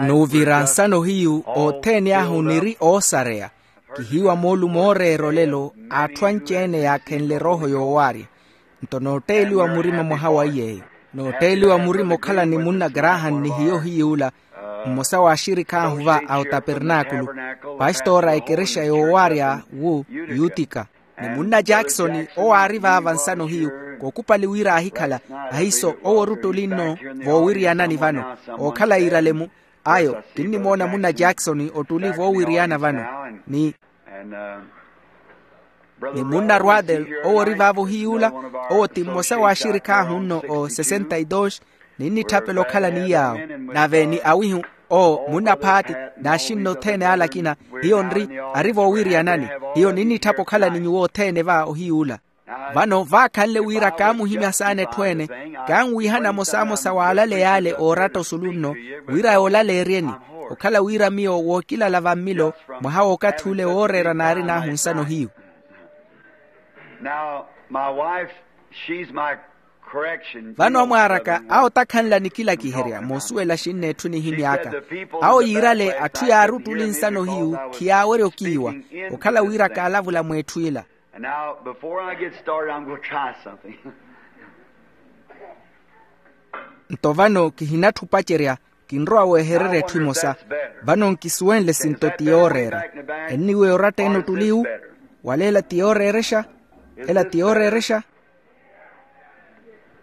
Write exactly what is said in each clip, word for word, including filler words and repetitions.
N'uvira nsano hiyu othene ahu niri oosareya. Kihiiwa moolumo ooreera olelo a atthu anci-ene yaakhenle erooho yoowaarya. Nto nootteeliwa murima mwaha wa iy'eyo, nootteeliwa murima okhala ni munna graham ni hiyo hiy'ula, mmosa w'axirikhi ahu va a otapernaakulu, pastora a ekerexa yoowaarya wu yutika. Ni munna jackson owo aari vaava nsano hiyu, kookupali wira aahikhala. Ahiiso owo oruttuli nno voowiriyana-ni vano, ookhala iirale-mu. Ayo kinnimoona munna jackson ottuli voowiriyana vano, ni ni munna rwadel, owo ori vaavo hiy'ula. Owo ti mmosa w'axirikhi ahu nno o sesenta y dos. Ninnitthapela okhala ni yaawo, nave ni awihu, owo munna phaati, n'axinna othene ale akina. Hiyo nri ari voowiriyanani. Hiyo ninnitthapa okhala ni nyuwo othene va ohiy'ula. Vano vaakhanle wira kaamuhimya saana etthu ene, kanwiihana mosamosa w'alaleya ale ooratta osulu nno, wira yoolaleeryeni, okhala wira miyo wookilala vammilo. Mwaha w'okathi ule wooreera naarin'ahu nsano hiyu. Now, my wife, she's my correction. Vano amwaaraka awo takhanla nikilakiherya moosuwela axinna etthu nihimy'aka. Awo yiirale atthu yaaruttuli nsano hiyu khiyaawerya okiiwa, okhala wira kaalavula mw'etthu ila. And now, before I get started, I'm going to try something. Nto vano kihinatthi opacerya, kinrowa wehererya etthu emosa. Vano nkisuwenle sinto ti yooreera. Enniweya oratta ene ottuli wu? Wala ela ti yooreerexa? Ela ti yooreerexa?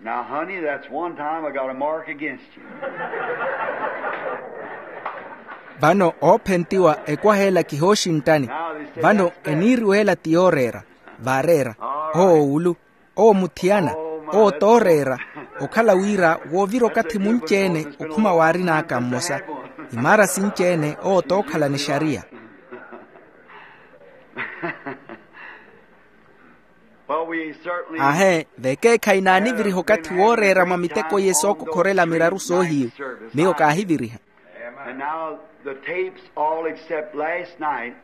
Now, honey, that's one time I got a mark against you. Vano oophentiwa ekwaha ela kihooxinttani. Vano eniiriwa ela ti yooreera. Vaareera. Owo wulu, owo muthiyana, owo tooreera. Okhala wira woovira okathi munci-ene okhuma waarin'aka mmosa, imaara sinci-ene owo tookhalana exariya. Aahe, vekeekhayi naaniviriha okathi wooreera mwa miteko iye sookokhorela miraru soohiyu. Miyo kaahiviriha. And now the tapes all except last night.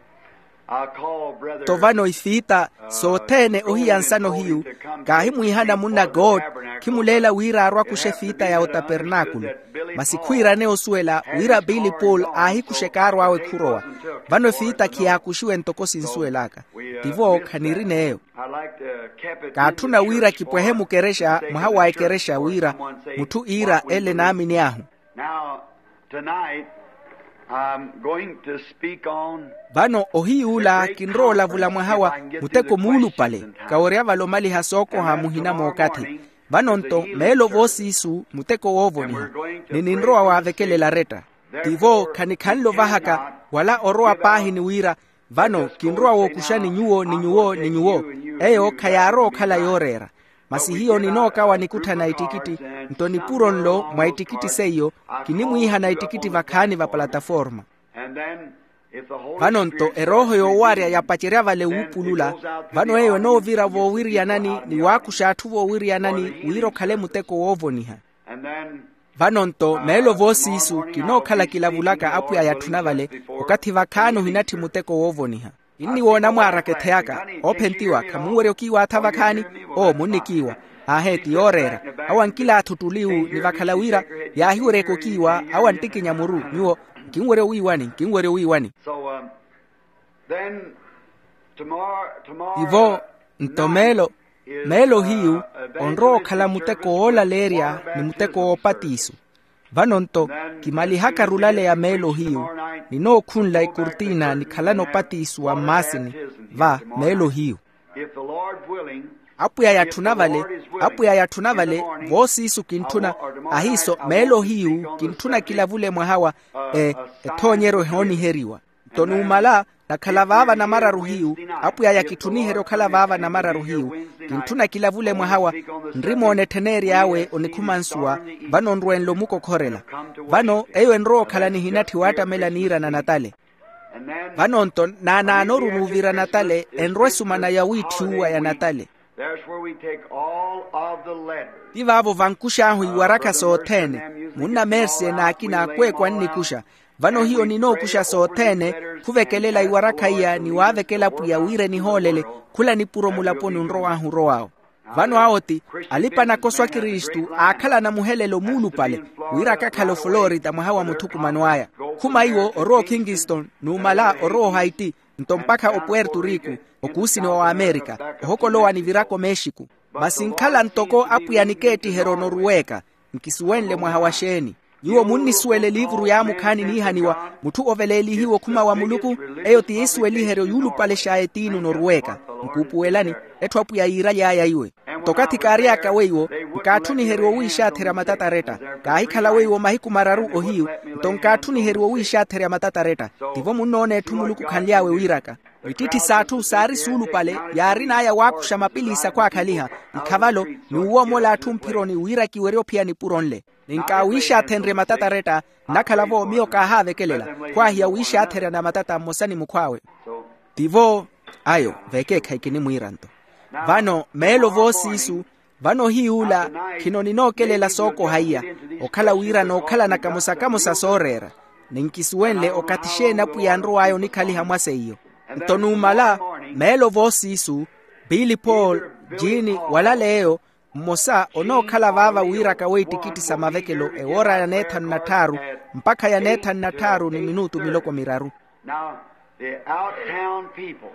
I called Brother. Nto vano ifiita sothene ohiya nsano hiyu, kaahimwiihana munna god, khimuleela wira arwe akuxe efiita ya otapernaakulu. Masi khwiirane osuwela wira billy paul aahikuxeke arw'awe khurowa. Vano efiita khiyaakuxiwe ntoko sinsuwel'aka. Tivo khanirina eyo. Kaatthuna wira kipwehe mukerexa mwaha wa ekerexa wira mutthu iira ele naamini ahu. Now, tonight, I'm going to speak on. Vano ohiy'ula kinrowa olavula mwaha wa muteko muulupale. Kawerya vale omaliha sookoha muhina mookathi. Vano nto meelo voosiisu muteko woovoniha, ni ninrowa waavekelela aretta. Tivo khanikhanle ovahaka wala orowa paahi ni wira, vano kinrowa wookuxani nyuwo ni nyuwo ni nyuwo. Eyo khayaarowa okhala yooreera. Masi hiyo ninookawa nikutthana ittikitti. Nto nipuro nlo mwa ittikitti seiyo kinimwiihana ittikitti vakhaani va plataforma. Vano nto erooho yoowarya yapacerya vale wuupulula. Vano eyo enoovira voowiriyanani ni waakuxa atthu voowiriyanani wira okhale muteko woovoniha. Vano nto meelo voosiisu kinookhala kilavulaka apwiya yatthuna vale. Okathi vakhaani ohinatthi muteko woovoniha. Kinniwoona mwaaraka etheyaka oophentiwa khamunwerya okiiwaatha vakhaani. Oo munnikiiwa. Aahe ti yooreera. Awo ankilaatha ottuli wu ni vakhala wira yaahiweryeke okiiwa awo anttikinya muru nyuwo. Nkinwerya owiiwani nkinwerya owiiwani. Ivo nto meelo meelo hiyu onrowa okhala muteko woolaleerya ni muteko woopatiisu. Vano nto kimalihaka rulaleya meelo hiyu. Ninookhunla ekurtina nikhalana opatiisu wa mmaasini va meelo hiyu. Apwiya yatthuna vale apwiya yatthuna vale voosiisu kintthuna. Ahiiso meelo hiyu kintthuna kilavule mwaha wa ethoonyeryo ehooniheriwa. Nto numala nakhala vaava namararu hiyu. Apwiy'aya kitthuniherya okhala vaava namararu hiyu. Kintthuna kilavule mwaha wa nrimoona etthen'ery'awe onikhuma nsuwa. Vano nrwenle omukokhorela. Vano eyo enrowa okhala nihinatthi waattamela niirana natale. Vano nto naanaanoru nuuvira natale enrwa esumana yawiitthiwa ya natale. Ti vaavo vankux'ahu iwarakha sothene. Munna mersie n'akina akweekwa annikuxa. Vano hiyo ninookuxa sothene khuvekelela iwarakha iya ni waavekela pwiya wira enihoolele. Khula nipuro mulaponi onrow'ahu orow'awo. Vano awo ti alipa-nakoso a kristu aakhalana muhelelo muulupale, wira akakhala oflorita mwaha wa muthukumano aya. Khuma iwo orowa okingston, numala orowa ohaiti, nto mpakha opuerto rico, okuusiniwa wa amerika, ohokolowa niviraka omexico. Masi nkhala ntoko apwiya nikeettiheryo onoruweka. Nkisuwenle mwaha wa xeeni? Nyuwo munnisuwela eliivuru yaamukhaani niihaniwa, mutthu oveleelihiwa okhuma wa muluku. Eyo ti yiisuweliheryo yuulupalex'aya etiini onoruweka. Nkuupuwelani, etthu apwiya yiiraly'aya iwe. Nto okathi kaary'aka weiwo, nkaatthuniheriwa owiixaatherya matataretta. Kaahikhala weiwo mahiku mararu ohiyu, nto nkaatthuniheriwa owiixaatherya matataretta. Tivo munnoona etthu muluku khanly'awe wiiraka. Ittitthi s'atthu saari suulupale, yaarin'aya waakuxa mapilisi akhwaakhaliha, ikhavalo, n'uwoomola atthu mphironi wira kiwerye ophiya nipuro nle. Ni nkaawiixaathenrye matataretta. Nnakhala-vo miyo kaahaavekelela, khwaahiya wiixaatherya na matata mmosa ni mukhw'awe. Tivo ayo, vekeekhayi kinimwiira nto. Vano meelo voosiisu, vano ohiyuula, khino ninookelela sookoha iya, okhala wira nookhalana kamosa-kamosa sooreera. Ni nkisuwenle okathi xeeni apwiya anrow'aya onikhaliha mwa seiyo. Nto numala, meelo voosiisu, billy paul, jini, wala leeyo, mmosa onookhala vaava wiiraka weittikitti sa mavekelo ewoora ya neethanu na tthaaru, mpakha ya neethanu na tthaaru ni minutu miloko miraru. Now, the out town people.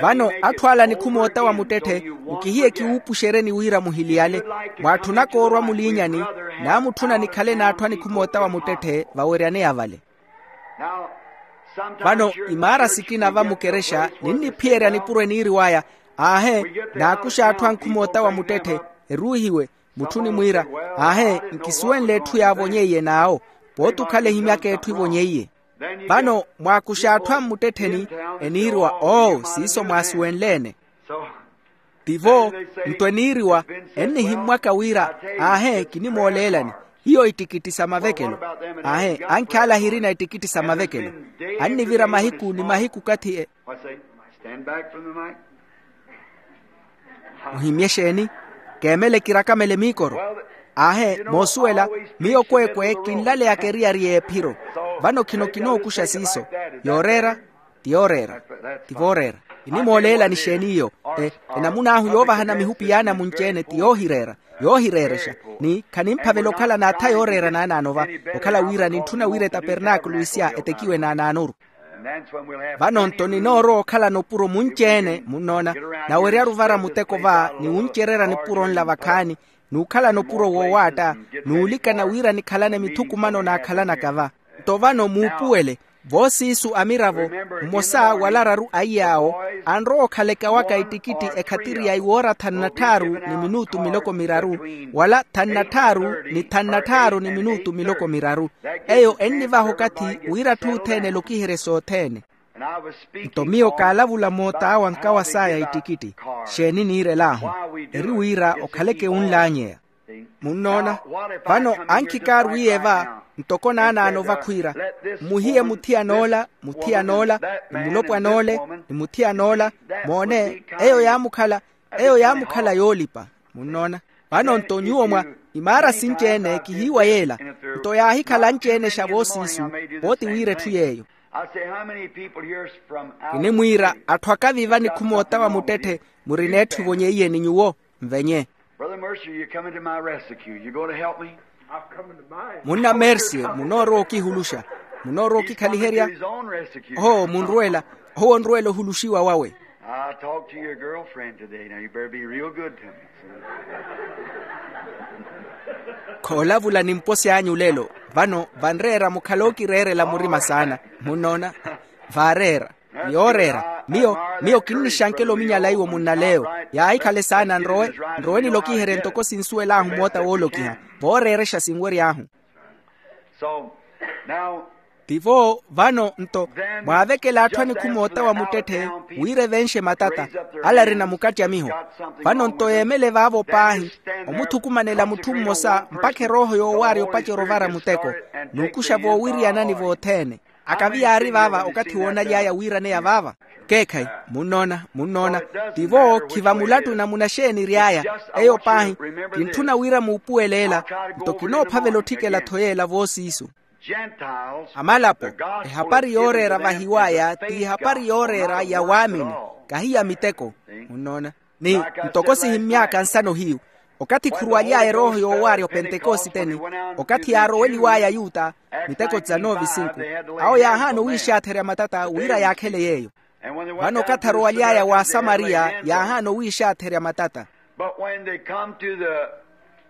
Vano atthu ala nikhumoota wa muttetthe, nkihiye kiwuupuxeryeni wira muhiliyale. Mwaatthunaka orwa muliinyani, naamutthuna nikhale n'atthu anikhumoota wa muttetthe vaweryaneya vale. Vano imaara sikina va mukerexa, ninniphiyerya nipuro eniiriw'aya. Aahe, naakuxa atthu ankhumoota wa muttetthe, eruuhiwe. Mutthu onimwiira, aahe, nkisuwenle etthu yaavonyeiye n'awo. Pooti okhala ehimyaka etthu ivonyeiye. Vano mwaakuxa atthu a mmuttettheni, eniiriwa oo siiso mwaasuwenle-ene. Tivo, nto eniiriwa, ennihimmwaka wira, aahe kinimooleelani, hiyo ittikitti sa mavekelo. Aahe, ankhi ala ahirina ittikitti sa mavekelo. Annivira mahiku ni mahiku okathi e. Muhimye exeeni? Keemele kirakamele miikoro. Aahe, moosuwela, miyo kweekwe kinlaleyaka eriyari y'ephiro. Vano khino kinookuxa siiso. Yooreera, ti yooreera. Ti vooreera. Kinimooleelani exeeni iyo? Enamun'ahu yoovahana mihupi yaana munci-ene ti yoohireera. Yoohireerexa. Ni khanimphavela okhala n'atha yooreera naanaano va, okhala wira nintthuna wira etapernaakulu isya etekiwe naanaanoru. Vano nto ninoorowa okhalana opuro munci-ene munnoona, naweryaru vara muteko va ni wuncererya nipuro nla vakhaani, n'ukhalana opuro woowaatta, n'ulikana wira nikhalane mithukumano naakhalanaka va. Nto vano muupuwele, voosiisu amiravo, mmosa wala araru a iy'awo, anrowa okhala ekawaka ittikitti ekhatiri ya iwoora thanu na tthaaru ni minutu miloko miraru, wala thanu na tthaaru ni thanu na tthaaru ni minutu miloko miraru. Eyo ennivaha okathi wira atthu othene alokiherye sothene. Nto miyo kaalavula moota awe ankawa saya ittikitti. Xeeni niirel'ahu? Eri wira okhaleke wunlaanyeya. Munnoona? Vano ankhi kaarwiiye va, ntoko naanaano vakhwiira, mmuhiye muthiyan'ola, muthiyan'ola, ni mulopwan'ole, ni muthiyan'ola. Moone, eyo yaamukhala, eyo yaamukhala yoolipa. Munnoona? Vano nto nyuwo mwa imaara sinci-ene kihiiwa yeela. Nto yaahikhala anci-enexa voosiisu, pooti wira etthu yeeyo. Kinimwiira, atthu akaviva nikhumoota wa muttetthe, murina etthu evonyeiye ni nyuwo. Nvenye. Brother Mercer, you're coming to my rescue. You going to help me? Munna mersiyo, munoorowa okihuluxa? Munoorowa okikhaliherya? Oho munrwela. Owo onrwela ohuluxiwa wawe. I talked to your girlfriend today. Now you better be real good to me. Khoolavula ni mposi anyu lelo. Vano vanreera mukhale okireerela murima saana. Munnoona? Vaareera. Yooreera. Miyo, miyo kinnixankela ominyala iwo munnaleyo. Yaahikhale saana nrowe, nrowe nilokiherye ntoko sinsuwel'ahu moota woolokiha. Vooreerexa sinwery'ahu. Tivo vano nto, mwaavekela atthu anikhumoota wa muttetthe, wira evenxe matata, ala arina mukattya miho. Vano nto yeemele vaavo paahi, omuthukumanela mutthu mmosa mpakha erooho yoowaarya opacerya ovara muteko, n'ukuxa voowiriyanani vothene. Akavi yaari vaava okathi woonaly'aya wiiraneya vaava? Keekhayi. Munnoona, munnoona. Tivo khiva mulattu namuna xeeni ery'aya. Eyo paahi, kintthuna wira muupuweleela. Nto kinoophavela otthikela-tho yeela voosiisu. Amalapo, ehapari yooreera vahiw'aya ti ehapari yooreera ya waamini, kahi ya miteko. Munnoona? Ni ntoko sihimmy'aka nsano hiyu, okathi khuruwaly'aya erooho yoowaarya opentekositeni, okathi yaaroweliw'aya ayuta, miteko tsa novi sinku, awo yaahaana owiixaatherya matata wira yaakhele yeeyo. Vano okathi arowaly'aya w'asamariya yaahaana owiixaatherya matata. But when they come to the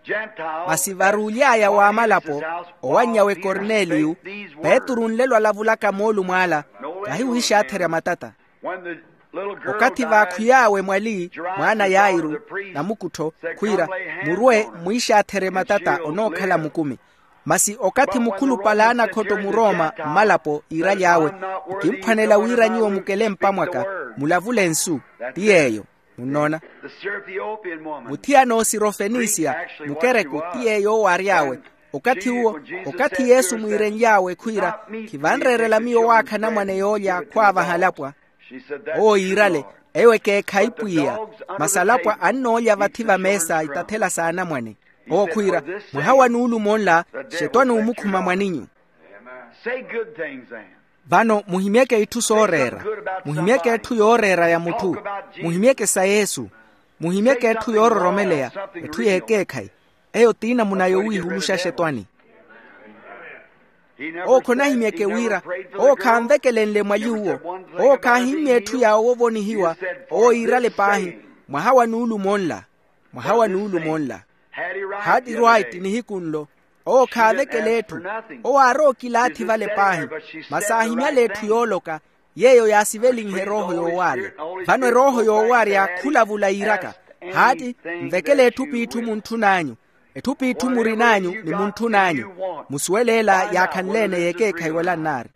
Gentiles, masi varuuly'aya w'amalapo, owanny'awe korneliyu, petru nlelo alavulaka moolumo ala, kahi wiixaatherya matata. When the little girl okathi died, vaakhwiy'awe mwali, mwaana yairu, namukuttho, khwiira, murwe mwiixaatherye matata onookhala mukumi. Masi okathi mukhulupale anakhotto murooma mmalapo iiraly'awe, nkimphwanela wira nyuwo mukele mpamwaka, mulavule nsu, ti yeeyo. Munnoona? Muthiyana osirofenisia, mukereku, ti yeeyo owaary'awe. Okathi uwo, okathi yesu mwiirenly'awe khwiira, khivanreerela miyo waakha anamwane yoolya khwaavaha alapwa. Owo yiirale, eyo ekeekhayi pwiya, masi alapwa annoolya vathi va meesa itathela s'anamwane. Owo khwiira, mwaha wa nuulumo nla, xetwani omukhuma mwaninyu. Say good things, then. Vano muhimyeke itthu sooreera, muhimyeke etthu yooreera ya mutthu, muhimyeke sa yesu, muhimyeke etthu yoororomeleya, etthu y'ekeekhayi. Eyo ti namuna yowiihuluxa xetwani. Owo khonahimyeke wira, owo khaanvekelenle mwali uwo, owo khaahimmye etthu yaawo ovonihiwa, owo yiirale paahi, mwaha wa nuulumo nla, mwaha wa nuulumo nla. Haati rwaiti nihiku nlo, owo khaavekela etthu, owo aarowa okilaathi vale paahi, masi aahimyale etthu yooloka, yeeyo yaasivelinhe erooho yoowaarya. Vano erooho yoowaarya khulavula yiiraka, haati, nvekele etthu p'itthu muntthun'anyu, etthu p'itthu murin'anyu ni muntthun'anyu, musuwele ela yaakhanleene y'ekeekhayi wala nnaari.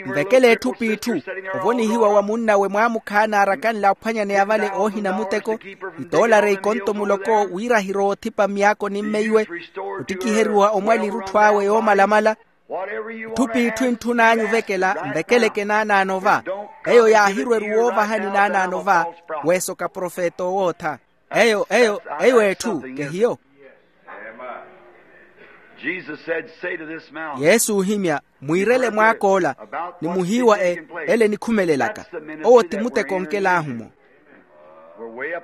Nvekele etthu p'itthu, ovonihiwa wa munnawe mwaamukhaana arakanle aphwanyaneya vale oohina muteko, itoolare ikonto muloko wira ahirowa othipa myako ni mmeiwe, ottikiheriwa omwali erutthu awe yoomalamala. Etthu p'itthu entthun'anyu ovekela nvekeleke naanaano va, eyo yaahirweru woovahani naanaano va, weesoka profeta owootha. Eyo eyo eyo etthu kehiyo. Jesus said, say to this mountain, yesu ohimya, mwiirele mwaak'ola, ni muhiiwa e, ele enikhumelelaka. Owo ti muteko onkel'ahu-mo.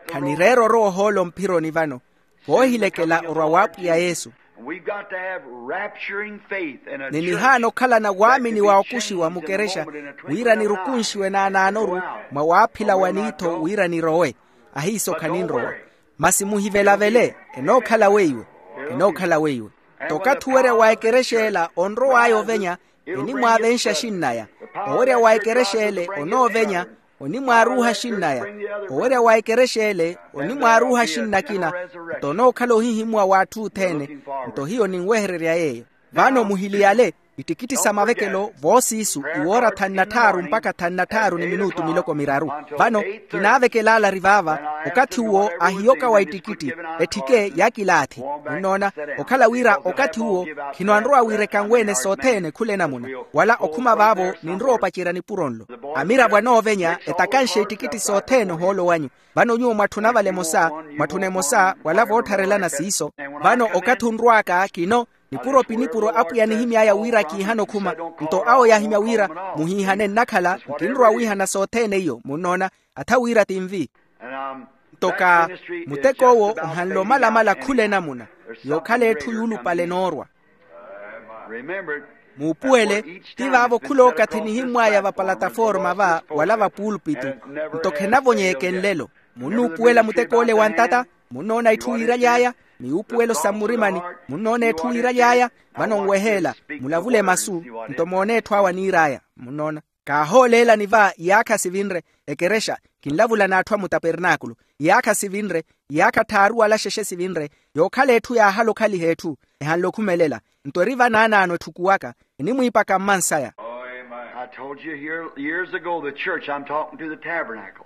Khanireera orowa ohoolo mphironi vano, voohilekela orwa w'apwiya yesu. Ni nihaana okhalana waamini wa okuxiwa mukerexa, wira nirukunxiwe naanaanoru, mwa waaphila wa niitho wira nirowe. Ahiiso khaninrowa. Masi muhivelavele, enookhala weiwe, enookhala weiwe. Nto okathi owerya wa ekerexa ela onrow'aya ovenya, enimwaavenxa xinnaya. Owerya wa ekerexa ele onoovenya, onimwaaruuha xinnaya. Owerya wa ekerexa ele onimwaaruuha xinnakina. Nto onookhala ohihimuwa w'atthu othene. Nto hiyo ninwehererya yeeyo. Vano muhiliyale, ittikitti sa mavekelo voosiisu, iwoora thanu na tthaaru mpakha thanu na tthaaru ni minutu miloko miraru. Vano kinaavekelaalari vaava, okathi uwo ahiyoka wa ittikitti, etthike ya kilaathi. Munnoona, okhala wira okathi uwo khino anrowa wiireka nweene sothene khula enamuna, wala okhuma vaavo ninrowa opacerya nipuro nlo. Amiravo anoovenya etakanxe ittikitti sothene ohoolo wanyu. Vano nyuwo mwatthuna vale emosa, mwatthuna emosa wala voottharelana siiso. Vano okathi onrw'aka kino, nipuro pi nipuro apwiya anihimy'aya wira kiihana okhuma. Nto awo yaahimya wira, muhiihane nnakhala, nkinrowa wiihana sothene iyo munnoona, atha wira tinvi. Nto ka, mutek'owo ohanle omalamala khula enamuna, yookhala etthu yuulupale enoorwa. Muupuwele, ti vaavo khulookathi nihimmw'aya vapalataforma va wala vapuulpitu. Nto khenavonyeeke nlelo. Munnuupuwela mutek'ole wa ntata, munnoona itthu wiiraly'aya, ni yuupuwelo sa mmurimani, munnoona etthu wiiraly'aya. Vano nweheela, mulavule masu, nto moone etthu awo aniir'aya. Munnoona, kaahooleelani va iyaakha sivinre, ekerexa, kinlavula n'atthu a mutapernaakulu, iyaakha sivinre, iyaakha tthaaru wala xexe sivinre, yookhala etthu yaahala okhaliha etthu, ehanle okhumelela. Nto eri vanaanaano etthukuwaka, enimwiipaka mmansaya. I told you here years ago, the church, I'm talking to the tabernacle.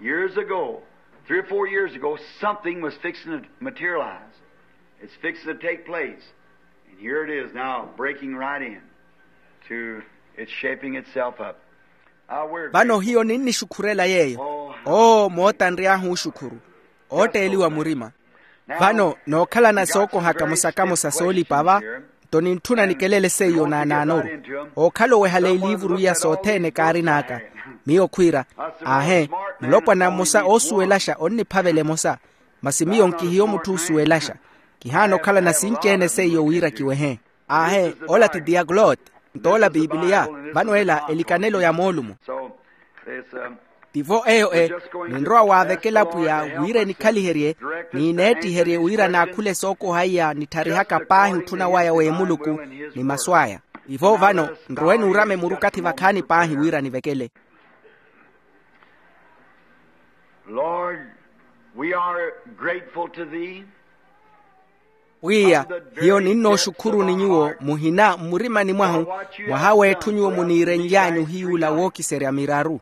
Years ago, three or four years ago, something was fixing to materialize. It's fixing to take place. And here it is now, breaking right in to it's shaping itself up. Vano hiyo ninnixukhurela yeeyo. Oo mootanry'ahu oxukhuru, ootteeliwa murima. Vano nookhalana sookohaka musakamosa soolipa va, nto nintthuna nikelele seiyo naanaanoru. Ookhala owehala eliivuru iya sothene kaarin'aka, Miyo khwiira, aahe, mulopwana mmosa oosuwelaxa onniphavela emosa. Masi miyo nkihiyo mutthu oosuwelaxa. Kihaana okhalana sinci-ene seiyo wira kiwehe. Aahe, ola ti diaglot. Nto ola pipiliya. Vano ela elikanelo ya moolumo. Tivo eyo e, ninrowa waavekela pwiya wira enikhaliherye, ni neettiherye wira naakhule sookoha iya nitharihaka paahi otthuna waya w'emuluku ni masu aya. Tivo vano, nrowe nuurame murukathi vakhaani paahi wira nivekele. Lord, we are grateful to thee. Pwiya, hiyo ninnooxukhuruni nyuwo muhina mmurimani mwahu, mwaha w'etthu nyuwo muniirenly'anyu hiy'ula wookiserya miraru.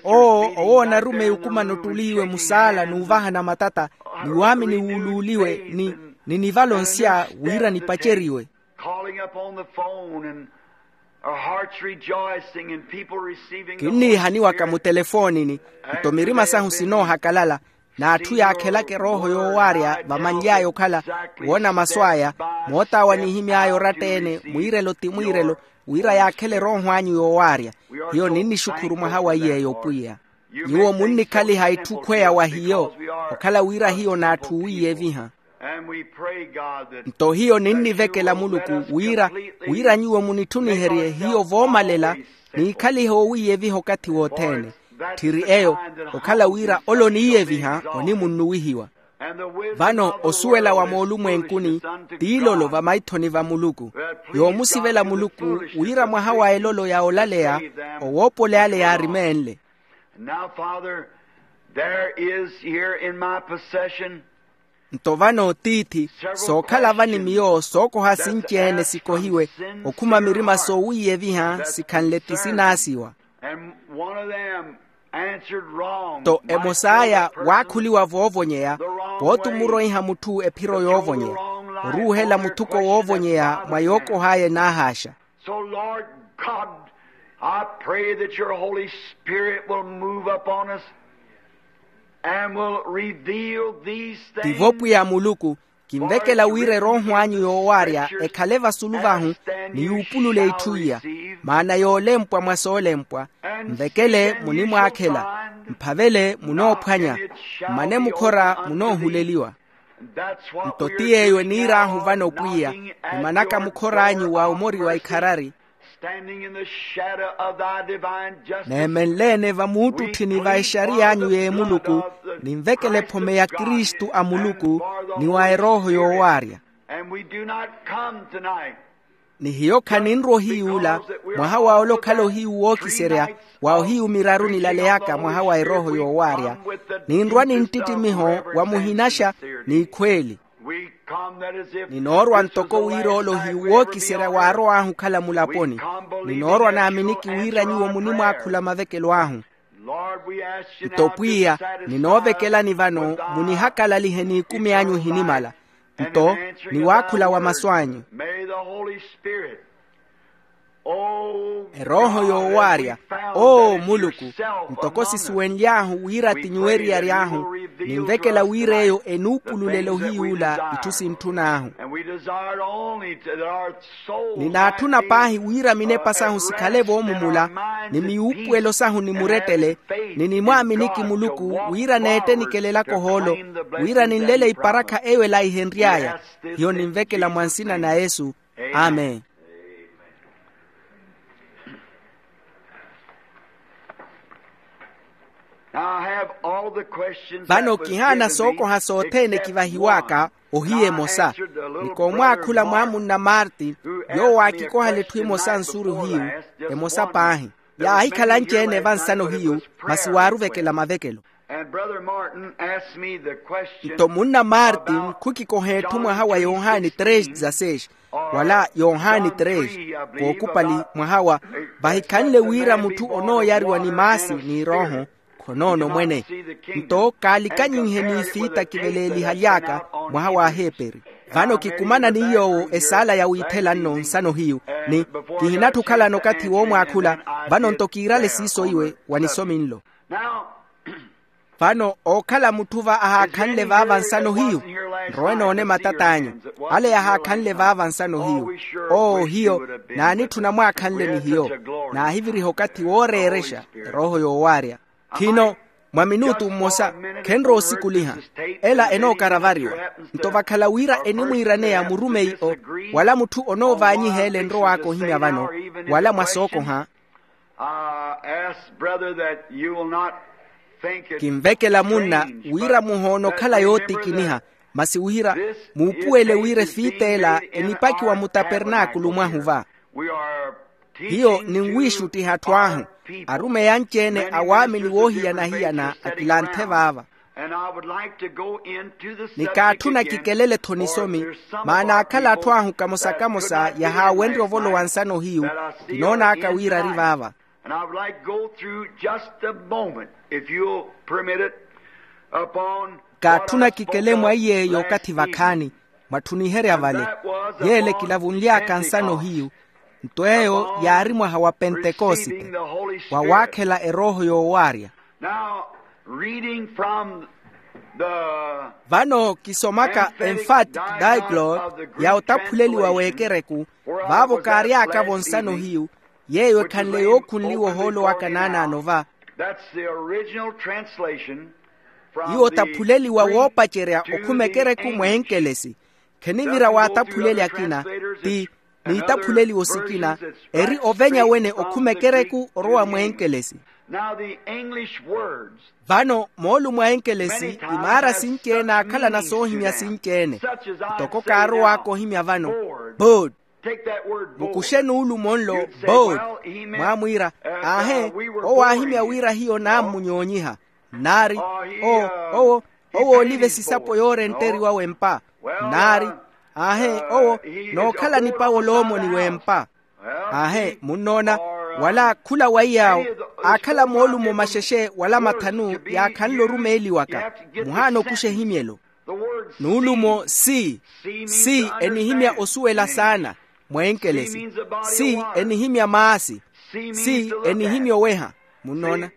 Oo owoona arumeyi okumana ottuliiwe musaala n'uvahana matata, ni waamini wuuluuliwe, ni ninivalonsya wira nipaceriwe. Calling up on the phone and our hearts rejoicing and people receiving the Holy Spirit. Kinniihaniwaka mutelefoonini, nto mirima sahu sinoohakalala, n'atthu yaakhelaka erooho yoowaarya vamanly'aya okhala woona masu aya. Moot'awe anihimy'aya oratta-ene mwiirelo ti mwiirelo, wira yaakhele erooho anyu yoowaarya. Hiyo ninnixukhuru mwaha wa iy'eyo pwiya. Nyuwo munnikhaliha itthu khweya wa hiyo, okhala wira hiyo n'atthu oowiiyeviha. Nto hiyo ninnivekela muluku wira, wira nyuwo munitthuniherye hiyo voomalela, niikhalihe oowiiyeviha okathi wothene. Tthiri eyo, okhala wira ole oniiyeviha onimunnuwihiwa. Vano osuwela wa moolumwenkuni t'ilolo vamaithoni va muluku, yoomusivela muluku wira mwaha wa elolo ya olaleya, owoopole ale yaarimeenle. And now, Father, there is here in my possession. Nto vano tiithi, sookhala vani miyo sookoha sinci-ene sikohiwe, okhuma mirima soowiiyeviha sikhanle ti sinaasiwa. And one of them answered wrong. Nto emos'aya waakhuliwa voovonyeya, pooti omuroiha mutthu ephiro yoovonyeya, oruuhela muthuko woovonyeya mwa yookoh'aya enaahaaxa. So, Lord God, I pray that your Holy Spirit will move upon us and will reveal these things. Tivo pwiya muluku, kinvekela wira erooho anyu yoowaarya ekhale vasulu vahu, ni yuupulule itthu iya. Maana yoolempwa mwa soolempwa, nvekele munimwaakhela, mphavele munoophwanya, mmane mukhora munoohuleliwa. Nto ti yeeyo eniir'ahu vano pwiya, nimanaka mukhor'anyu wa omori wa ikharari. Neemenle-ene vamuuttutthini va exariy'anyu y'emuluku, ninvekele ephome ya kristu a muluku, ni wa erooho yoowaarya. Ni hiyo khaninrwa ohiyuula, mwaha wa ole okhala ohiyu wookiserya, wa ohiyu miraru nilaleyaka mwaha wa erooho yoowaarya, ninrwa ni nttittimiho wa muhinaxa, n'ikhweeli. Ninoorwa ntoko wira ole ohiyu wookiserya waarow'ahu okhala mulaponi. Ninoorwa naaminiki wira nyuwo munimwaakhula mavekelo ahu. Nto pwiya, ninoovekelani vano, munihakalalihe n'ikumi anyu ehinimala, nto ni waakhula wa masu anyu. Erooho yoowaarya, oo muluku, ntoko sisuwenly'ahu wira ti nyuwo eriyari ahu, ninvekela wira eyo enuupululela ohiyuula itthu sintthun'ahu. Ninaatthuna paahi wira minepa sahu sikhale voomumula, ni miwuupuwelo sahu ni murettele, ni nimwaaminiki muluku wira neettenikelela kohoolo, wira ninlele iparakha eyo elaihenry'aya. Hiyo ninvekela mwa nsina na yesu. Amen. Vano kihaana sookoha sothene kivahiwaka ohiya emosa. Nikoomwaakhula mwa munna martin, yoowo aakikohela etthu emosa nsuru hiyu, emosa paahi. Yaahikhala anci-ene vansano hiyu, masi waaruvekela mavekelo. Nto munna martin khukikoha etthu mwaha wa yohani tres dezasseis, wala yohani tres, kookupali mwaha wa, vahikhanle wira mutthu onooyariwa ni maasi n'irooho, khonoono mwene. Nto kaalikanyinhe n'ifiita kiveleelihaly'aka, mwaha wa aheeperi. Vano kikumana ni yoowo esaala ya wiithela nno nsano hiyu, ni kihinatthu okhalana okathi woomwaakhula. Vano nto kiirale siiso iwe wa nisomi nlo. Vano ookhala mutthu va ahaakhanle vaava nsano hiyu, Nrowe noone matat'anyu, ale yahaakhanle vaava nsano hiyu. Oo hiyo, naanitthuna mwaakhanle ni hiyo. Naahiviriha okathi wooreerexa erooho yoowaarya. Khino, mwa minutu mmosa, khenroosikuliha. Ela enookaravariwa. Nto vakhala wira enimwiiraneya murumeyi-o, wala mutthu onoovaanyiha ele enrowaaka ohimya vano, wala mwa sookoha. Kinvekela munna wira muhoona okhala yootikiniha, masi wira muupuwele wira efiit'ela enipakiwa mutapernaakulu mwahu va. Hiyo ninwiixuttiha atthu ahu, arumeyi anci-ene a waamini woohiyana-hiyana akilanthe vaava. Nikaatthuna kikelele-tho nisomi, maana aakhala atthu ahu kamosa-kamosa yahaawenrye ovolowa nsano hiyu. Kinoon'aka wira ari vaava. Kaatthuna kikele mwa iy'eyo okathi vakhaani, mwatthuniherya vale, y'ele kilavunly'aka nsano hiyu. Nto eyo yaari mwaha wa pentekosite, wa waakhela erooho yoowaarya. Vano kisomaka emphatic diglot ya otaphuleliwa w'ekereku, vaavo kaary'aka-vo nsano hiyu, yeeyo ekhanle yookhunliwa ohoolo waka naanaano va. Iwo otaphuleliwa woopacerya okhuma ekereku mw'enkelesi. Khenivira waataphuleli akina, ti niitaphuleliwo sikina, eri ovenya wene okhuma ekereku orowa mw'enkelesi. Vano moolumo a enkelesi, imaara sinci-ene aakhalana soohimya sinci-ene. Ntoko kaarow'aka ohimya vano, board. Mukuxe nuulumo nlo, board. Mwaamwiira, aahe, owo aahimya wira hiyo naammunyoonyiha. Nnaari, owo owo owo oolive sisapo yoorenteriwa w'empa. Nnaari, aahe, owo nookhala nipawo loomoni w'empa. Aahe, munnoona, wala khula wa iy'awo aakhala moolumo maxexe wala mathanu yaakhanle orumeeliwaka. Muhaana okuxa ehimyelo. Nuulumo si si enihimya osuwela saana, mw'enkelesi. Si enihimya maasi. Si enihimya oweha. Munnoona.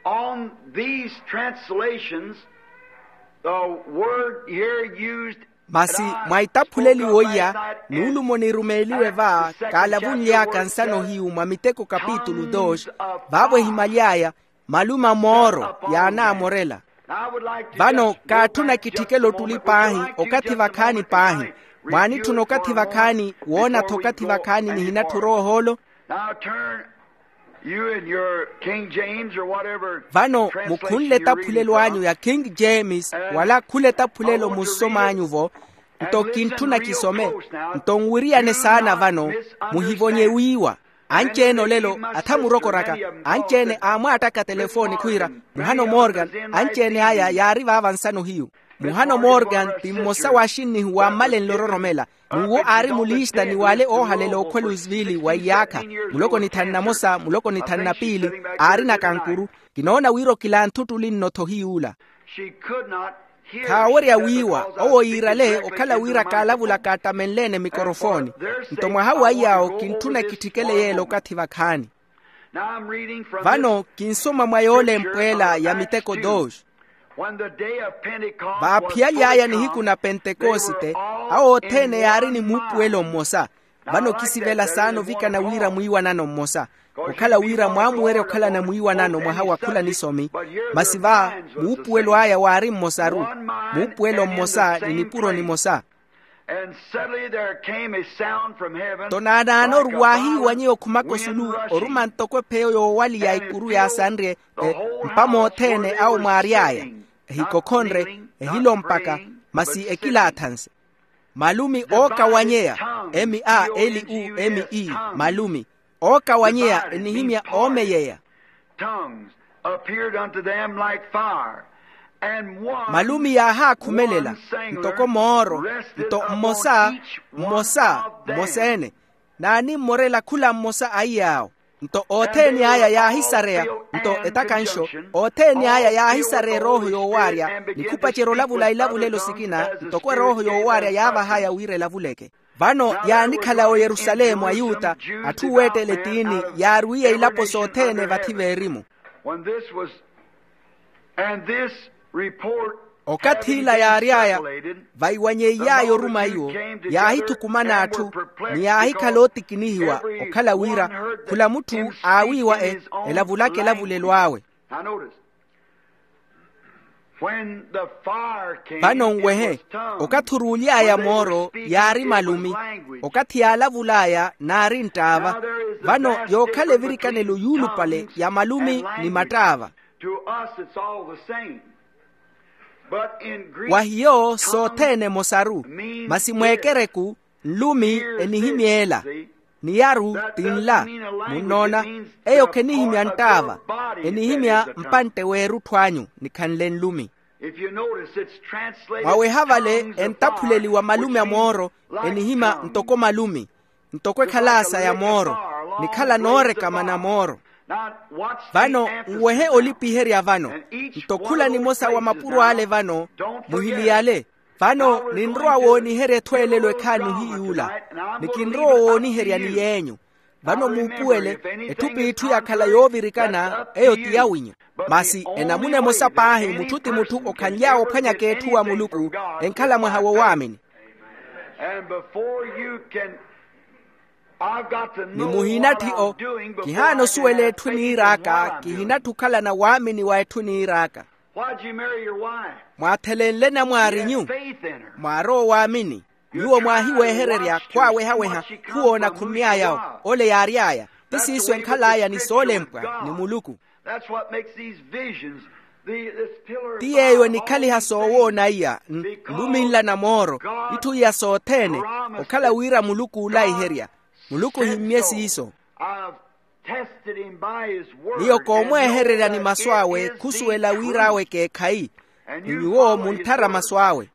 On these translations, the word here used. Masi mwa itaphuleliwo iya, nuulumo nirumeeliwe va kaalavunly'aka nsano hiyu mwa miteko kapitulu dos, vaavo ehimaly'aya malume a mooro yaanaamorela. Vano kaatthuna kitthikele ottuli paahi, okathi vakhaani paahi. Mwaanitthuna okathi vakhaani woona-tho okathi vakhaani nihinatthi orowa ohoolo. Now turn you and your King James or whatever. Vano mukhunle etaphulelo anyu ya King James wala khula etaphulelo munsom'anyu-vo. Nto kintthuna kisome. Nto nwiriyane saana vano, muhivonye wiiwa. Anci-ene olelo atha murokoraka, anci-ene aamwaattaka telefooni khwiira, muhano morgan. Anci-ene aya yaari vaava nsano hiyu. Muhano morgan ti mmosa wa axinnihu wammalenle ororomela. N'uwo aari mulista ni wale oohalela okhwa louisville wa iyaakha, muloko nithanu na mosa muloko nithanu na piili. Aari na kankuru. Kinoona wira okilanthuttuli nno-tho hiy'ula. Khaawerya wiiwa owo yiirale okhala wira kaalavulaka attamenle-ene mikorofooni. Nto mwaha wa iy'awo kintthuna kitthikele yeela okathi vakhaani. Vano kinsoma mwa yoole empweela ya miteko dos. Vaaphiyaly'aya nihiku na pentekosite, awo othene yaari ni muupuwelo mmosa. Vano khisivela saana ovikana wira mwiiwanano mmosa, okhala wira mwaamuwerya okhalana mwiiwanano mwaha wa khula nisomi. Masi va, muupuwelo aya waari mmosaru. Muupuwelo mmosa ni nipuro nimosa. And suddenly there came a sound from heaven. Nto naanaanoru waahiiwanyeya okhumaka osulu, oruma ntoko epheyo yoowali ya ikuru yaasanrye. Mpamo othene awo mwaary'aya, ehikokhonre, ehilompaka, masi ekilaathanse. Malumi ookawanyeya, m a l u m e, malumi ookawanyeya enihimya oomeyeya. Tongues appeared unto them like fire, and one, malumi yaahaakhumelela ntoko mooro. Nto mmosa, mmosa mmosa-ene naanimmorela khula mmosa a iy'awo. Nto othene aya yaahisareya. Nto etakanxo, othene aya yaahisareya erooho yoowaarya, nikhupacerya olavula ilavulelo sikina ntoko erooho yoowaarya yaavahaya wira elavuleke. Vano yaanikhala oyerusalemu ayuta, atthu weettela etiini yaarwiiye ilapo sothene vathi veerimu. When this was, and this report Okath'ila yaary'aya, vaiwanyeiy'aya oruma iwo, yaahithukumana atthu, ni yaahikhala ootikinihiwa, okhala wira khula mutthu aawiiwa e elavulaka elavulelo awe. Vano nwehe, okathi oruuly'aya mooro yaari malumi. Okathi yaalavul'aya naari nttaava. Vano yookhala evirikanelo yuulupale ya malumi ni mattaava. Wa hiyo sothene emosaru, masi mweekereku nlumi enihimya ela, niyaru ti nla. Munnoona, eyo khenihimya nttaava, enihimya mpantte w'erutthu anyu nikhanle nlumi. Mwaweha vale entaphuleliwa malumi a mooro, enihimya ntoko malumi, ntoko ekhala sa ya mooro, nikhala noorekama na mooro. Vano nwehe olipiherya vano, nto khula nimosa wa mapuro ale vano, muhiliyale. Vano ninrowa wooniherya ethweelelo ekhaani ohiyuula, ni kinrowa wooniherya ni yeenyu. Vano muupuwele, etthu p'itthu yakhala yoovirikana eyo ti yawinyu. Masi enamuna emosa paahi mutthu ti mutthu okhanly'awe ophwanyaka etthu wa muluku, enkhala mwaha wo waamini. Ni muhinatthi o, kihaana osuwela etthu eniir'aka, kihinatthi okhalana waamini wa etthu eniir'aka. Mwaathelenle namwaarinyu, mwaarowa owaamini. Nyuwo mwaahiwehererya khwaawehaweha, khuwoona khunny'ay'awo. Ole yaary'aya, ti siiso enkhal'aya ni soolempwa ni muluku. Ti yeeyo enikhaliha soowoona iya, nlumi nla na mooro, itthu iya sothene, okhala wira muluku oolaiherya. Muluku ohimmye siiso. Miyo koomweehererya ni masu awe khusuwela wir'awe ekeekhayi, ni nyuwo muntthara masu awe.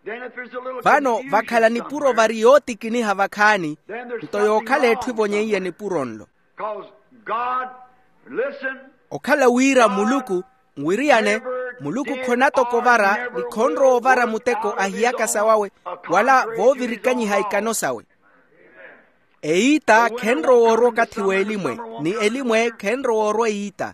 Vano vakhala nipuro vari yootikiniha vakhaani, nto yookhala etthu evonyeiye nipuro nlo. Okhala wira muluku, nwiriyane, muluku khonatoka ovara ni khonrowa ovara muteko ahiyaka sawawe, wala voovirikanyiha ikano sawe. Eyiita khenrowa orwa okathi w'elimwe, ni elimwe khenrowa orwa eyiita.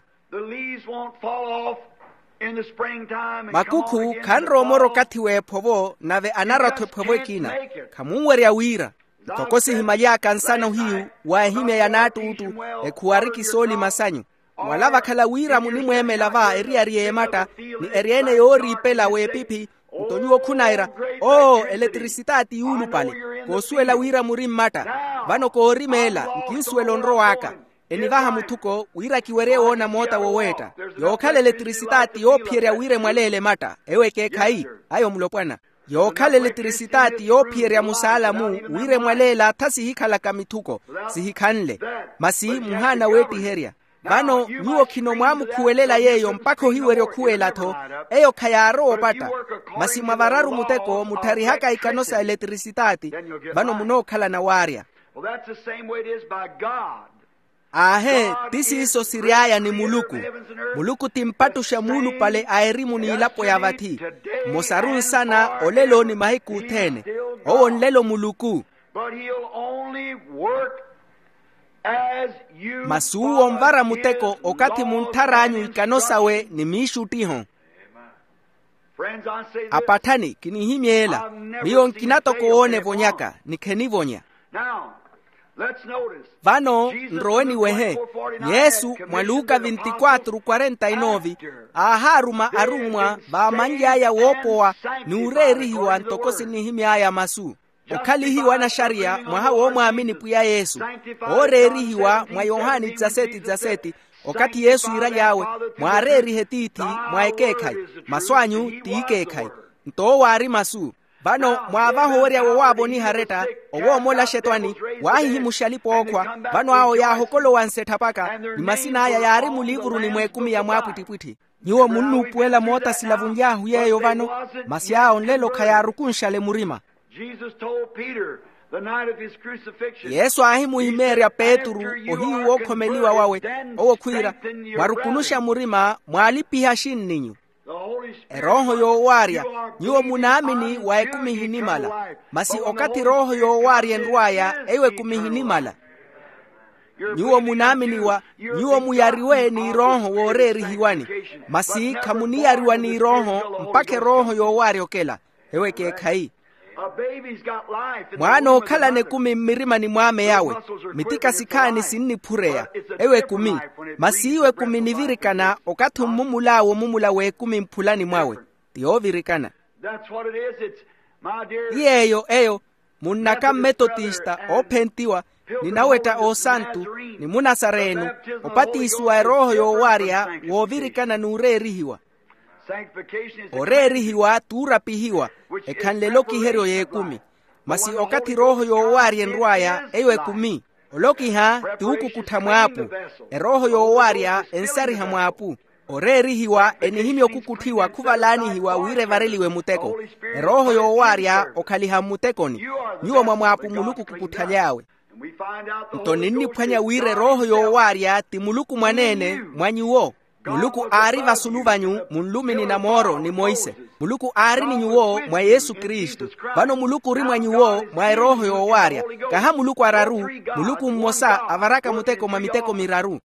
Makukhu khanrowa omora okathi w'ephovo, nave anarwa-tho ephovo ekina. Khamunwerya wira. Ntoko sihimaly'aka nsana ohiyu wa ehimya ya naattuuttu, ekhuwari kisoolima sanyu. Wala vakhala wira munimweemela va eriyari y'ematta, ni eryeene yooriipela w'epiphi. Nto nyuwo khunaira, oo, eletirisitaati yuulupale. Koosuwela wira muri mmatta. Vano koorimeela, nkinsuwela onrow'aka. Enivaha muthuko wira kiwerye woona moota woweetta. Yookhala eletirisitaati yoophiyerya wira emwaleele ematta, eyo ekeekhayi. Ayo mulopwana. Yookhala eletirisitaati yoophiyerya musaala-mu, wira emwaleela tha sihikhalaka mithuko, sihikhanle. Masi muhaana weettiherya. Vano nyuwo khino mwaamukhuwelela yeeyo mpakha ohiwerya okhuwela-tho. Eyo khayaarowa opatta. Masi mwa vararu muteko muttharihaka ikano sa eletirisitaati, vano munookhalana waarya. Aahe, ti siiso siry'aya ni muluku. Muluku ti mpattuxa muulupale a erimu n'ilapo ya vathi. Mmosaru nsana olelo ni mahiku othene. Owo nlelo muluku. Masi uwo onvara muteko okathi munttharaanyu ikano sawe ni miixuttiho. Apatthani kinihimyeela. Miyo nkinatoka owoona evonyaka ni khenivonya. Vano nrowe niwehe. Yesu mwa luka vinti-quatro quarenta e nove aahaaruma arummwa vaamanly'aya woopowa, n'ureerihiwa ntoko sinihimy'aya masu. Okhalihiwa anaxariya mwaha woomwaamini pwiya yesu, ooreerihiwa mwa yohani dizaseti dizaseti. Okathi yesu iiraly'awe, mwaareerihe tiithi mwa ekeekhayi, masu anyu t'ikeekhayi. Nto owo aari masu. Vano mwaavaha owerya wowaavoniha aretta, owoomola axetwani, waahihimuxa alipa-ookhwa. Vano awo yaahokolowa nsetthapaka ni masin'aya yaari muliivuruni mw'ekumi ya mwaapwittipwitthi. Nyuwo munnuupuwela moota silavunly'ahu yeeyo vano, masi awo nlelo khayaarukunxale murima. Yesu aahimuhimeerya petru ohiyu wookhomeliwa wawe, owo khwiira, mwarukunuxa murima mwaalipiha axinninyu. Erooho yoowaarya, nyuwo munaamini wa ekumi ehinimala. Masi okathi erooho yoowaarya enrw'aya eyo ekumi ehinimala. Nyuwo munaaminiwa, nyuwo muyariwe n'irooho wooreerihiwani. Masi khamuniyariwa n'irooho mpakha erooho yoowaarya okela. Ewo ekeekhayi. Mwaana ookhalana ekumi mmirimani mw'ame yawe. Mitika sikhaani sinniphureya. Ewo ekumi. Masi iwo ekumi nivirikana okathi ommumul'awe omumula w'ekumi mphulani mwawe. Ti yoovirikana. Ti yeeyo eyo. Munnaka mmetotista oophentiwa, ni nawetta oosantu, ni munasareeno, opatisiwa erooho yoowaarya, woovirikana n'ureerihiwa. Oreerihiwa t'urapihiwa, ekhanle elokiheryo y'ekumi. Masi okathi erooho yoowaarya enrw'aya eyo ekumi. Olokiha ti wukukuttha mw'apu. Erooho yoowaarya ensariha mw'apu. Oreerihiwa enihimya okukutthiwa khuvalaanihiwa wira evareliwe muteko. Erooho yoowaarya okhaliha mmutekoni. Nyuwo mwa mwaapu muluku kukuthaly'awe. Nto ninniphwanya wira erooho yoowaarya ti muluku mwaneene mwa nyuwo. Muluku aari vasulu vanyu munlumini na mooro ni monse. Muluku aari ni nyuwo mwa yesu kristu. Vano muluku ori mwa nyuwo mwa erooho yoowaarya. Kaha muluku araru. Muluku mmosa avaraka muteko mwa miteko miraru.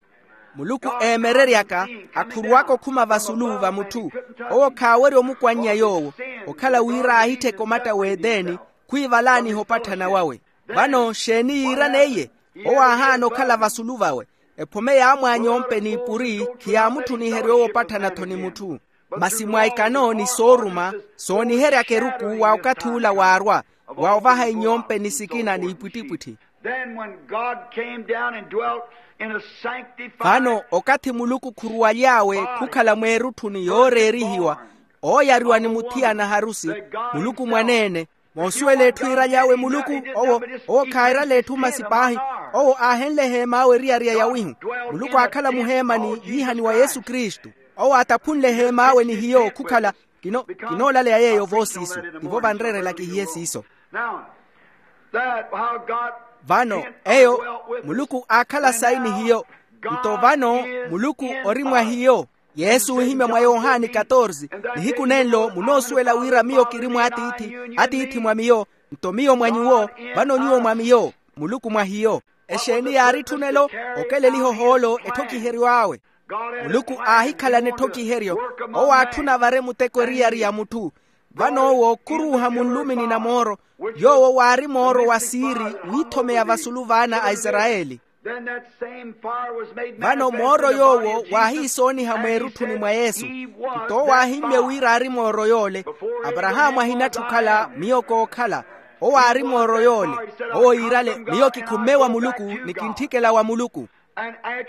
Muluku eemereryaka akhurwaka okhuma vasulu va mutthu. Owo khaawerya omukwannya yoowo okhala wira aahittheke omatta w'eteni khwiivalaaniha opatthana wawe. Vano xeeni yiirana eye? Owo aahaana okhala vasulu vawe. Ephome yaamwaanya ompe n'ipuri khiyaamuttuniherya owo opatthana-tho ni mutthu. Masi mwa ikano ni sooruma sooniheryaka eruku wa okathi ula waarwa wa ovaha inyompe ni sikina n'ipwittipwitthi. Then when God came down and dwelt in a sanctified vano okathi muluku khuruwaly'awe khukhala mweerutthuni yooreerihiwa ooyariwa ni muthiyana harusi muluku mwaneene. Moosuwela etthu iiraly'awe muluku owo owo khairala etthu masi paahi. Owo aahenle eheem'awe eriyari ya yawihu. Muluku aakhala muheemani yiihaniwa yesu kristu. Owo aataphunle eheem'awe ni hiyo khukhala kinoolaleya yeeyo voosiiso. Tivo vanreerela kihiye siiso. Vano eyo muluku aakhala sayi ni hiyo. Nto vano muluku ori mwa hiyo. Yesu oohimya mwa yohani katorze. Nihiku nenlo munoosuwela wira miyo kiri mw'atiithi, atiithi mwa miyo, nto miyo mwa nyuwo, vano nyuwo mwa miyo, muluku mwa hiyo. Exeeni yaaritthunelo? Okeleliha ohoolo etthokiheryo awe. Muluku aahikhalana etthokiheryo. Owo aatthuna avare muteko eriyari ya mutthu. Vano owo khuruuha munlumini na mooro. Yoowo waari mooro wa siiri wiithomeya vasulu vaana a isarayeli. Vano mooro yoowo waahiisooniha mweerutthuni mwa yesu. Nto owo aahimmye wira aari mooro yoole. Aparahaamu ahinatthi okhala miyo kookhala. Owo aari mooro yoole. Owo yiirale miyo kikhummeewa muluku ni kintthikela wa muluku.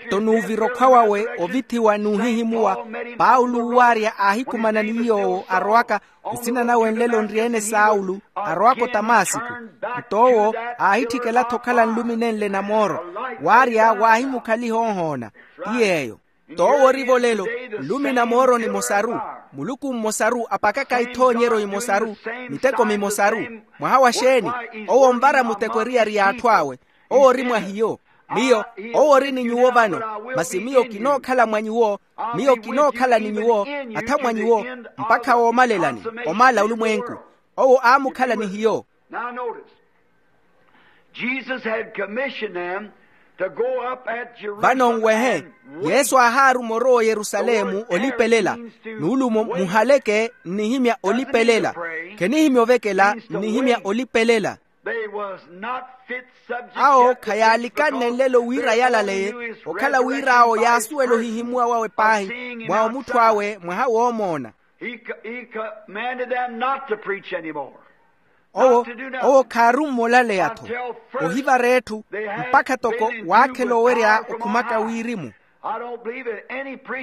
Nto n'uvira okhwa wawe ovithiwa n'uhihimuwa. Paulo uwaarya aahikumana ni yoowo arowaka. Nsina nawe nlelo nri-ene saulo. Arowaka otamasiku. Nto owo aahitthikela-tho okhala nlumi nenle na mooro. Waarya waahimukhaliha oohoona. Ti yeeyo. Nto owo orivo lelo nlumi na mooro nimosaru. Muluku mmosaru apakaka ithoonyeryo imosaru. Miteko mimosaru. Mwaha wa xeeni? Owo onvara muteko eriyari y'atthu awe. Owo ori mwa hiyo. Miyo owo ori ni nyuwo vano. Masi miyo kinookhala mwa nyuwo. Miyo kinookhala ni nyuwo atha mwa nyuwo mpakha woomalelani. Omaala olumwenku. Owo aamukhala ni hiyo. Now notice, Jesus had commissioned them to go up at Jerusalem. Vano nwehe. Yesu aahaaruma orowa oyerusalemu olipelela. Nuulumo muhaleke nnihimya olipelela. Khenihimya ovekela nnihimya olipelela. Awo khayaalikannenlelo wira yalaleye okhala wira awo yaasuwela ohihimuwa wawe paahi mwa omutthu awe mwaha woomoona. Owo owo khaarumme olaleya-tho ohivara etthu mpakha toko waakhela owerya okhumaka wirimu.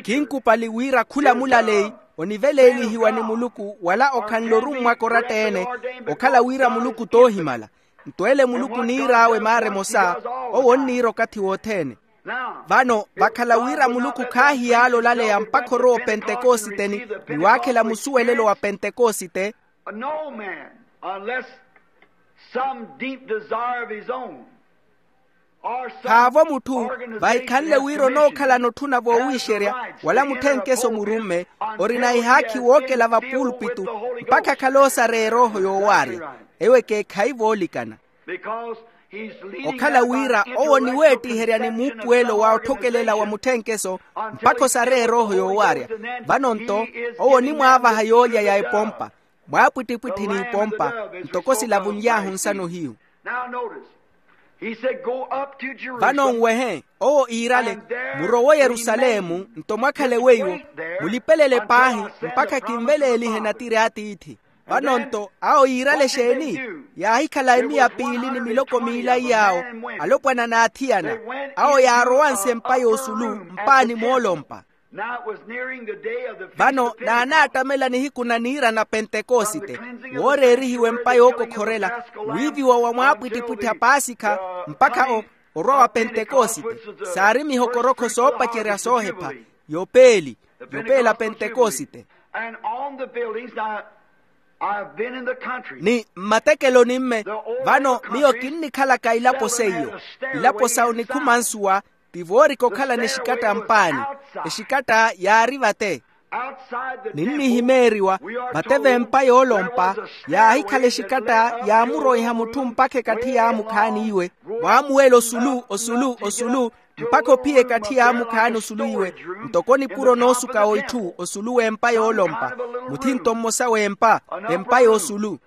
Khinkupali wira khula mulaleyi oniveleelihiwa ni muluku wala okhanle orummwaka oratta-ene. Okhala wira muluku t'ohimala. Nto ele muluku oniir'awe maara emosa. Owo onniira okathi wothene. Vano vakhala wira muluku khaahiyaala olaleya mpakha orowa opentekosite ni waakhela musuwelelo wa pentekosite. No man, unless some deep desire of his own. Khaavo mutthu vahikhanle wira onookhalana otthuna voowiixerya wala mutthenkeso murumme orina ihaakhi wookela vapulpitu mpakha akhale oosareya erooho yoowaarya. Ewo ekeekhayi voolikana. Okhala wira owo oniweettiherya ni muupuwelo wa otthokelela wa mutthenkeso mpakha osare erooho yoowaarya. Vano-nto owo onimwaavaha yoolya ya epompa, mwaapwittipwitthi n'ipompa, ntoko silavunly'ahu nsano hiyu. Vano nwehe, owo iirale, murowe oyerusalemu nto mwakhale weiwo, mulipelele paahi mpakha kinveleelihe natiri a tiithi. Vano-nto awo yiirale exeeni? Yaahikhala emiya piili ni miloko miilai yaawo, alopwana n'athiyana. Awo yaarowanse empa y'osulu mpaani moolompa. Vano naanaattamela nihiku na niira na pentekosite, wooreerihiwa empa yookokhorela, wiiviwa wa mwaapwittipwitthi a paasikha, mpakha o orwa wa pentekosite, saari mihokorokho soopacerya soohepha, yopeeli, yopeela pentekosite. Ni mmatekeloni-mme, vano miyo kinnikhalaka ilapo seiyo. Ilapo sa onikhuma nsuwa, ti voorika okhalana exikatta mpaani. Exikatta yaari vate. Ninnihimeeriwa, vate v'empa yoolompa, yaahikhala exikatta yaamuroiha mutthu mpakha ekatthi yaamukhaani iwe, waamuwela osulu osulu osulu, mpakha ophiya ekatthi yaamukhaani osulu iwe, ntoko nipuro noosuka wa itthu osulu w'empa yoolompa, muthinto mmosa w'empa, empa y'osulu.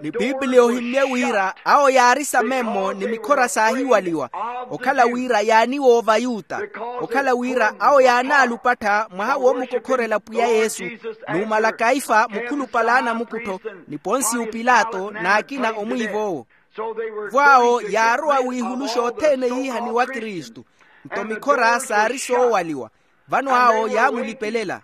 Ni piipiliya ohimmye wira awo yaari samemmo ni mikhora saahiwaliwa, okhala wira yaaniwoova ayuta, okhala wira awo yaanaalupattha mwaha woomukokhorela pwiya yesu, numala kaifa mukhulupale a anamukuttho, ni ponsiyo pilato n'akina omwiiv'owo. Vo awo yaarowa wiihuluxa othene yiihaniwa kristu, nto mikhora saari soowaliwa. Vano awo yaamulipelela.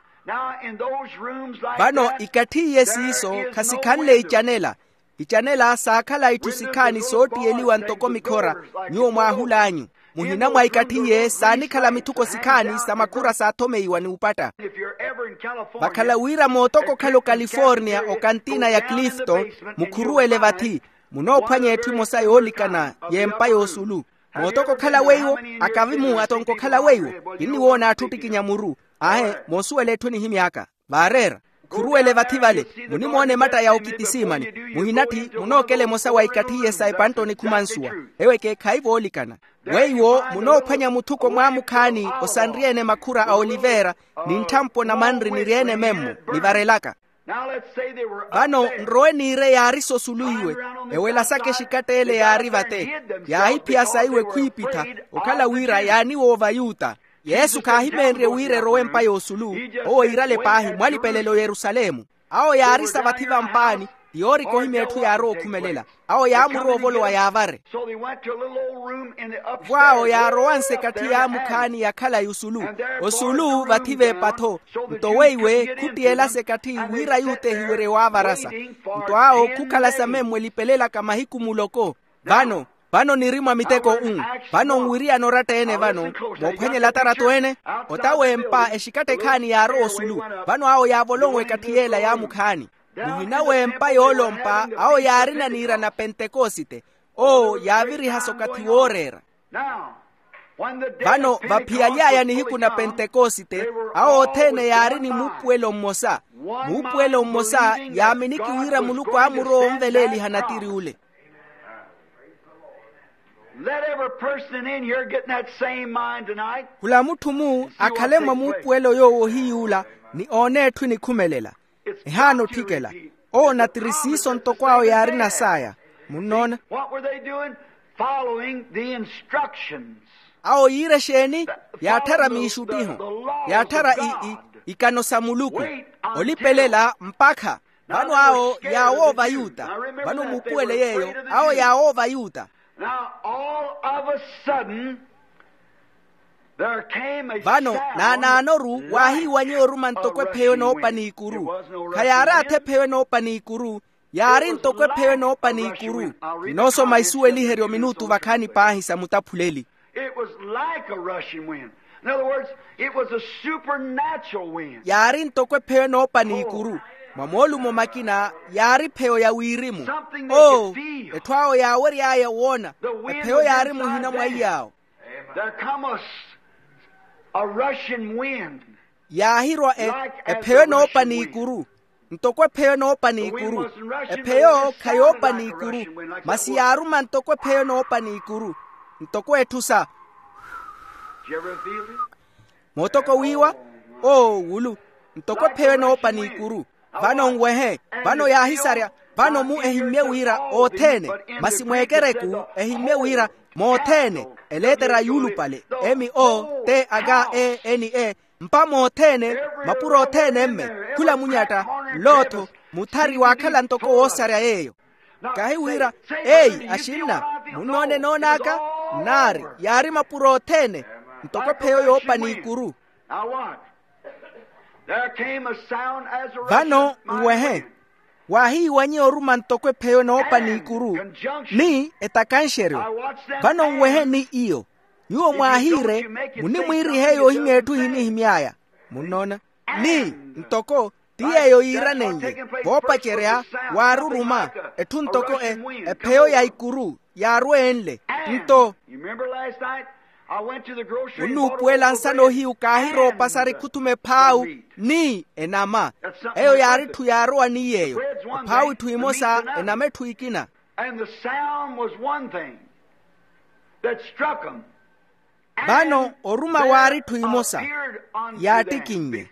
Vano ikatthi iye siiso khasikhanle icanela. Icanela saakhala itthu sikhaani soottiyeliwa ntoko mikhora. Nyuwo mwaahul'anyu, muhina mwa ikatthi iye saanikhala mithuko sikhaani sa makhura saathomeiwa n'upatta. Vakhala wira mootoko okhala okaliforniya okantina ya clifton, mukhuruwele vathi, munoophwanya etthu emosa yoolikana y'empa y'osulu. Mootoko okhala weiwo, akavi-mu atonke okhala weiwo. Kinniwoona atthu ottikinya muru. Aahe, moosuwela etthu enihimy'aka. Vaareera, khuruwele vathi vale. Munimoona ematta ya okitisiimani, muhinatthi munookela emosa wa ikatthi iye sa epanttoni khumansuwa. Ewo ekeekhayi voolikana. Weiwo munoophwanya muthuko mwaamukhaani osanryeene makhura a oliveera, ni ntthampo na manri niryeene memmo, nivarelaka. Vano nrowe niire yaari sosulu iwe, ewelasaka exikatta ele yaari vate. Yaahiphiya saiwe khwiipitha, okhala wira yaaniwoova ayuta. Yesu khaahimeenrye wira erowe empa y'osulu. Owo iirale paahi mwalipelele oyerusalemu. Awo yaarisa vathi vampaani, ti yoorika ohimya etthu yaarowa okhumelela. Awo yaamurowa ovolowa yaavare. Vo awo yaarowanse ekatthi yaamukhaani ya khalayi osulu. Osulu vathi v'epa-tho. Nto weiwe khuttiyelasa ekatthi wira yutehiwerye waavarasa. Nto awo khukhalasa memmo elipelelaka mahiku muloko. Vano, vano niri mwa miteko-u. Vano nwiriyana oratta-ene vano, moophwanyela atarato ene. Ota w'empa exikatta ekhaani yaarowa osulu. Vano awo yaavolonwe ekatthi y'ela yaamukhaani. Muhina w'empa yoolompa awo yaarina niira na pentekosite. Owo yaavirihasa okathi wooreera. Vano vaphiyaly'aya nihiku na pentekosite, awo othene yaari ni muupuwelo mmosa. Muupuwelo mmosa yaaminiki wira muluku aamurowa onveleeliha natiri ule. Let every person in here get in that same mind tonight. Khula mutthu-mu akhale mwa muupuwelo yoowo ohiy'ula, ni oone etthu enikhumelela. Ehaana otthikela. Owo natiri siiso ntoko awo yaarina saaya. Munnoona? What were they doing? Following the instructions. Awo yiira exeeni? Yaatthara miixuttiho. Yaatthara i- i- ikano sa muluku. Olipelela mpakha. Vano awo yaawoova ayuta. Vano muupuwele yeeyo. Awo yaawoova ayuta. Now all of a sudden there came a sound. Vano naanaanoru waahiiwanyeiwa oruma ntoko epheyo enoopa n'ikuru. Khayaaraatha epheyo enoopa n'ikuru. Yaari ntoko epheyo enoopa n'ikuru. Kinoosoma isuweliheryo minutu vakhaani paahi sa mutaphuleli. It was like a rushing wind. In other words, it was a supernatural wind. Yaari ntoko epheyo enoopa n'ikuru. Mwa moolumo makina yaari epheyo ya wirimu. Oo, etthu awo yaawery'aya woona. Epheyo yaari muhina mwa iy'awo. There come a, a rushing wind. Yaahirwa epheyo enoopa n'ikuru. Ntoko epheyo enoopa n'ikuru. Epheyo khayoopa n'ikuru, masi yaaruma ntoko epheyo enoopa n'ikuru. Ntoko etthu sa mootoko wiiwa, oo wulu, ntoko epheyo enoopa n'ikuru. Vano nwehe, vano yaahisarya, vano-mu ehimmye wira othene, masi mweekereku ehimmye wira mothene, eleetera yuulupale, m o t h e n e, mpa mothene, mapuro othene mme, khula munyatta, nlootho, muthari waakhala ntoko woosarya yeeyo. Kahi wira, eyi axinna, munnoone enoon'aka? Nnaari, yaari mapuro othene, ntoko epheyo yoopa n'ikuru. Vano nwehe, waahiiwanyeya oruma ntoko epheyo enoopa n'ikuru, ni etakanxeryo. Vano nwehe ni iyo, nyuwo mwaahiire, munimwiirihe yoohimya etthu ehinihimy'aya. Munnoona? Ni ntoko ti yeeyo yiiranen'ye, voopacerya, waaruruma etthu ntoko e, epheyo ya ikuru yaarwenle. Nto onnuupuwela nsana ohiyu kaahiroopa sari khuthuma ephaawu ni enama. Eyo yaari etthu yaarowa ni yeeyo, ephaawu etthu emosa, enama etthu ekina. And the sound was one thing that struck 'em. Vano oruma waari etthu emosa yaattikinnye.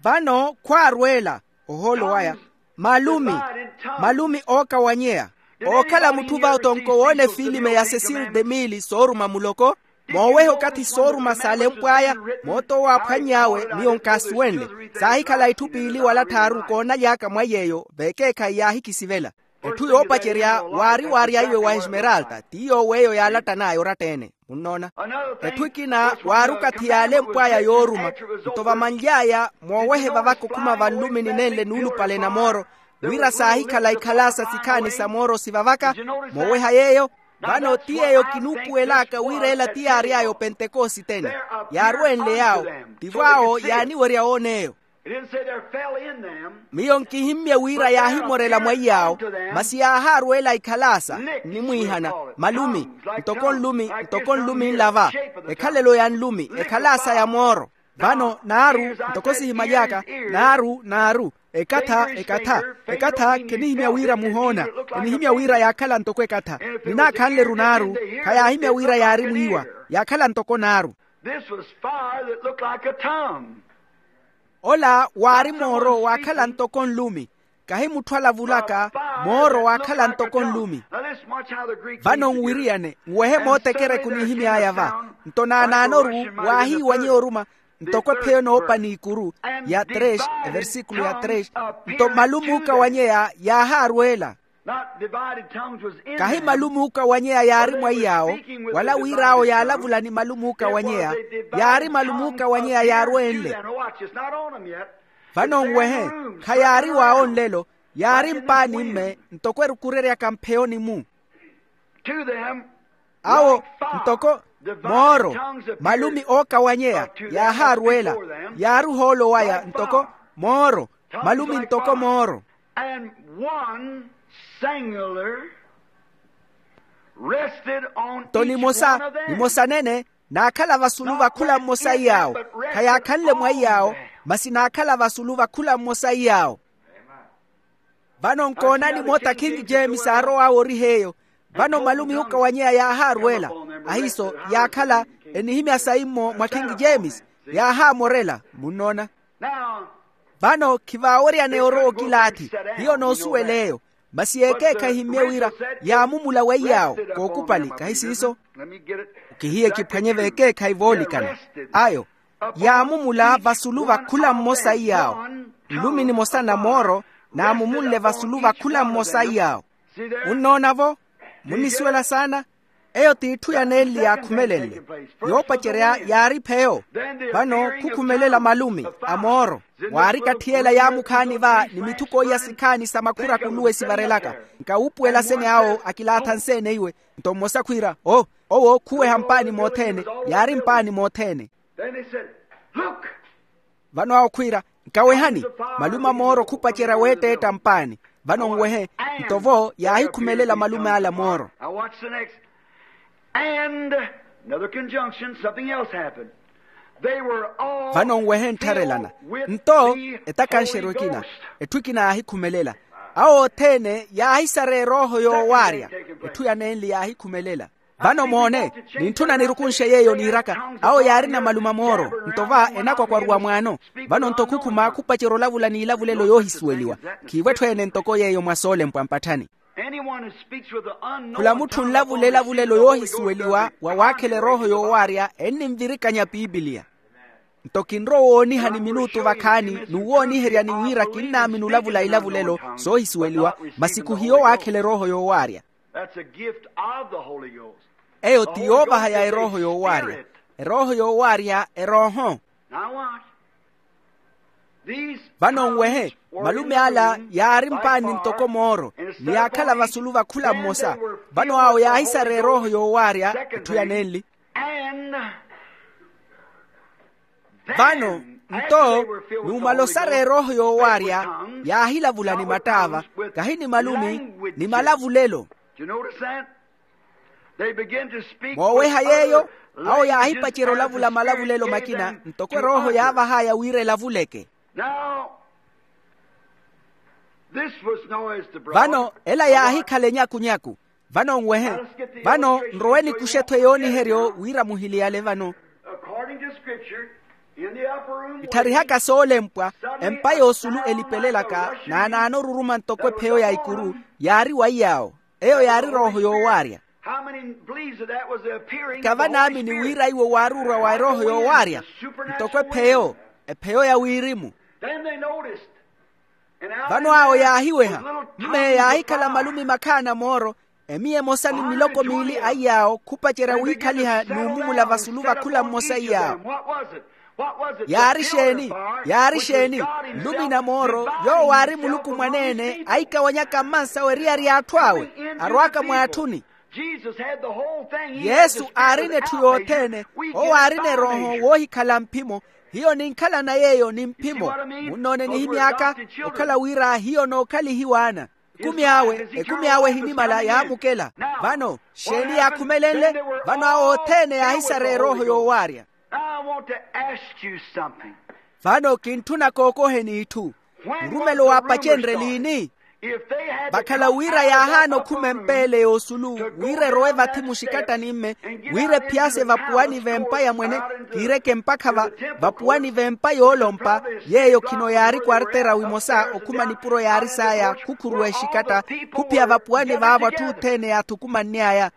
Vano khwaarwela ohoolo waya malumi, malumi ookawanyeya. Ookhala mutthu va otonko woona efiilime ya cecil de mille sooruma muloko, mooweha okathi sooruma s'alempw'aya, moot'owo aaphwanny'awe miyo nkaasuwenle. Saahikhala itthu piili wala tthaaru koonaly'aka mwa yeeyo veekeekhayi yaahikisivela. Etthu yoopacerya waari waaryayiwe wa esmeralta ti yoowo eyo yaalattan'aya oratta-ene. Munnoona? Etthu ekina waari okathi yaalempw'aya yooruma, nto vamanly'aya moowehe vavaka okhuma vanlumini nenle nuulupale na mooro, wira saahikhala ikhalasa sikhaani sa mooro sivavaka. Mooweha yeeyo. Vano ti yeeyo kinuupuwel'aka wira ela ti yaary'aya opentekositene. Yaarwenle yaawo, tivo awo yaaniwerya woona eyo. Miyo nkihimmye wira yaahimorela mwa iy'awo, masi yaahaarwela ikhalasa nnimwiihana, malumi, ntoko nlumi, ntoko nlumi nlava, ekhalelo ya nlumi, ekhalasa ya mooro. Vano naaru, ntoko sihimaly'aka, naaru naaru, ekatha ekatha, ekatha kinihimya wira muhoona, kinihimya wira yaakhala ntoko ekatha. Ninaakhanle-ru naaru, khayaahimya wira yaari mwiiwa, yaakhala ntoko naaru. Ola waari mooro waakhala ntoko nlumi, kahi mutthu alavulaka, mooro waakhala ntoko nlumi. Vano nwiriyane nwehe mootekereku nihimy'aya va. Nto naanaanoru, waahiiwanyeya oruma ntoko epheyo enoopa n'ikuru ya tres, eversikulo ya tres. Nto malumi ookawanyeya yaahaarwela. Kahi malumi ookawanyeya yaari mwa iy'awo, wala wir'awo yaalavula ni malumi ookawanyeya, yaari malumi ookawanyeya yaarwenle. Vano nwehe, khayaari w'awo nlelo, yaari mpaani mme ntoko erukureryaka mpheyoni-mu. Awo ntoko mooro, malumi ookawanyeya yaahaarwela, yaari ohoolo waya ntoko mooro, malumi ntoko mooro. And one singular rested on each one of them. Nto nimosa, nimosa nene naakhala vasulu va khula mmosa iy'awo. Khayaakhanle mwa iy'awo, masi naakhala vasulu va khula mmosa iy'awo. Vano nkoonani moota king james aarow'awe oriha eyo. Vano malumi ookawanyeya yaahaarwela, ahiiso yaakhala enihimya sayi-mo mwa king james, yaahaamorela. Munnoona? Vano khivaaweryaneya orowa okilaathi, hiyo noosuwela eyo. Masi yeekeekhayi ehimmye wira yaamumula weiy'awo kookupali, kahi siiso? Okihiye kiphwanye veekeekhayi voolikana. Ayo yaamumula vasulu va khula mmosa iy'awo. Nlumi nimosa na mooro naamumunle vasulu va khula mmosa iy'awo. Munnoona-vo? Munnisuwela saana? Eyo t'itthu ya nenli yaakhumelenle. Yoopacerya yaari pheyo. Vano khukhumelela malumi a mooro. Waari katthiyela yaamukhaani va ni mithuko iya sikhaani sa makhura akuluwe sivarelaka. Nkawuupuwela sene awo akilaatha nseene iwe. Nto mmosa khwiira o, owo khuweha mpaani mothene. Yaari mpaani mothene. Vano awo khwiira, nkawehani. Malume a mooro khupacerya weetteetta mpaani. Vano nwehe. Nto-vo yaahikhumelela malume ale a mooro. And another conjunction, something else happened. Vano nwehe nttharelana. Nto etakanxeryo ekina, etthu ekina yaahikhumelela. Awo othene yaahisara erooho yoowaarya. Etthu yanenli yaahikhumelela. Vano moone, nintthuna nirukunxe yeeyo niiraka, awo yaarina malume a mooro. Nto va enakwakwaruwa mwaano. Vano nto khukhuma khupacerya olavula n'ilavulelo yoohisuweliwa. Khiivo etthu ene ntoko yeeyo mwa soolempwa mpatthani. Khula mutthu onlavula elavulelo yoohisuweliwa wa waakhela erooho yoowaarya enninvirikanya pipiliya. Nto kinrowa owoonihani minutu vakhaani n'uwooniheryani wira kinnaamini olavula ilavulelo soohisuweliwa, masi khuhiyo waakhela erooho yoowaarya. Eyo ti yoovaha ya erooho yoowaarya. Erooho yoowaarya erooho. Vano nwehe, malume ala yaari mpaani ntoko mooro, ni yaakhala vasulu va khula mmosa. Vano awo yaahisara erooho yoowaarya etthu yanenli. Vano nto, numala osara erooho yoowaarya, yaahilavula ni mattaava, kahi ni malumi, ni malavulelo. Mooweha yeeyo, awo yaahipacerya olavula malavulelo makina ntoko erooho yaavah'aya wira elavuleke. Vano ela yaahikhala enyakunyaku. Vano nwehe. Vano nrowe nikuxe-tho eyooniheryo wira muhiliyale vano. Ittharihaka soolempwa, empa yoosulu elipelelaka naanaano oruruma ntoko epheyo ya ikuru, yaari wa iy'awo. Eyo yaari erooho yoowaarya. Kavanaamini wira iwo waaruurwa wa erooho yoowaarya ntoko epheyo, epheyo ya wirimu. Vano awo yaahiweha, mme yaahikhala malumi makhaana mooro, emiya emosa ni miloko miili a iy'awo khupacerya wiikhaliha n'umumula vasulu va khula mmosa iy'awo. Yaari xeeni? Yaari xeeni? Nlumi na mooro, yoowo aari muluku mwaneene aikawanyaka mmansawe eriyari y'atthu awe, arw'aka mw'atthuni. Yesu aarina etthu yothene. Owo aarina erooho woohikhala mphimo. Hiyo ninkhalana yeeyo ni mphimo. Munnoone nihimy'aka okhala wira hiyo nookhalihiwa ana. Ekumi awe, ekumi awe ehinimala yaamukela. Vano xeeni yaakhumelenle? Vano awo othene yaahisara erooho yoowaarya. Vano kintthuna kookoheni itthu. Nrumelo waapacenrye liini? Vakhala wira yaahaana okhuma empa ele yoosulu, wira erowe vathi muxikattani-mme, wira ephiyase vapuwani v'empa ya mwene, kiireke mpakha va vapuwani v'empa yoolompa, yeeyo khino yaari kwartera wimosa okhuma nipuro yaari saya khukhuruwa exikatta, khuphiya vapuwani v'avo atthu othene yaathukumanny'aya.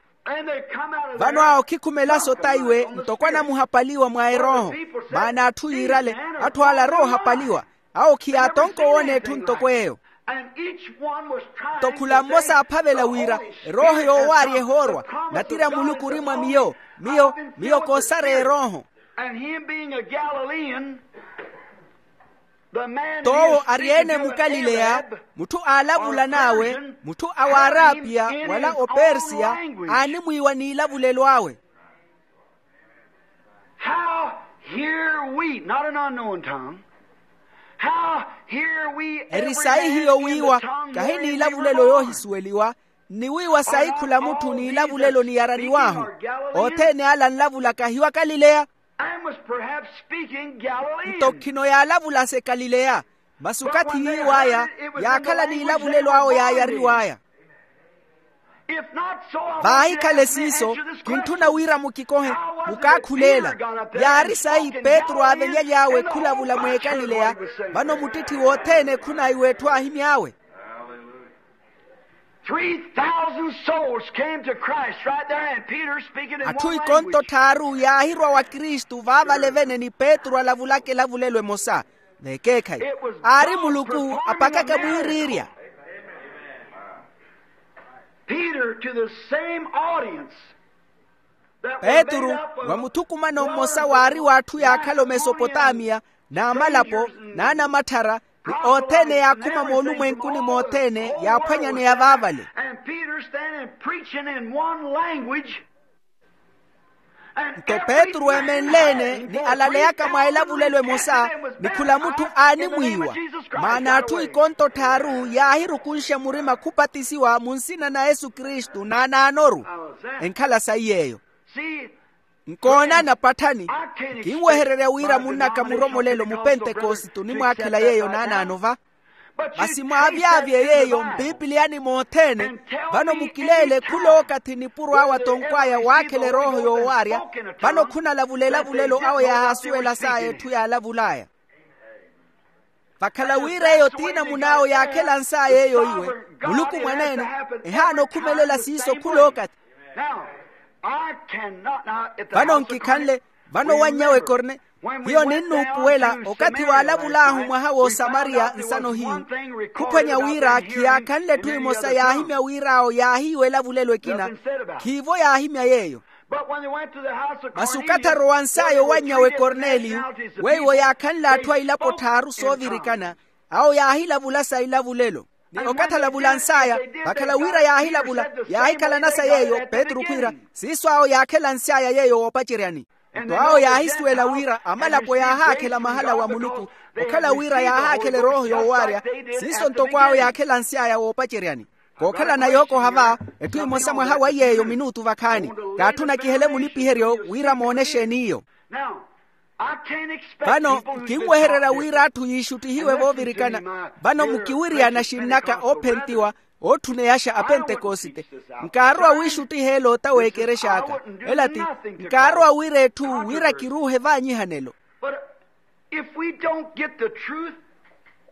Vano awo khikhumela sotaiwe ntoko anamuhapaliwa mwa erooho. Maana atthu yiirale, atthu ala aroohapaliwa, awo khiyaatonka owoona etthu ntoko eyo. Nto khula mmosa aaphavela wira erooho yoowaarya ehoorwa, natiri a muluku ori mwa miyo. Miyo, miyo koosara erooho. Toowo ari ene mukalileya, mutthu aalavulan'awe, mutthu a w'arapiya wala opersiya, aanimwiiwa n'ilavulelo awe. How hear we, not an unknown tongue, how hear we eri sayi hiyo wiiwa, kahi n'ilavulelo yoohisuweliwa, nniwiiwa sayi khula mutthu n'ilavulelo niyaraniw'ahu? Othene ala anlavulaka hiwa kalileya. Nto khino yaalavulase kalileya. Masi okathi yiiw'aya, yaakhala n'ilavulelo awo yaayariw'aya. Vaahikhale siiso, kintthuna wira mukikohe, mukaakhuleela. Yaari sayi petru aavenya aly'awe khulavula mw'ekalileya. Vano muttitthi wothene khunaiwa etthu aahimy'awe. Three thousand souls came to Christ right there, and Peter speaking in one language. Atthu ikonto tthaaru yaahirwa wa kristu vaavale vene ni petru alavulaka elavulelo emosa. Vekeekhayi, aari muluku apakaka mwiiriirya. Peter to the same audience. Petru, wa muthukumano mmosa waari w'atthu yaakhala omesopotamiya, n'amalapo, n'anamatthara, ni othene yaakhuma moolumwenkuni mothene yaaphwanyaneya vaavale. Nto petru eemenle-ene ni alaleyaka mwa elavulelo emosa, ni khula mutthu aanimwiiwa. Maana atthu ikonto tthaaru yaahirukunxa murima khupatisiwa mu nsina na yesu kristu n'anaanoru. Enkhala sayi yeeyo. Nkoona napatthani. Kinwehererya wira munnaka muromolelo mupentekosite onimwaakhela yeeyo naanaano va. Masi mwaavyavye yeeyo mpipiliyani mothene. Vano mukileele khula okathi nipuro awe atonkw'aya waakhela erooho yoowaarya. Vano khunalavula elavulelo awo yaahasuwelas'aya etthu yaalavul'aya. Vakhala wira eyo t'inamun'awo yaakhelans'aya eyo iwe, muluku mwaneene ehaana okhumelela siiso khula okathi. Vano nkikhanle, vano wannya w'ekorne. Hiyo ninnuupuwela okathi waalavul'ahu mwaha w'osamariya nsano hiyu. Khuphwanya wira khiyaakhanle etthu emosa yaahimya wira awo yaahiiwa elavulelo ekina. Khiivo yaahimya yeeyo. Masi okathi arowans'aya owannya w'ekorneliyo, weiwo yaakhanle atthu a ilapo tthaaru soovirikana. Awo yaahilavula sa ilavulelo. Ni okathi alavulans'aya, vakhala wira yaahilavula, yaahikhalanasa yeeyo petru khwiira, siiso awo yaakhelansy'aya yeeyo woopaceryani. Nto awo yaahisuwela wira amalapo yaahaakhela mahala wa muluku. Okhala wira yaahaakhela erooho yoowaarya, siiso ntoko awo yaakhelansy'aya woopaceryani. Kookhalana yookoha va, etthu emosa mwaha wa yeeyo minutu vakhaani. Kaatthuna kihele mulipiheryo wira moone exeen'iyo. Vano nkinwehererya wira atthu yiixuttihiwe voovirikana. Vano mukiwiriyana xinnaka oophentiwa, ootthuneyaxa apentekosite. Nkaarowa wiixuttiha elota w'ekerexa aka. Ela ti, nkaarowa wira etthu wira kiruuhe vaanyihanelo. If we don't get the truth,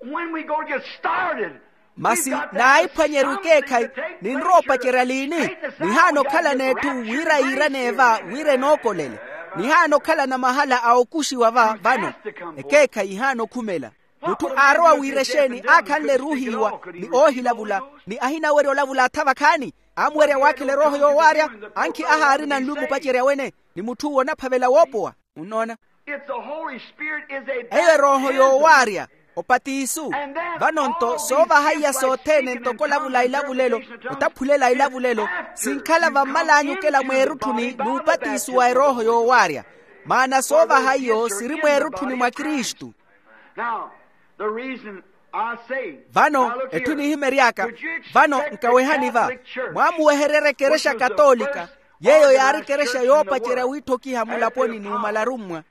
when we go to get started, masi naahiphwanyeryo ekeekhayi, ninrowa opacerya liini? Nihaana okhalana etthu wira yiiraneye va wira enookolele. Nihaana okhalana mahala a okuxiwa va vano. Ekeekhayi ihaana okhumela. Mutthu aarowa wira exeeni aakhanle eruuhiwa ni oohilavula, ni ahinawerya olavula atha vakhaani. Amuwerya waakhela erooho yoowaarya, ankhi ahaarina nlumu opacerya wene, ni mutth'uwo onaphavela woopowa. Munnoona? Eyo erooho yoowaarya, opatisu. Vano-nto soovaha iya sothene ntoko olavula ilavulelo, otaphulela ilavulelo, sinkhala vammal'anyu okela mweerutthuni n'upatisu wa erooho yoowaarya. Maana soovaha iyo siri mweerutthuni mwa kristu. Vano etthu enihimery'aka, vano nkawehani va, mwaamuwehererya ekerexa katoolika, yeeyo yaari ekerexa yoopacerya wiitthokiha mulaponi n'umala arummwa.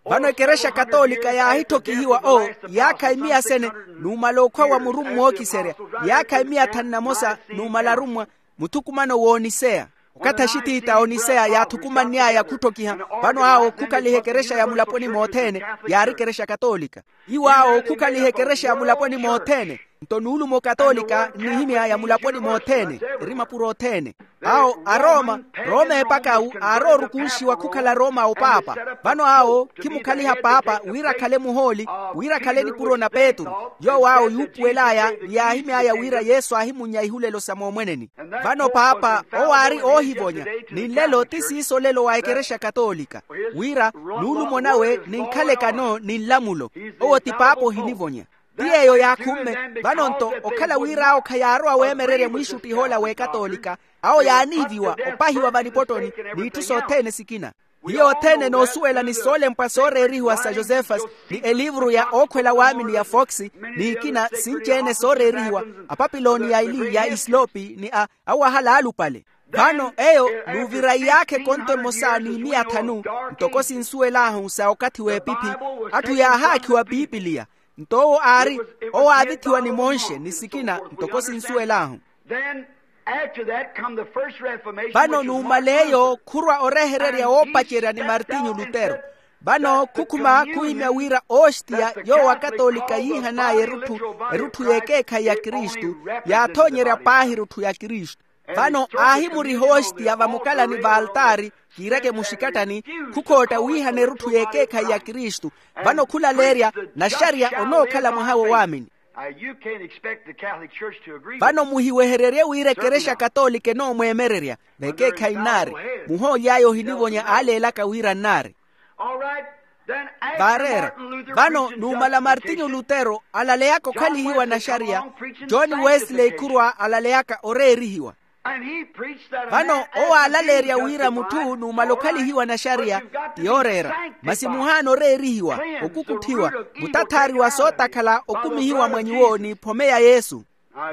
Vano ekerexa katoolika yaahithokihiwa o iyaakha imiya sene, n'umala okhwa wa murummwa ookiserya, iyaakha imiya thanu na mosa n'umala arummwa, muthukumano w'oniseya. Okathi axitiita a oniseya yaathukumanny'aya khutthokiha, vano awo khukhaliha ekerexa ya mulaponi mothene, yaari ekerexa katoolika. Iwo awo khukhaliha ekerexa ya mulaponi mothene. Nto nuulumo katoolika nnihimy'aya mulaponi mothene, eri mapuro othene. Awo arooma, rooma epakawu aaroorukunxiwa khukhala rooma opaapa. Vano awo khimukhaliha paapa wira akhale muhooli, wira akhale nipuro na petru. Yoowo awo yuupuwel'aya ni yaahimy'aya wira yesu aahimunnya ihulelo sa moomweneni. Vano paapa owo aari oohivonya, ni nlelo ti siiso olelo wa ekerexa katoolika, wira nuulumo nawe ninkhalekano ni nlamulo. Owo ti paapa ohinivonya. Ti yeeyo yaakhumme. Vano-nto okhala wira awo khayaarowa weemererya mwiixuttih'ola w'ekatoolika, awo yaaniiviwa opahiwa vanipottoni, n'itthu sothene sikina. Hiyo othene enoosuwela ni soolempwa sooreerihiwa sa josefas, ni eliivuru ya ookhwela waamini ya fox, n'ikina sinci-ene sooreerihiwa, apapiloni ya eli ya isilopi ni a awahala aalupale. Vano eyo nuuvira iyaakha ekonto emosa n'imiya thanu, ntoko sinsuwel'ahu sa okathi w'epiphi. Atthu yaahaakhiwa pipiliya. Nto owo aari owaavithiwa ni monxe ni sikina ntoko sinsuwel'ahu. Vano numala eyo khurwa orehererya woopacerya ni martinyu lutero. Vano khukhuma khuhimya wira ostiya yoowo akatolika yiihan'aya erutthu erutthu y'ekeekhayi ya kristu, yaathoonyerya paahi erutthu ya kristu. Vano aahimuriha ostiya vamukalani v'altaari, kiireke muxikattani, khukhootta wiihana erutthu y'ekeekhayi ya kristu. Vano khulaleerya naxariya onookhala mwaha wo waamini. Vano muhiwehererye wira ekerexa katolika enoomweemererya. V'ekeekhayi nnaari. Muhooli aya ohinivonya aaleelaka wira nnaari. Vaareera. Vano numala martinyu lutero alaleyaka okhalihiwa naxariya, john wesley khurwa alaleyaka oreerihiwa. Vano owo aalaleerya wira mutthu numala okhalihiwa naxariya ti yooreera. Masi muhaana oreerihiwa, okukutthiwa, mutathaari wa sootakhala okumihiwa mwa nyuwo n'iphome ya yesu.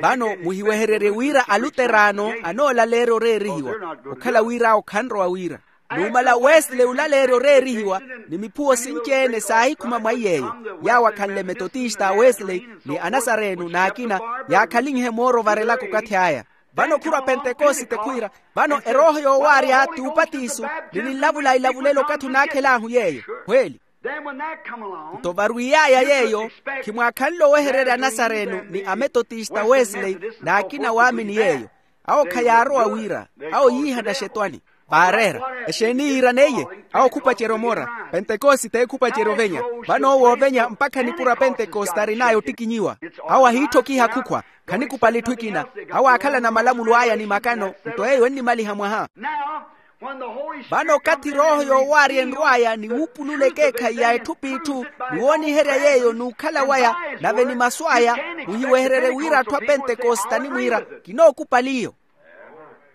Vano muhiwehererye wira aluteraano anoolaleerya oreerihiwa, okhala wira awo khanrowa wira. Numala wesley olaleerya oreerihiwa, ni miphuwo sinci-ene saahikhuma mwa iy'eyo. Yaawo akhanle metotista a wesley ni anasareeno n'akina, yaakhalinhe mooro ovarelaka okathi aya. Vano khurwa pentekosite khwiira, vano erooho yoowaarya t'upatiso, ni ninlavula ilavulelo okathi onaakhel'ahu yeeyo. Hweeli. Nto varwiy'aya yeeyo, khimwaakhanle owehererya anasareeno ni ametotista wesley n'akina waamini yeeyo. Awo khayaarowa wira, awo yiihana xetwani. Vaareera, exeeni yiiraneiye? Awo khupacerya omora. Pentekosite khupacerya ovenya. Vano owo ovenya mpakha nipuro a pentekosite arin'aya ottikinyiwa. Awo ahiitthokiha khukhwa. Khanikupali etthu ekina. Awo aakhalana malamulo aya ni makano. Nto eyo ennimaliha mwaha. Vano okathi erooho yoowaarya enrw'aya ni wuupulula ekeekhayi ya etthu p'itthu, ni wooniherya yeeyo n'ukhala waya, nave ni masu aya, muhiwehererye wira atthu a pentekosite animwiira, kinookupali iyo.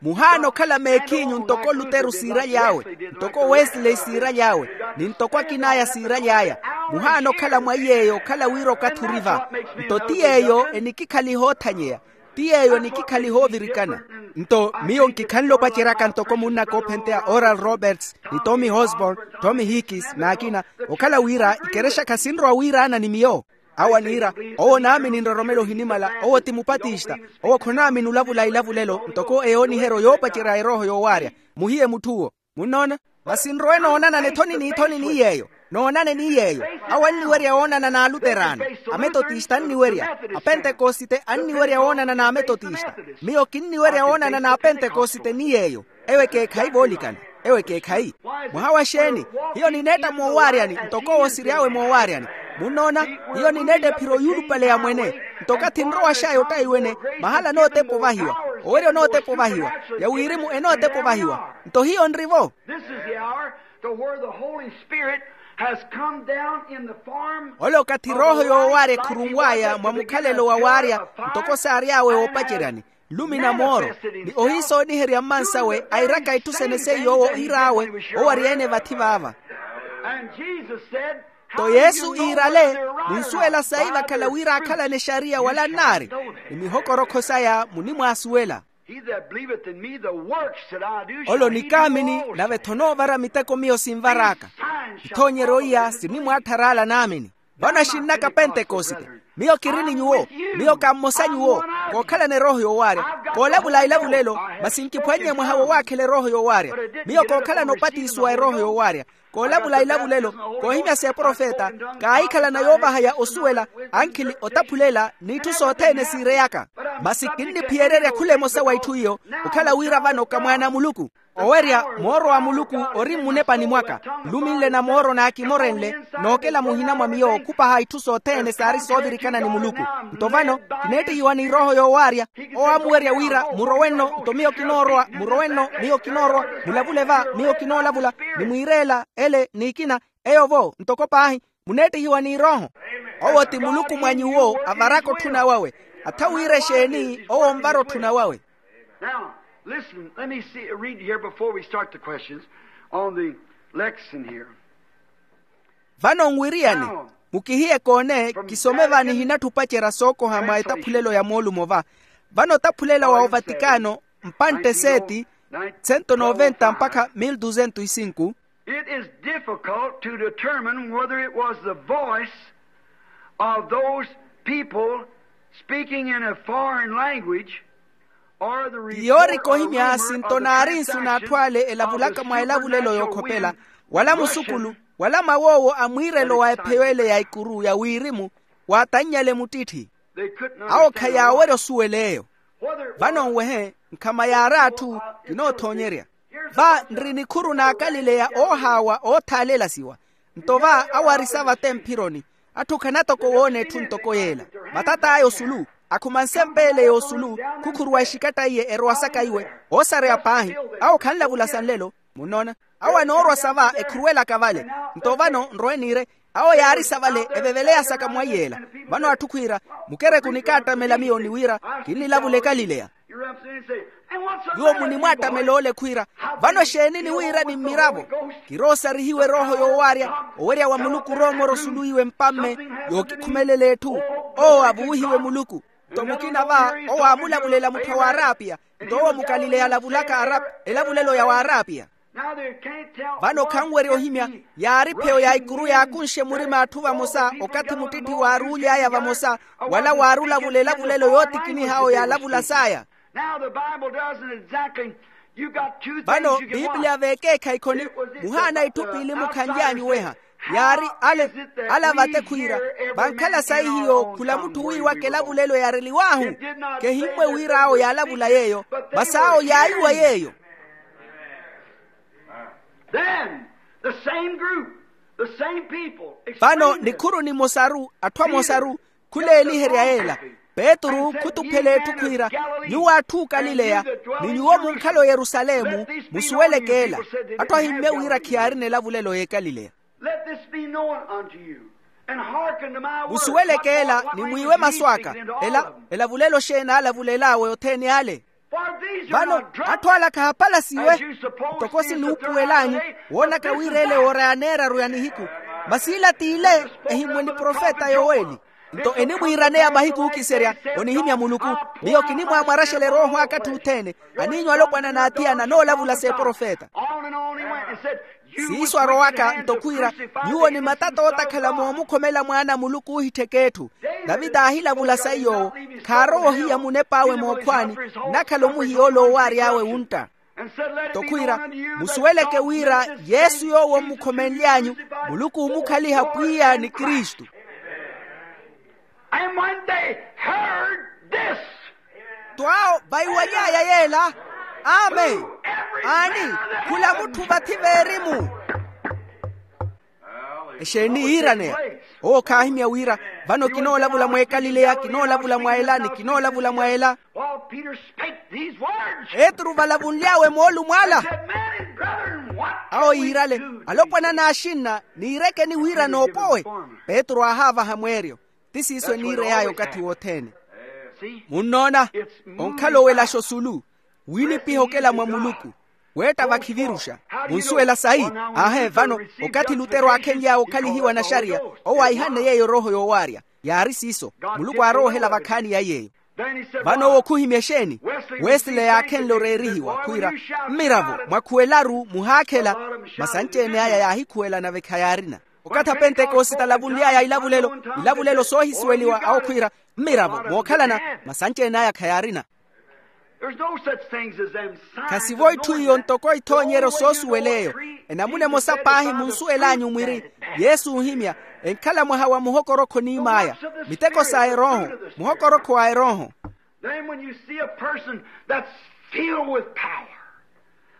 Muhaana okhala meekhinyu ntoko luteru siiraly'awe, ntoko wesley siiraly'awe, ni ntoko akin'aya siiraly'aya. Muhaana okhala mwa iy'eyo okhala wira okathi ori va. Nto ti yeeyo enikikhaliha oothanyeya, ti yeeyo enikikhaliha oovirikana. Nto miyo nkikhanle opaceryaka ntoko munnaka oophenteya oral roberts, ni tommy hosborn, tommy hickis n'akina, okhala wira ikerexa khasinrowa wiiraana ni miyo. Awo aniira, owo naamini nroromelo ohinimala, owo ti mupatista. Owo khonaamini olavula ilavulelo ntoko eyooniheryo yoopacerya erooho yoowaarya. Muhiye mutth'uwo. Munnoona? Masi nrowe noonanane ethoni n'ithoni ni yeeyo. Noonane ni yeeyo. Awo anniwerya woonana n'aluteraano. Ametotista anniwerya. Apentekosite anniwerya woonana n'ametotista. Miyo kinniwerya woonana n'apentekosite ni yeeyo. Eyo ekeekhayi voolikana. Eyo ekeekhayi. Mwaha wa xeeni? Hiyo nineetta moowaaryani ntoko owo siry'awe moowaaryani. Munnoona? Hiyo nineetta ephiro yuulupale ya mwene. Nto okathi nrowa xaya ottayi wene, mahala anootepa ovahiwa. Owerya onootepa ovahiwa. Ya wirimu enootepa ovahiwa. Nto hiyo nri-vo. This is the hour to where the Holy Spirit has come down in the form. Ole okathi erooho yoowaarya ekhurunw'aya mwa mukhalelo wa waarya, ntoko saary'awe woopaceryani, nlumi na mooro, ni ohiisooniherya mmansawe airaka itthu sene seiyo owo iir'awe. Owarya-ene vathi vaava. And Jesus said, nto yesu iirale, munsuwela sayi vakhala wira aakhalane exariya wala nnaari, ni mihokorokho saya munimwaasuwela. He that believeth in me, the works that I do shall he do also. Ole onikaamini nave-tho onoovara miteko miyo sinvar'aka. Ithoonyeryo iya sinimwaatthar'ala naamini. Vano axinn'aka pentekosite, miyo kiri ni nyuwo. Miyo ka mmosa nyuwo. Kookhalana erooho yoowaarya. Koolavula ilavulelo. Masi nkiphwannye mwaha wowaakhela erooho yoowaarya. Miyo kookhalana opatisiwa erooho yoowaarya. Koolavula ilavulelo, koohimya s'eprofeta, kaahikhalana yoovahaya osuwela, ankhili otaphulela n'itthu sothene siireyaka. Masi kinniphiyererya khula emosa wa itthu iyo, okhala wira vano ka mwaana a muluku. Owerya mooro wa muluku ori mmunepani mwaka. Nluminle na mooro naakimorenle, nookela muhina mwa miyo okhupaha itthu sothene saari soovirikana ni muluku. Nto vano kineettihiwa ni erooho yoowaarya. Owo aamuwerya wira, murowe nno nto miyo kinoorowa, murowe nno miyo kinoorowa. Mulavule va miyo kinoolavula. Ni mwiireela ele n'ikina. Eyo-vo ntoko paahi, muneettihiwa n'irooho. Owo ti muluku mwa nyuwo avaraka otthuna wawe. Atha wira exeeni owo onvara otthuna wawe. Now, listen, let me see, read here before we start the questions on the lesson here. Vano nwiiriyani, mukihiye koone kisome va nihinatthu opacerya sookoha mwa etaphulelo ya moolumo va. Vano otaphulela wa ovatikano, mpantte seeti, sento noventa mpakha mil duzento y sinku. It is difficult to determine whether it was the voice of those people speaking in a foreign language or the report or rumor of the transactions of the sheep and the wind. Ti yoorikohimya sinto naari nsu n'atthu ale elavulaka mwa elavulelo yookhopela, wala musukulu, wala mawoowo a mwiirelo wa epheyo ele ya ikuru ya wirimu, waatannyale muttitthi. Awo khayaawerya osuwela eyo. Vano nwehe, nkhama yaari atthu, kinoothoonyerya. Va nri nikhuru n'akalileya oohaawa oothaaleelasiwa. Nto va awo ari savate mphironi, atthu khana toko woona etthu ntoko yeela. Matat'aya osulu, akhuma nsemp'ele y'osulu, khukhuruwa exikatta iye erowa saka iwe, oosareya paahi. Awo khanlavula sa nlelo. Munnoona? Awo anoorwa sa va ekhuruwelaka vale. Nto vano nrowe niire, awo yaari sa vale eveveleya saka mwa iyeela. Vano atthu khwiira, mukereku nikaattamela miyo ni wira, kinnilavula ekalileya. Nyuwo munimwaattamela ole khwiira, vano exeeni ni wira ni mmiravo? Kiroosarihiwe erooho yoowaarya, owerya wa muluku oroomora osulu iwe mpamme, yookikhumelela etthu. Owo avuwihiwe muluku. Nto mukina va owo aamulavulela mutthu a w'arapiya. Nto owo mukalileya alavulaka elavulelo ya w'arapiya. Vano khanwerya ohimya, yaari pheyo ya ikuru yaakunxe murima a atthu vamosa okathi muttitthi waaruuly'aya vamosa, wala waarulavula elavulelo yootikiniha awo yaalavula saya. Vano piipiliya veekeekhayi khoni muhaana itthu piili mukhanly'anyu weha. Yaari ale, ale avate khwiira, vankhala sayi hiyo khula mutthu wiiwaka elavulelo yaareliw'ahu. Kehimmwe wira awo yaalavula yeeyo, masi awo yaayiwa yeeyo. Then the same group, the same people. Vano nikhuru nimosaru, atthu amosaru, khuleeliherya yeela. Petru khutuphela etthu khwiira, nyuwo atthu okalileya, ni nyuwo munkhala oyerusalemu, musuweleke ela. Atthu ahimmye wira khiyaarina elavulelo y'ekalileya. Let this be known unto you, and hearken to my words. Musuweleke ela ni mwiiwe masu aka. Ela elavulelo xeeni aalavulel'awe othene ale? Vano atthu ala khaapalasiwe ntoko sinuupuwel'anyu, woonaka wira ele oora ya neeraru ya nihiku. Masi ila t'ile ehimmwe ni profeta yoweli. Nto enimwiiraneya mahiku ookiserya, onihimya muluku. Miyo kinimwaamwaraxela erooho aka atthu othene, aniinyu alopwana n'athiya nanoolavula s'eprofeta. Siiso arowaka nto khwiira, nyuwo ni matata ootakhala moomukhomela mwaana a muluku oohittheka etthu. Tavita aahilavula sayi yoowo, khaarowa ohiya munep'awe mookhwaani, nnakhala omuhiya ole owaary'awe wuntta. Nto khwiira, musuweleke wira yesu yoowo mmukhomenly'anyu, muluku oomukhaliha pwiya ni kristu. And when they heard this, nto awo vaiwaly'aya yeela, amen, aani, khula mutthu vathi veerimu. Exeeni yiiraneya? Owo khaahimya wira, vano kinoolavula mw'ekalileya, kinoolavula mwa ela ni kinoolavula mwa ela. While Peter spake these words, petru valavunly'awe moolumo ala, said, men and brethren, what awo yiirale, alopwana n'axinna, niirekeni wira noopowe. Petru aahaavaha mweeryo. Ti siiso eniirey'aya okathi wothene. Munnoona, onkhala owelaxa osulu, wiinipiha okela mwa muluku, weetta vakhiviruxa. Munsuwela sayi? Aahe vano, okathi lutero aakhenly'awe okhalihiwa naxariya, owo aahihanne yeeyo erooho yoowaarya. Yaari siiso. Muluku aarowa ohela vakhaani ya yeeyo. Vano owo khuhimya exeeni? Wesile yaakhenle oreerihiwa khwiira, mmiravo mwakhuwelaru muhaakhela. Masi anci-ene aya yaahikhuwela nave khayaarina. Okathi a pentekosite alavunly'aya ilavulelo, ilavulelo soohisuweliwa awo khwiira, mmiravo mookhalana. Masi anci-ene aya khayaarina. Khasivo itthu iyo ntoko ithoonyeryo soosuwel'eyo. Enamuna emosa paahi munsuwel'anyu mwiri, yesu oohimya, enkhala mwaha wa muhokorokho oniim'aya, miteko sa erooho, muhokorokho wa erooho. Then when you see a person that's filled with power,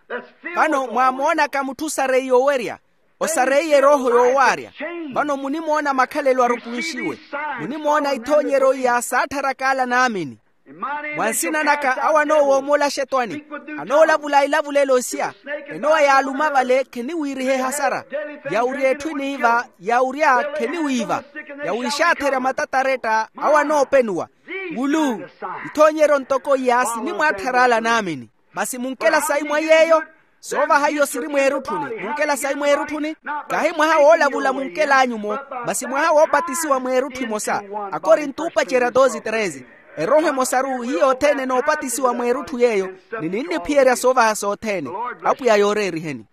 that's filled vano with the Holy mwaamoonaka mutthu osareiye owerya, osareiye erooho yoowaarya, vano munimoona makhalelo arukunxiwe, munimoona ithoonyeryo iya saatthara kaala naamini. Mwa nsina naka awo anoowoomolaxa etwani, anoolavula ilavulelo isia, enowa yaaluma vale kheniwiiriha ehasara, yawurya etthu eniiva, yawurya kheniwiiva, yawiixaatherya matataretta awo anoopenuwa. Wulu, ithoonyeryo ntoko iya sinimwaattharaala naamini. Masi munkela sayi mwa yeeyo? Soovaha iyo siri mweerutthuni, munkela sayi mweerutthuni? Kahi mwaha woolavula munkel'anyu-mo, masi mwaha woopatisiwa mweerutthu emosa. Akorinto oopacerya doze treze. Erooho emosaru hiyo othene enoopatisiwa mweerutthu yeeyo, ni ninniphiyerya soovaha sothene. Apwiya yooreeriheni.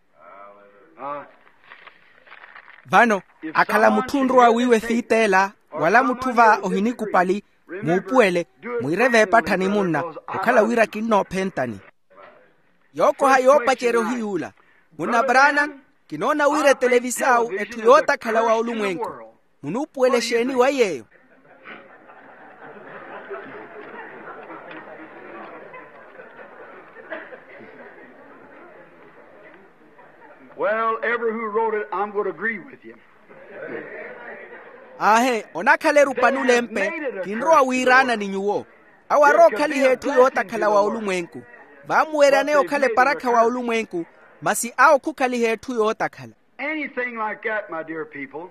Vano, akhala mutthu onrowa wiiwa efiit'ela, wala mutthu va ohinikupali, muupuwele, mwiire veepatthani munna, okhala wira kinnoophentani. Yookoha yoopacerya ohiy'ula. Munna brana, kinoona wira etelevisau etthu yootakhala wa olumwenku. Munuupuwela exeeni wa yeeyo? Well, every who wrote it, I'm going to agree with you. Aahe, onakhala erupa n'ulempe, kinrowa wiiraana ni nyuwo. Awo arookhaliha etthu yootakhala wa olumwenku. Vaamuweryaneya okhala eparakha wa olumwenku, masi awo khukhaliha etthu yootakhala. Anything like that, my dear people,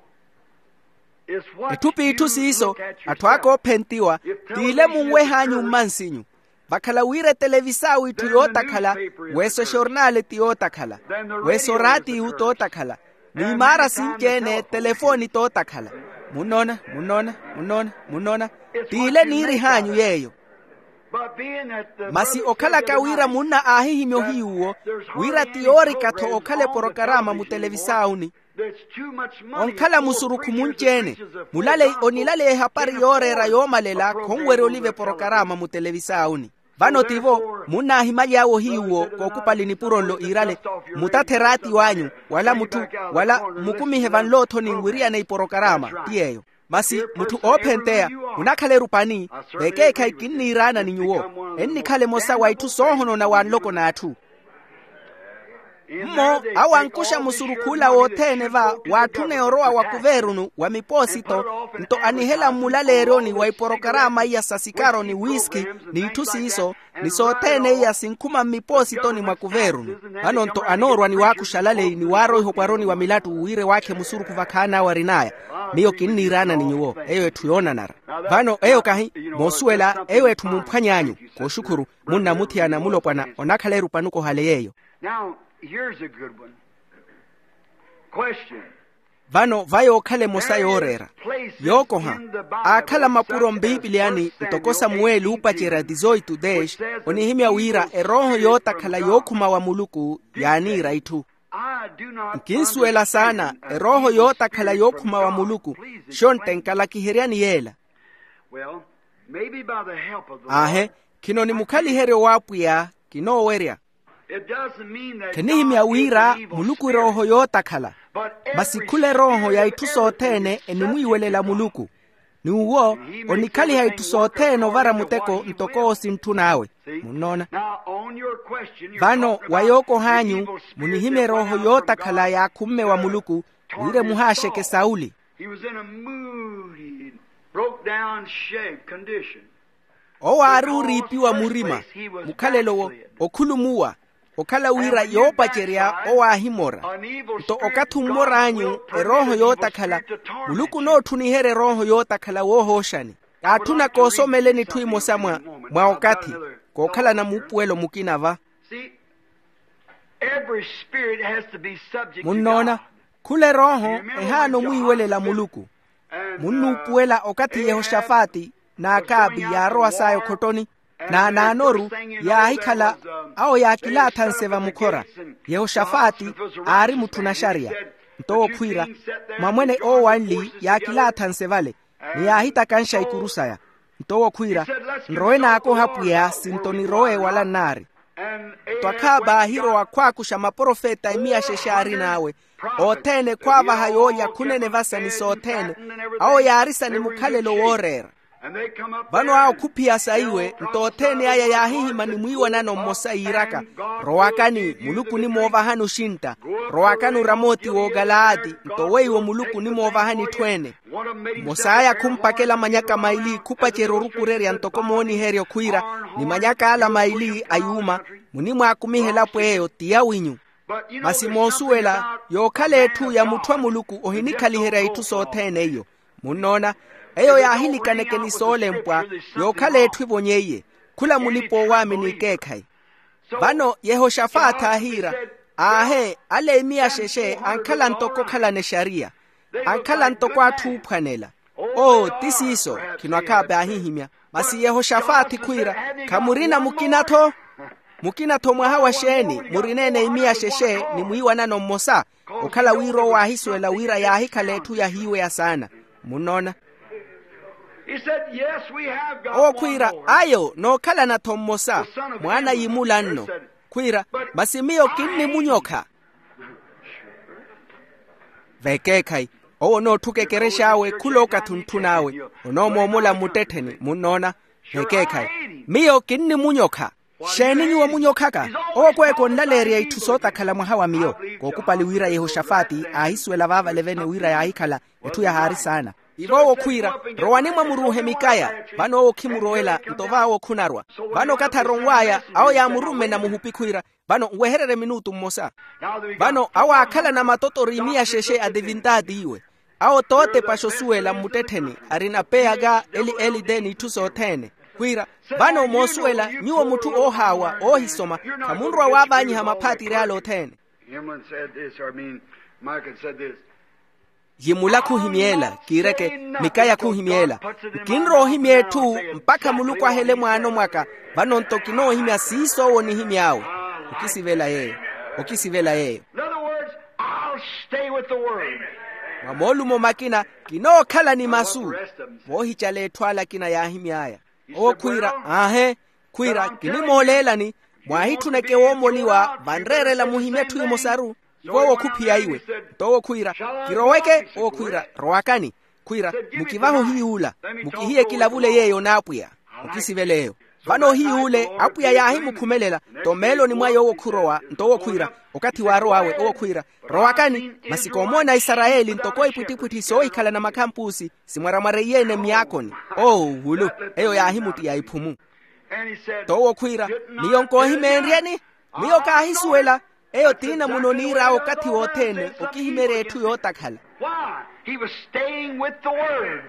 is what etthu p'itthu siiso, atthu aka oophentiwa, t'ile munweh'anyu mmansinyu. Vakhala wira etelevisau itthu yootakhala, weso exornale ti yootakhala, weso oraatiyu tootakhala, n'imaara sinci-ene telefooni tootakhala. Munnoona, munnoona, munnoona, munnoona. T'ile niirih'anyu yeeyo. Masi okhalaka wira munna aahihimya ohiyuwo, wira ti yoorika-tho okhala eporokarama mutelevisaawuni. Onkhala musurukhu munci-ene. Mulaleyi onilaleya ehapari yooreera yoomalela khonwerya oliva eporokarama mutelevisaawuni. Vano tivo munnaahimaly'awe ohiyuwo kookupali nipuro nlo iirale, mmutathe eraati w'anyu, wala mutthu, wala mmukumihe vanloothoni nwiriyane iporokarama ti yeeyo. Masi mutthu oophenteya, munakhala erupani. Vekeekhayi kinniiraana ni nyuwo, ennikhale emosa wa itthu soohonona wa nloko n'atthu. Mmo awo ankuxa musurukhu ola wothene va waatthune orowa wa kuveerunu wa mipoosito, nto anihela mmulaleeryoni wa iporokarama iya sa sikaro ni wiski n'itthu siiso, ni sothene iya sinkhuma mmipoositoni mwa kuveerunu. Vano nto anoorwa ni waakuxa alaleyi ni waaroiha okwaroni wa milattu wira ewaakhe musurukhu vakhaan'awe arin'aya. Miyo kinniiraana ni nyuwo, eyo etthu yoonanara. Vano eyo kahi, moosuwela eyo etthu mumphwany'anyu. Kooxukhuru. Munnamuthiyana mulopwana onakhala erupanuko ohale yeeyo. Now, here's a good one. Question. Vano va yookhala emosa yooreera yookoha. Aakhala mapuro mbiipiliyani ntoko samuweli uupacerya dizoitu desh, onihimya wira erooho yootakhala yookhuma wa muluku yaaniira itthu. Nkinsuwela saana erooho yootakhala yookhuma wa muluku. Xontte nkalakiheryani yeela. Aahe, khino ni mukhaliheryo w'apwiya. Kinoowerya. Khinihimya wira muluku erooho yootakhala. Masi khula erooho ya itthu sothene enimwiiwelela muluku. N'uwo onikhaliha itthu sothene ovara muteko ntoko owo sintthun'awe. Munnoona. Vano wa yookoh'anyu, munihimya erooho yootakhala yaakhumme wa muluku, wira emuhaaxeke sauli. He was in a moody, broke down shape condition. Owo aari oriipiwa murima. Mukhalelo wo okhulumuwa, okhala wira yoopacerya owo aahimora. Nto okathi ommor'anyu erooho yootakhala, muluku onootthuniherya erooho yootakhala woohooxani. Kaatthuna koosomeleni itthu imosa mwa mwa okathi, kookhalana muupuwelo mukina va. Munnoona, khula erooho ehaana omwiiwelela muluku. Munnuupuwela okathi yehoxafati n'akaabi yaarowa saya okhottoni, n'anaanoru yaahikhala. Awo yaakilaathanse vamukhora. Yehoxafati aari mutthu naxariya. Nto owo khwiira, mwamwene owo anli yaakilaathanse vale, ni yaahitakanxa ikuru saya. Nto owo khwiira, nrowe naakoha apwiya sinto nirowe wala nnaari. Nto akhaaba aahirowa khwaakuxa maprofeta emiya xexe aarin'awe, othene khwaavaha yoolya khunene vasa ni sothene. Awo yaarisa ni mukhalelo wooreera. Vano awo khuphiya saiwe nto othene aya yaahihima ni mwiiwanano mmosa yiiraka, rowakani muluku onimoovahani oxintta. Rowakani oramooti w'okalaati nto weiwo muluku onimoovahani itthu ene. Mmos'aya khumpakela manyaka maili khupacerya orukurerya ntoko mooniheryo khwiira, ni manyak'ala maili a yuuma, munimwakumiha elapo eyo ti yawinyu. Masi moosuwela yookhala etthu ya mutthu a muluku ohinikhaliherya itthu sothene iyo. Munnoona, eyo yaahilikaneke ni soolempwa, yookhala etthu evonyeiye. Khula mulipa-owaamini ekeekhayi. Vano yehoxafati aahiira, aahe, ale emiya xexe ankhala ntoko okhalana exariya. Ankhala ntoko atthu oophwanela. Oo ti siiso. Khino akhaape aahihimya. Masi yehoxafati khwiira, khamurina mukina-tho? Mukina-tho mwaha wa xeeni murineene imiya xexe ni mwiiwanano mmosa? Okhala wira owo aahisuwela wira yaahikhala etthu yahiiweya saana. Munnoona? Owo khwiira, ayo nookhalana-tho mmosa, mwaana yimula nno. Khwiira, masi miyo kinnimunyokha. Vekeekhayi, owo onootthuka ekerex'awe khula okathi ontthun'awe. Onoomoomola mmuttettheni munnoona. Vekeekhayi, miyo kinnimunyokha. Xeeni nyuwo munyokhaka? Owo okweeka onlaleerya itthu sootakhala mwaha wa miyo. Kookupali wira yehoxafati aahisuwela vaavale-vene wira yaahikhala etthu yahaari saana. Ivo owo khwiira, rowani mwamuruuhe mikaya. Vano owo khimurowela nto vaawo khunarwa. Vano okathi aronw'aya awo yaamurummena muhupi khwiira, vano nwehererye minutu mmosa. Vano awo aakhalana matotori imiya xexe a tivintaati iwe. Awo tootepaxa osuwela mmuttettheni arina peyaka eli-eli-te n'itthu sothene. Khwiira, vano moosuwela nyuwo mutthu oohaawa oohisoma, khamunrowa waavaanyiha maphaatiri ale othene. Him one said this, or I mean, Mike had said this. Yimula khuhimyela kiireke, mikaya khuhimyela. Nkinrowa ohimya etthu mpakha muluku ahele mwaano mwaka. Vano-nto kinoohimya siiso owo onihimy'awe. Okisivela yeeyo. Okisivela yeeyo. In other words, I'll stay with the word. Mwa moolumo makina, kinookhala ni masu. Voohicala etthu ale akina yaahimy'aya. Owo khwiira, aahe, khwiira, kinimooleelani, mwaahitthuneke woomoliwa vanreerela muhimye etthu emosaru. Ivo owo khuphiya iwe. Nto owo khwiira, kiroweke. Owo khwiira, rowakani. Khwiira, mukivahe ohiyuula, mukihiye kilavule yeeyo n'apwiya. Okisivela eyo. Vano ohiyuule apwiya yaahimukhumelela. Nto mmeeloni mwaye owo khurowa. Nto owo khwiira, okathi waarow'awe owo khwiira, rowakani. Masi koomoona aisarayeli ntoko ipwittipwitthi soohikhalana makhampusi, simwaramwareiye-ene myaakoni. Oo, wulu. Eyo yaahimuttiya iphumu. Nto owo khwiira, miyo nkoohimeenryeni. Miyo kaahisuwela. Eyo t'inamuno oniir'awe okathi wothene, okihimeerya etthu yootakhala. Why? He was staying with the word.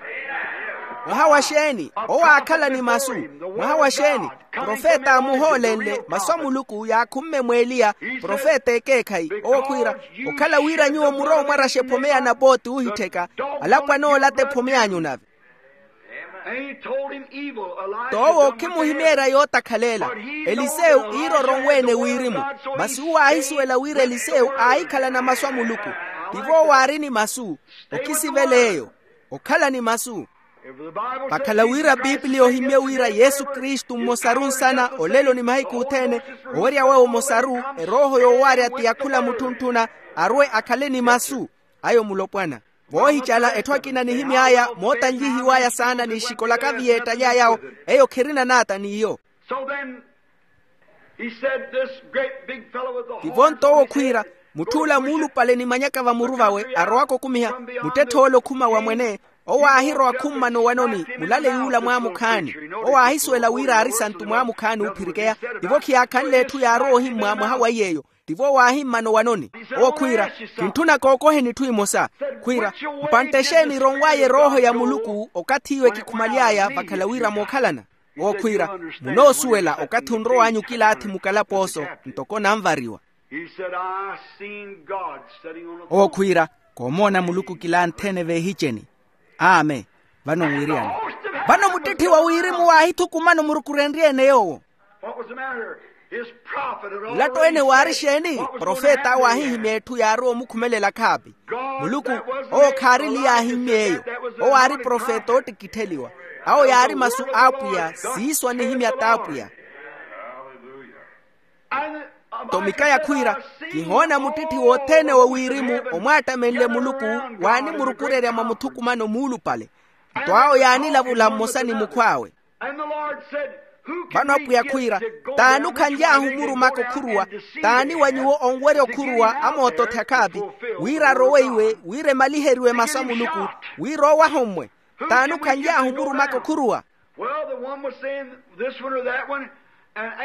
Mwaha wa xeeni? Owo aakhala ni masu. Mwaha wa xeeni? Profeta aamuhoolenle masu a muluku yaakhumme mw'eliya, profeta ekeekhayi. Owo khwiira, okhala wira nyuwo murowe omwaraxa ephome ya napooti oohittheka, alapwana oolata ephome anyu nave. Nto owo okhimuhimeerya yootakhalela. Elisewu iira oronwe-ene wirimu. Masi uwo aahisuwela wira elisewu aahikhalana masu a muluku. Tivo owo aari ni masu. Okisivela eyo. Okhala ni masu. Vakhala wira piipiliya ohimye wira yesu kristu mmosaru nsana olelo ni mahiku othene, owerya wawe omosaru, erooho yoowarya ti ya khula mutthunttuna, arwe akhale ni masu. Ayo mulopwana. Voohicala etthu akina anihimy'aya mootanlihiw'aya saana ni ixikola kaviyeetta yaayawo. Eyo khirina naata n'iyo. So then, he said, this great big fellow with the horns on his head. Tivo nto owo khwiira, mutth'ula muulupale ni manyaka vamuru vawe arowaka okumiha, muttetthe ole okhuma wa mwene. Owo aahirowa khummana owanoni mulale yuula mwaamukhaani. Owo aahisuwela wira aari santu mwaamukhaani oophirikeya. Tivo khiyaakhanle etthu yaarowa ohimmwa mwaha wa iy'eyo. Tivo waahimmana owanoni. Owo khwiira, kintthuna kookoheni itthu imosa. Khwiira, mpantte exeeni ironw'aya erooho ya muluku okathi iwe kikhumaly'aya vakhala wira mookhalana? Owo khwiira, munoosuwela okathi onrow'anyu kilaathi mukalapooso, ntoko nanvariwa. He said, I seen God sitting on a throne. Owo khwiira, koomoona muluku kilanthene veehiceni. Amen. Vano nwiriyani? Vano muttitthiwa wirimu waahithukumana omurukurenrye-ene yoowo. What was the matter? His prophet had mulatto ene waari xeeni? Profeta awo aahihimya etthu yaarowa omukhumelela khaapi. Muluku, owo khaarili yaahimmyeeyo. Owo aari profeta oottikittheliwa. Awo yaari masu a apwiya siiso anihimya t'apwiya. Nto mikaya khwiira, kihoona muttitthi wothene wo wirimu omwaattamenle muluku waanimurukurerya mwa muthukumano muulupale. Nto awo yaanilavula mmosa ni mukhw'awe. Vano apwiya khwiira, t'ani okhanly'ahu omurumaka okhuruwa? T'ani wa nyuwo onwerya okhuruwa amootothe akhaapi, wira arowe iwe wira emaliheriwe masu a muluku, wira owahommwe? T'ani okhanly'ahu omurumaka okhuruwa?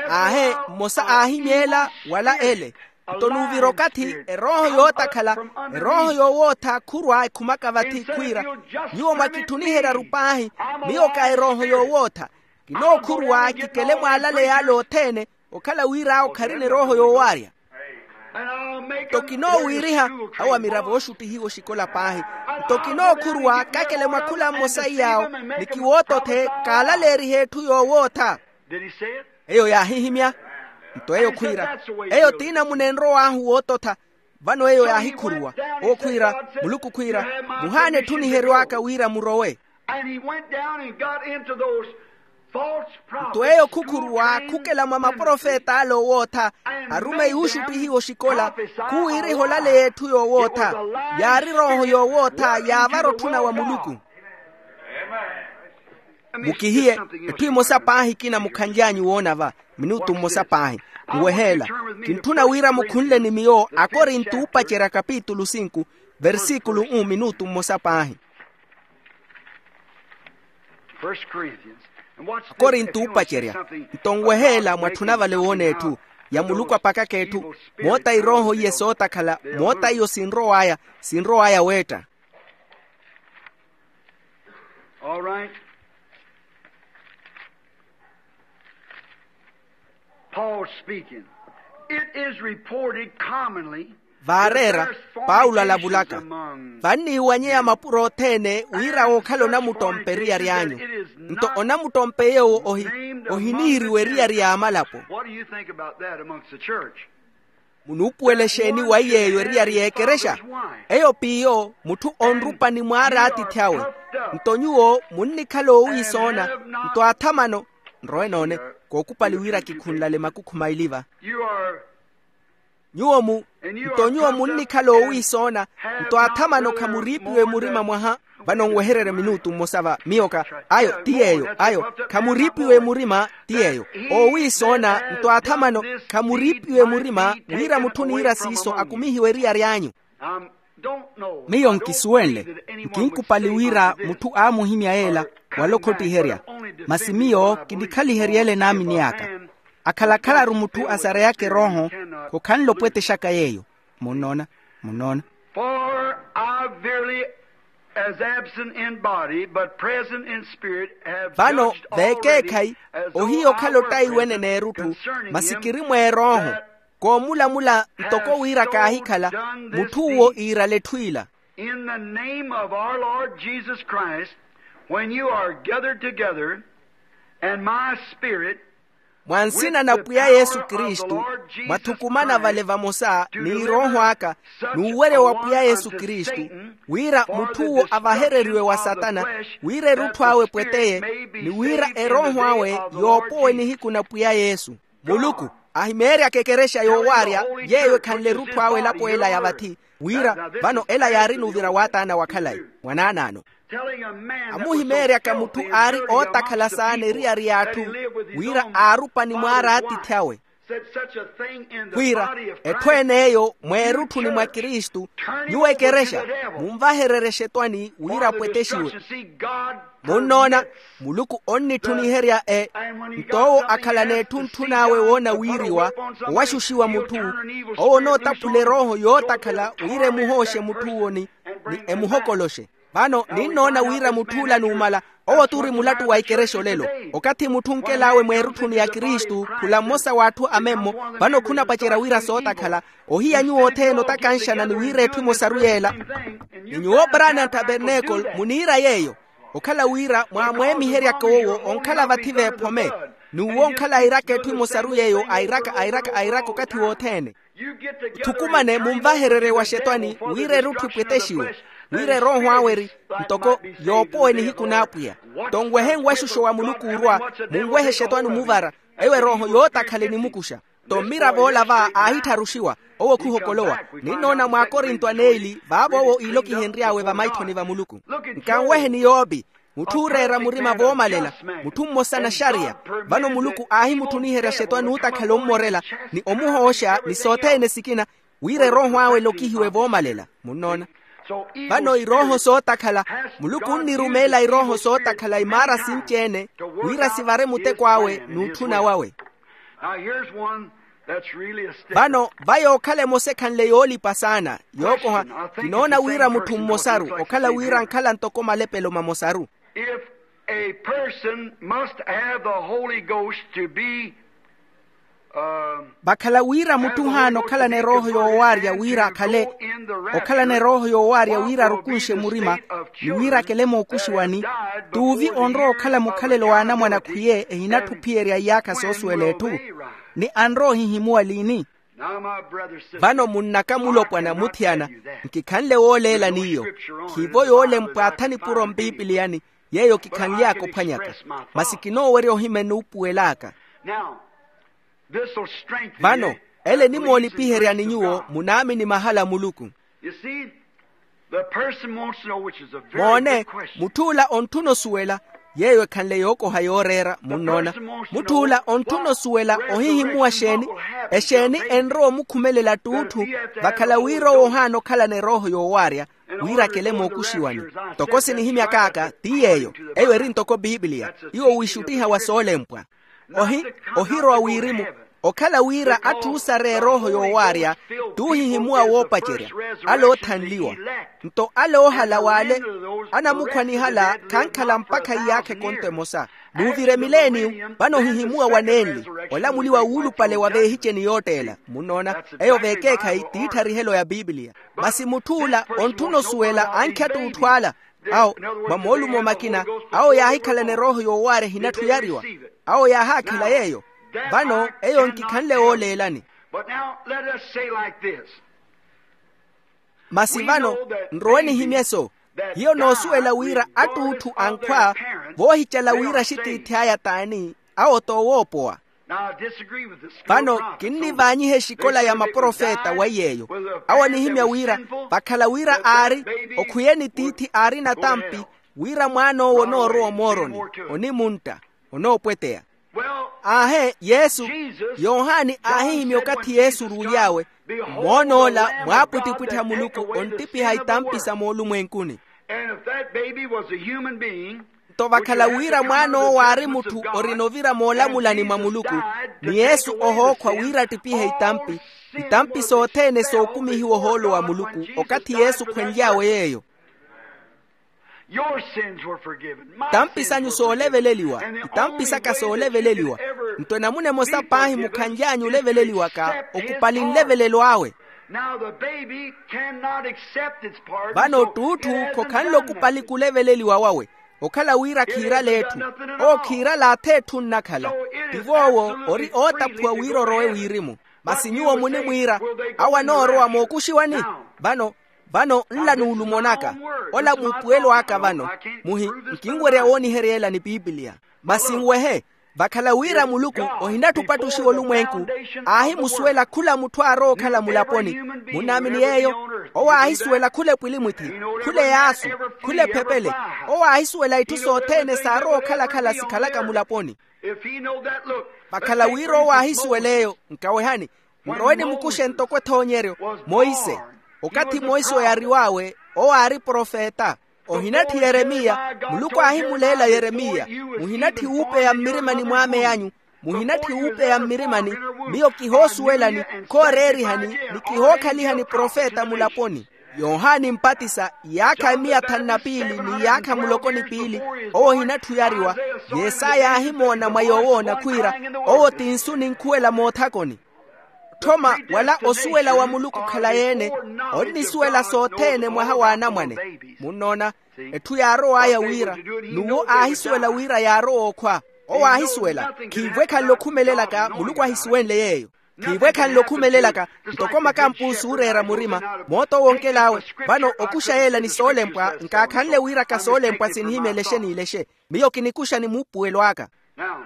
Aahe, mmosa aahimyeela wala ele. Nto nuuvira okathi erooho yootakhala, erooho yoowootha khurwa ekhumaka vathi khwiira, nyuwo mwakitthuniheryaru paahi. Miyo ka erooho yoowootha. Kinookhurwa kikele mwaalaleya ale othene, okhala wira awo kharina erooho yoowaarya. Nto kinoowiiriha awo amiravo ooxuttihiwa oxikola paahi. Nto kinookhurwa kakele mwa khula mmosa iy'awo, ni kiwootothe kaalaleerihe etthu yoowootha. Eyo yaahihimya. Nto eyo khwiira, eyo t'inamuna enrow'ahu woototha. Vano eyo yaahikhuruwa. Owo khwiira, muluku khwiira, muhaana etthu niheryw'aka wira murowe. Nto eyo khukhuruwa khukela mwa maprofeta ale owootha, arumeyi ooxuttihiwa oxikola, khuwiiriha olaleya etthu yoowootha. Yaari erooho yoowootha yaavara otthuna wa muluku. Mukihiye etthu emosa paahi ekina mukhanly'anyu woona va. Minutu mmosa paahi. Nweheela. Kintthuna wira mukhunle ni miyo akorinto oopacerya kapitulu sinku, versikulu um minutu mmosa paahi. Akorinto oopacerya. Nto nweheela mwatthuna vale woona etthu ya muluku apakaka etthu. Moota irooho iye sootakhala, moota iyo sinrow'aya, sinrow'aya weetta. All right. Paul speaking. It is reported commonly Vaareera, paulo alavulaka, vanniiwanyeya mapuro othene wira wookhala onamuttompa eriyari anyu. Nto onamuttompa eyowo ohi ohiniiriwa eriyari y'amalapo. Munuupuwela exeeni waiyeeyo eriyari y'ekerexa? Eyo p'iyo mutthu onrupa ni mwaari atiithi awe. Nto nyuwo munnikhala oowiisoona, nto athamano nrowe noone, kookupali wira kikhunlale makukhu maili va. Nyuwo mu nto nyuwo munnikhala oowiisoona, nto athamano khamuriipiwe murima mwaha. Vano nwehererye minutu mmosa va miyo ka ayo ti yeeyo ayo khamuriipiwe murima ti yeeyo. Oowiisoona nto athamano khamuriipiwe murima wira mutthu oniira siiso akumihiwe eriyari anyu. Miyo nkisuwenle, nkinkupali wira mutthu aamuhimya yeela wala okhottiherya. Masi miyo kinikhalihery'ele naamini aka. Akhala-khalaru mutthu asareyaka erooho, khokhanle opwetexaka yeeyo. Munnoona? Munnoona? For I verily, as absent in body, but present in spirit, have vano judged already veekeekhayi as though ohiya okhala I were ottayi present weneneerutthu, concerning masi him kiri mweerooho, that koomulamula ntoko wira kaahikhala mutthu uwo iirala etthu ila. In the name of our Lord Jesus Christ, when you are gathered together, and my spirit mwa nsina na pwiya yesu kristu, mwathukumana vale vamosa ni erooho aka n'uwerya wa pwiya yesu kristu, wira mutthu uwo avahereriwe wa satana, wira erutthu awe epweteye, ni wira erooho awe yoopowe nihiku na pwiya yesu. Muluku ahimeeryaka ekerexa yoowaarya, yeeyo ekhanle erutthu awe elapo ela ya vathi, wira vano ela yaarina ovira wa taana wa khalayi. Mwanaanaano amuhimeeryaka mutthu aari ootakhala saana eriyari y'atthu, wira aarupa ni mwaari atiithi awe, wira etthu en'eyo mweerutthu ni mwa kristu, nyuwo ekerexa munvahererye exetwani wira apwetexiwe. Munnoona, muluku onnitthuniherya e nto owo akhalana etthu ntthun'awe woona wiiriwa, owaxuxiwa mutthu owo onootaphula erooho yootakhala wira emuhooxe mutthu uwo ni emuhokoloxe. Vano ninnoona wira mutth'ula numala, owo t'uri mulattu wa ikerexa olelo. Okathi mutthu onkel'awe mweerutthuni ya kristu khula mmosa w'atthu amemmo, vano khunapacerya wira sootakhala. Ohiya nyuwo othene otakanxana ni wira etthu emosaru yeela. Ni nyuwo brana ntabernacle muniira yeeyo, okhala wira mwaamweemiheryaka owo onkhala vathi v'ephome, n'uwo onkhala airaka etthu emosaru yeeyo airaka airaka airaka okathi wothene. Thukumane munvahererye wa xetwani wira erutthu epwetexiwe, wira erooho awe eri ntoko yoopowe nihiku n'apwiya. Nto nwehe nwaxuxo wa muluku orwa, munwehe xetwani omuvara, eyo erooho yootakhala enimukuxa. Nto mmiravo ola va aahittharuxiwa, owo khuhokolowa. Ninnoona mwaakorinto aneeli vaavo owo iilokihenry'awe vamaithoni va muluku. Nkanweheni yoopi, mutthu ooreera murima voomalela, mutthu mmosa naxariya. Vano muluku aahimutthuniherya xetwani ootakhala ommorela, ni omuhooxa ni sothene sikina, wira erooho awe elokihiwe voomalela. Munnoona? Vano irooho sootakhala, muluku onnirumeela irooho sootakhala imaara sinci-ene, wira sivare muteko awe n'utthuna wawe. Vano va yookhala emosa ekhanle yoolipa saana yookoha. Kinoona wira mutthu mmosaru okhala wira ankhala ntoko malepelo mamosaru. If a person must have the Holy Ghost to be, um, vakhala wira mutthu ohaana okhalana erooho yoowaarya wira akhale okhalana erooho yoowaarya wira arukunxe murima, ni wira akele mookuxiwani, t'uvi onrowa okhala mukhalelo w'anamwane akhwiye ehinatthu ophiyerya iyaakha soosuwela etthu. Ni anrowa ohihimuwa liini? Vano munnaka mulopwana muthiyana, nkikhanle wooleela n'iyo. Khiivo yoolempwa atha nipuro mpipiliyani, yeeyo kikhanly'aka ophwanyaka. Masi kinoowerya ohimya enuupuwel'aka. Vano ele enimoolipiheryani nyuwo munaamini mahala a muluku. Moone, mutth'ula ontthuna osuwela, yeeyo ekhanle yookoha yooreera munnoona. Mutth'ula ontthuna osuwela ohihimuwa exeeni, exeeni enrowa omukhumelela t'utthu, vakhala wira owo ohaana okhalana erooho yoowaarya, wira akele mookuxiwani. Ntoko sinihimyak'aka ti yeeyo, eyo eri ntoko pipiliya. Iwo wiixuttiha wa soolempwa. Ohi ohirowa wirimu, okhala wira atthu oosareya erooho yoowaarya, t'uhihimuwa woopacerya, ale oothanliwa. Nto ale oohala w'ale anamukhwanihala khankhala mpakha iyaakha ekonto emosa. Nuuvire mileeniyo vano ohihimuwa wa nenli olamuliwa wuulupale wa veehiceni yootteela munnoona. Eyo veekeekhayi t'ittharihelo ya pipiliya. Masi mutth'ula ontthuna osuwela ankhi attuutthu ala awo mwa moolumo makina awo yaahikhalana erooho yoowaarya ehinatthu yariwa. Awo yaahaakhela yeeyo. Vano eyo nkikhanle wooleelani. But now let us say like this. Masi vano nrowe nihimye-so. Hiyo noosuwela wira attuutthu ankhwa voohicala wira axitiithi aya t'ani. Awo t'owoopowa. Vano kinnivaanyiha exikola ya maprofeta weiyeeyo. Awo anihimya wira vakhala wira aari okhwiyeni tiithi aarina tampi wira mwaan'owo onoorowa omooroni onimuntta onoopweteya. Aahe yesu yohani aahihimya okathi yesu oruuly'awe. Moon'ola mwaapwittipwitthi a muluku onttipiha itampi sa moolumwenkuni. Nto vakhala wira mwaan'owo aari mutthu orina ovira moolamulani mwa muluku ni yesu ohookhwa wira attipihe itampi itampi sothene sookumihiwa ohoolo wa muluku okathi yesu khwenly'awe yeeyo. Itampi sanyu sooleveleliwa. Itampi saka sooleveleliwa. Nto enamuna emosa paahi mukhanly'anyu oleveleliwaka okupali nlevelelo awe. Vano ttuutthu khokhanle okupali kuleveleliwa wawe okhala wira khiirala etthu. Owo khiirala atha etthu nnakhala. Tivo owo ori ootaphuwa wira orowe wirimu. Masi nyuwo munimwiira awo anoorowa mookuxiwani? Vano vano nla nuulumonaka ola muupuwelo aka vano. Muhi nkinwerya wooniherya ela ni pipiliya. Masi nwehe vakhala wira muluku ohinatthupatthuxiwa olumwenku aahimusuwela khula mutthu aarowa okhala mulaponi. Munnaamini yeeyo? Owo aahisuwela khula epwilimwithi khula eyaasu khula ephepele. Owo aahisuwela itthu sothene saarowa okhala-khala sikhalaka mulaponi. Vakhala wira owo aahisuwela eyo nkawehani. Nrowe nimukuxe ntoko ethoonyeryo. Monse okathi monse oyariw'awe owo aari profeta. Ohinatthi yeremiya muluku aahimuleela yeremiya. Muhinatthi wuupeya mmirimani mw'ame anyu muhinatthi wuupeya mmirimani miyo kihoosuwelani khooreerihani ni kihookhalihani profeta mulaponi. Yohani mpatisa iyaakha emiya thanu na piili n'iyaakha muloko ni piili owo ohinatthu oyariwa. Yesaya aahimoona mwa yoowoona khwiira owo ti nsu ninkhuwela moothakoni. Otthoma wala osuwela wa muluku okhalayi-ene onnisuwela sothene mwaha w'anamwane. Munnoona etthu yaarow'aya wira n'uwo aahisuwela wira yaarowa okhwa. Owo aahisuwela khiivo ekhanle okhumelelaka muluku ahisuwenle yeeyo. Khiivo ekhanle okhumelelaka ntoko makampuusi ooreera murima moota owo onkel'awe. Vano okuxa yeela ni soolempwa nkaakhanle wira ka soolempwa sinihimya elexe n'ilexe. Miyo kinikuxa ni muupuwelo aka. Now,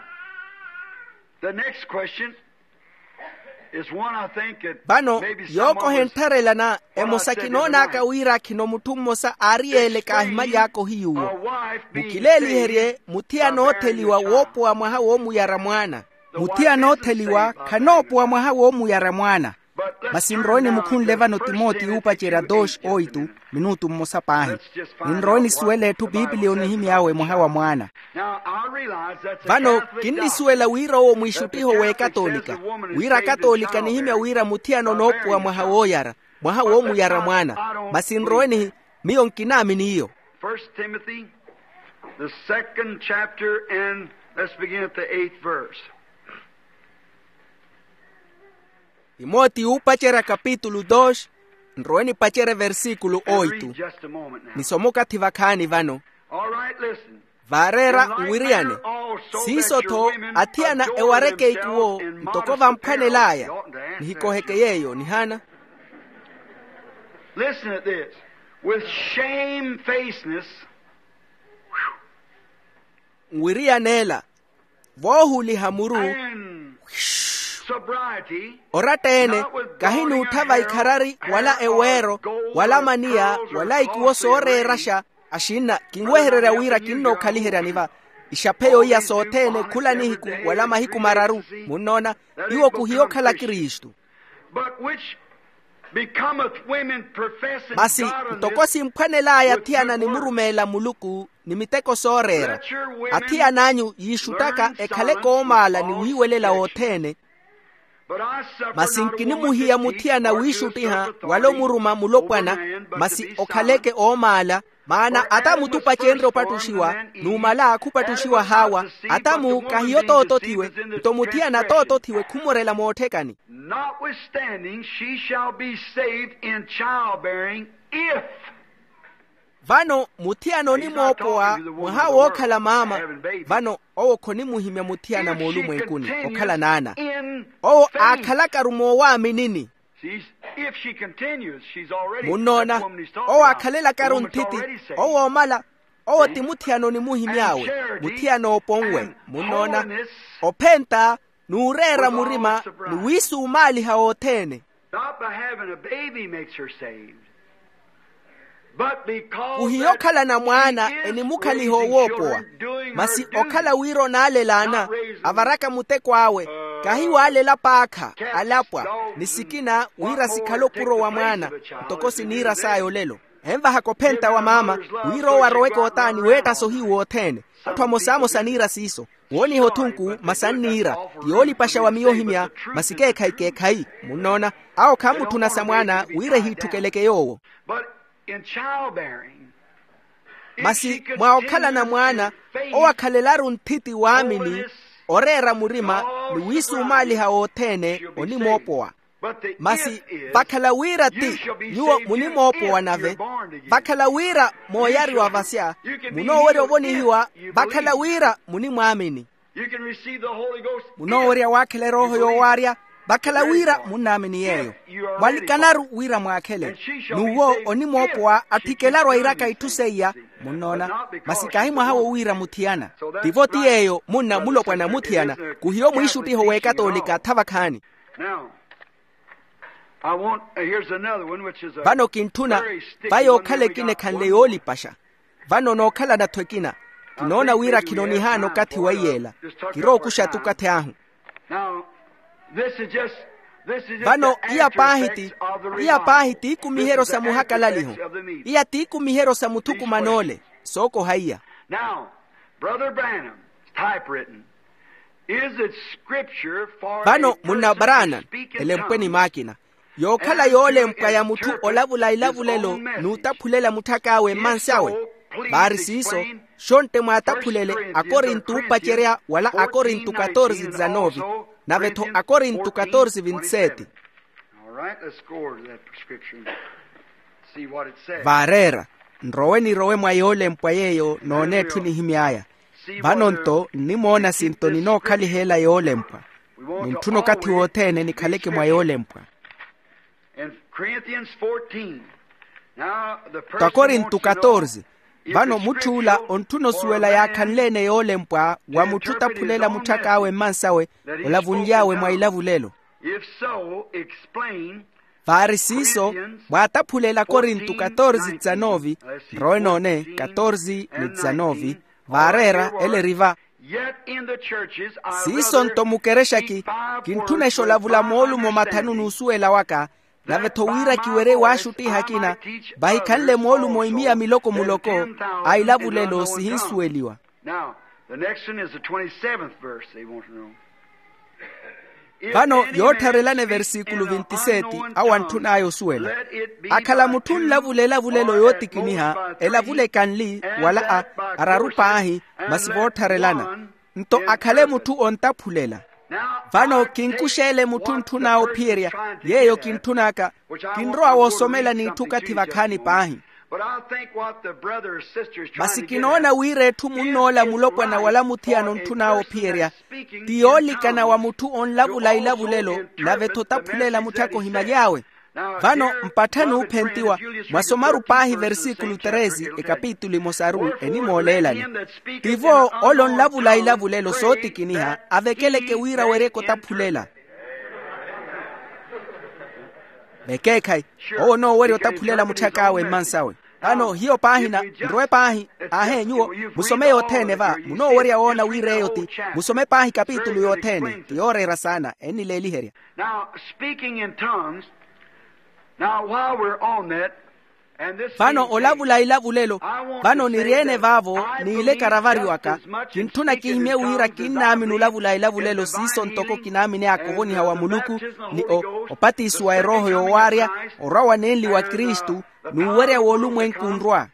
the next question is one I think that vano yookoha enttharelana emosa kinoon'aka wira khino mutthu mmosa aari yeeleka ahimaly'aka ohiyuwo. Mukileeliherye mutthiyana ootheliwa woopowa mwaha woomuyara mwaana. Mutthiyana ootheliwa khanoopowa mwaha woomuyara mwaana. Masi nrowe nimukhunle vano timoti yuupacerya doxi oitu minutu mmosa paahi. Ninrowe nisuwele etthu pipiliya onihimy'awe mwaha wa mwaana. Vano kinnisuwela wira owo mwiixuttiho w'ekatolika wira akatolika anihimya wira mutthiyana onoopuwa mwaha wooyara mwaha woomuyara mwaana. Masi nrowe nihi miyo nkinaamini iyo. First Timothy, the second chapter, and let's begin at the eighth verse. Timoti yuupacerya kapitulu dos. Nrowe nipacerye versíkulu oitu. Nisoma okathi vakhaani vano. Vaareera nwiriyane siiso-tho athiyana ewareke ikuwo ntoko vamphwanel'aya. Nihikoheke yeeyo nihaana. Listen at this. With shamefacedness. Nwiriyaneela voohuliha muru. And sobriety. Oratta-ene kahinuutthava ikharari wala eweero wala maniya wala ikuwo sooreeraxa. Axinna kinwehererya wira kinnookhaliheryani va ixaphe yooiya sothene khula nihiku wala mahiku mararu. Munnoona iwo khuhiya okhala kristu. But which becometh women professing masi godliness, ntoko simphwanel'aya athiyana nimurumeela muluku ni miteko sooreera. Athiyana anyu yiixuttaka ekhale koomaala ni wiiwelela wothene. Masi nkinimuhiya muthiyana wiixuttiha wala omuruma mulopwana, masi okhaleke oomaala. Maana ata mutupacenrye opattuxiwa, numala khupattuxiwa haawa. Ata mu kahiyo tootothiwe, nto muthiyana tootothiwe khumurela mootthekani. Notwithstanding she shall be saved in childbearing, if. Vano muthiyana onimoopowa mwaha wookhala maama. Vano owo khonimuhimya muthiyana moolumwenkuni okhala naana. Owo aakhalakaru moowaaminini. Munnoona, owo aakhalelakaru nthitti. Owo oomala. Owo ti muthiyana onimuhimy'awe. Muthiyana ooponwe. Munnoona, ophenta, n'ureera murima, ni wiisumaaliha othene. Not by having a baby makes her saved. Kuhiya okhalana mwaana enimukhaliha owoopowa. Masi okhala wira onaalelaana, avaraka muteko awe, kahi waalela paakha, alapwa, ni sikina wira sikhale opuro wa mwaana, ntoko siniira saya olelo. Envahaka ophenta wa maama, wira owo aroweke otaani weetta sohiyu wothene. Atthu amosamosa aniira siiso. Wooniha othunku masi anniira, ti yoolipaxa wa miyo ohimya. Masi keekhayi keekhayi. Munnoona, awo khaamutthuna sa mwaana wira ehiitthukeleke yoowo. Masi mwa okhalana mwaana, owo akhalelaru nthitti waamini, oreera murima, ni wiisumaaliha wothene onimoopowa. Masi vakhala wira ti, nyuwo munimoopowa nave. Vakhala wira mooyariwa vasya, munoowerya ovonihiwa. Vakhala wira munimwaamini, munoowerya waakhela erooho yoowaarya. Vakhala wira munnaamini yeeyo, mwalikanaru wira mwaakhele. N'uwo onimoopowa atthikelaru airaka itthu seiya. Munnoona, masi kahi mwaha wowiira muthiyana. Tivo ti yeeyo munna mulopwana muthiyana. Kuhiyo mwiixuttiho w'ekatoolika thavakhaani. Vano kintthuna, va yookhala ekina ekhanle yoolipaxa. Vano nookhalana-tho ekina, kinoona wira khinonihaana okathi wa iyeela. Kirookuxa-tho okathi ahu. Vano iya paahi ti, iya paahi t'ikumiheryo sa muhakalaliho. Iya t'ikumiheryo sa muthukuman'ole. Sookoha iya. Vano munna branham, elempwe ni maakina, yookhala yoolempwa ya mutthu olavula ilavulelo n'utaphulela mutthak'awe mmansi awe. Vaari siiso, xontte mwaataphulele akorinto oopacerya wala akorinto katorze dizanovi, nave-tho akorinto katorze vintseti. Vaareera, nrowe nirowe mwa yoolempwa yeeyo noona etthu enihimy'aya. Vano-nto nnimoona sinto ninookhaliha ela yoolempwa. Nintthuna okathi wothene nikhaleke mwa yoolempwa. Takorinto katorze. Vano mutthuula ontthuna osuwela yaakhanle-ene yoolempwa wa mutthu otaphulela mutthak'awe mmansawe, olavunly'awe mwa ilavulelo. Vaari siiso, mwaataphulela akorinto katorze dizanovi. Nrowe noone katorze ni dizanovi. Vaareera ele eri va. Siiso-nto mukerexaki, kintthunexola vula moolumo mathanu n'usuwela waka. Nave-tho wira kiwerye waaxuttiha akina, vahikhanle moolumo imiya miloko-muloko a ilavulelo sihinsuweliwa. Vano yoottharelana eversikulo vintiseti awo antthun'aya osuwela. Akhala mutthu onlavula elavulelo yootikiniha elavule kanli, wala araru paahi, masi voottharelana. Nto akhale mutthu ontaphulela. Vano kinkuxeele mutthu ntthun'awe ophiyerya. Yeeyo kintthun'aka, kinrowa woosomela n'itthu okathi vakhaani paahi. Masi kinoona wira etthu munn'ola mulopwana wala muthiyana ontthun'awe ophiyerya, ti yoolikana wa mutthu onlavula ilavulelo, nave-tho otaphulela mutthaka ohimaly'awe. Vano mpattha n'uphentiwa, mwasomaru paahi eversikulo treze ekapitulu emosaru enimooleelani. Tivo ole onlavula ilavulelo sootikiniha avekeleke wira aweryeke otaphulela. Vekeekhayi, owo onoowerya otaphulela mutthak'awe mmansawe. Vano hiyo paahina, nrowe paahi. Ahe nyuwo, musome yothene va munoowerya woona wira eyo ti. Musome paahi kapitulu yothene ti yooreera saana ennileeliherya. Now, speaking in tongues, now, while we're on that, Vano olavula ilavulelo, vano niri-ene vaavo, n'ile karavariwaka. Kintthuna kihimye wira kinnaamini olavula ilavulelo siiso ntoko kinaamini aka ovoniha wa muluku, ni opatisiwa erooho yoowaarya, orwa wa nenli wa kristu, n'uwerya w'olumwenku nrwa.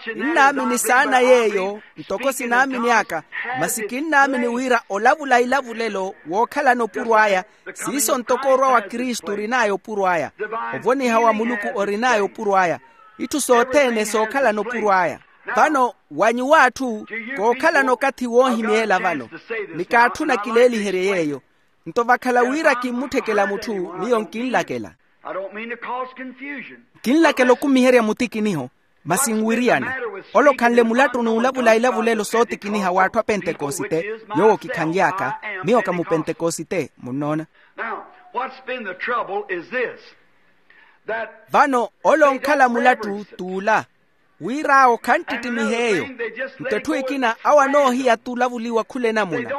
Kinnaamini saana yeeyo, ntoko sinaamini aka. Masi kinnaamini wira olavula ilavulelo wookhalana opuro aya, siiso ntoko orwa wa kristu orin'aya opuro aya. Ovoniha wa muluku orin'aya opuro aya. Itthu sothene sookhalana opuro aya. Vano, wa nyuwo atthu, kookhalana okathi woohimyeela vano. Ni kaatthuna kileeliherye yeeyo. Nto vakhala wira kimmutthekela mutthu, miyo nkinlakela. Kinlakela okumiherya mutikiniho. Masi nwiriyane. Ole okhanle mulattu n'ulavula ilavulelo sootikiniha w'atthu a pentekosite, yoowo kikhanly'aka. Miyo ka mupentekosite, munnoona. Vano ole onkhala mulattu t'ula, wir'awo khanttittimiha eyo. Nto etthu ekina awo anoohiya t'ulavuliwa khula enamuna.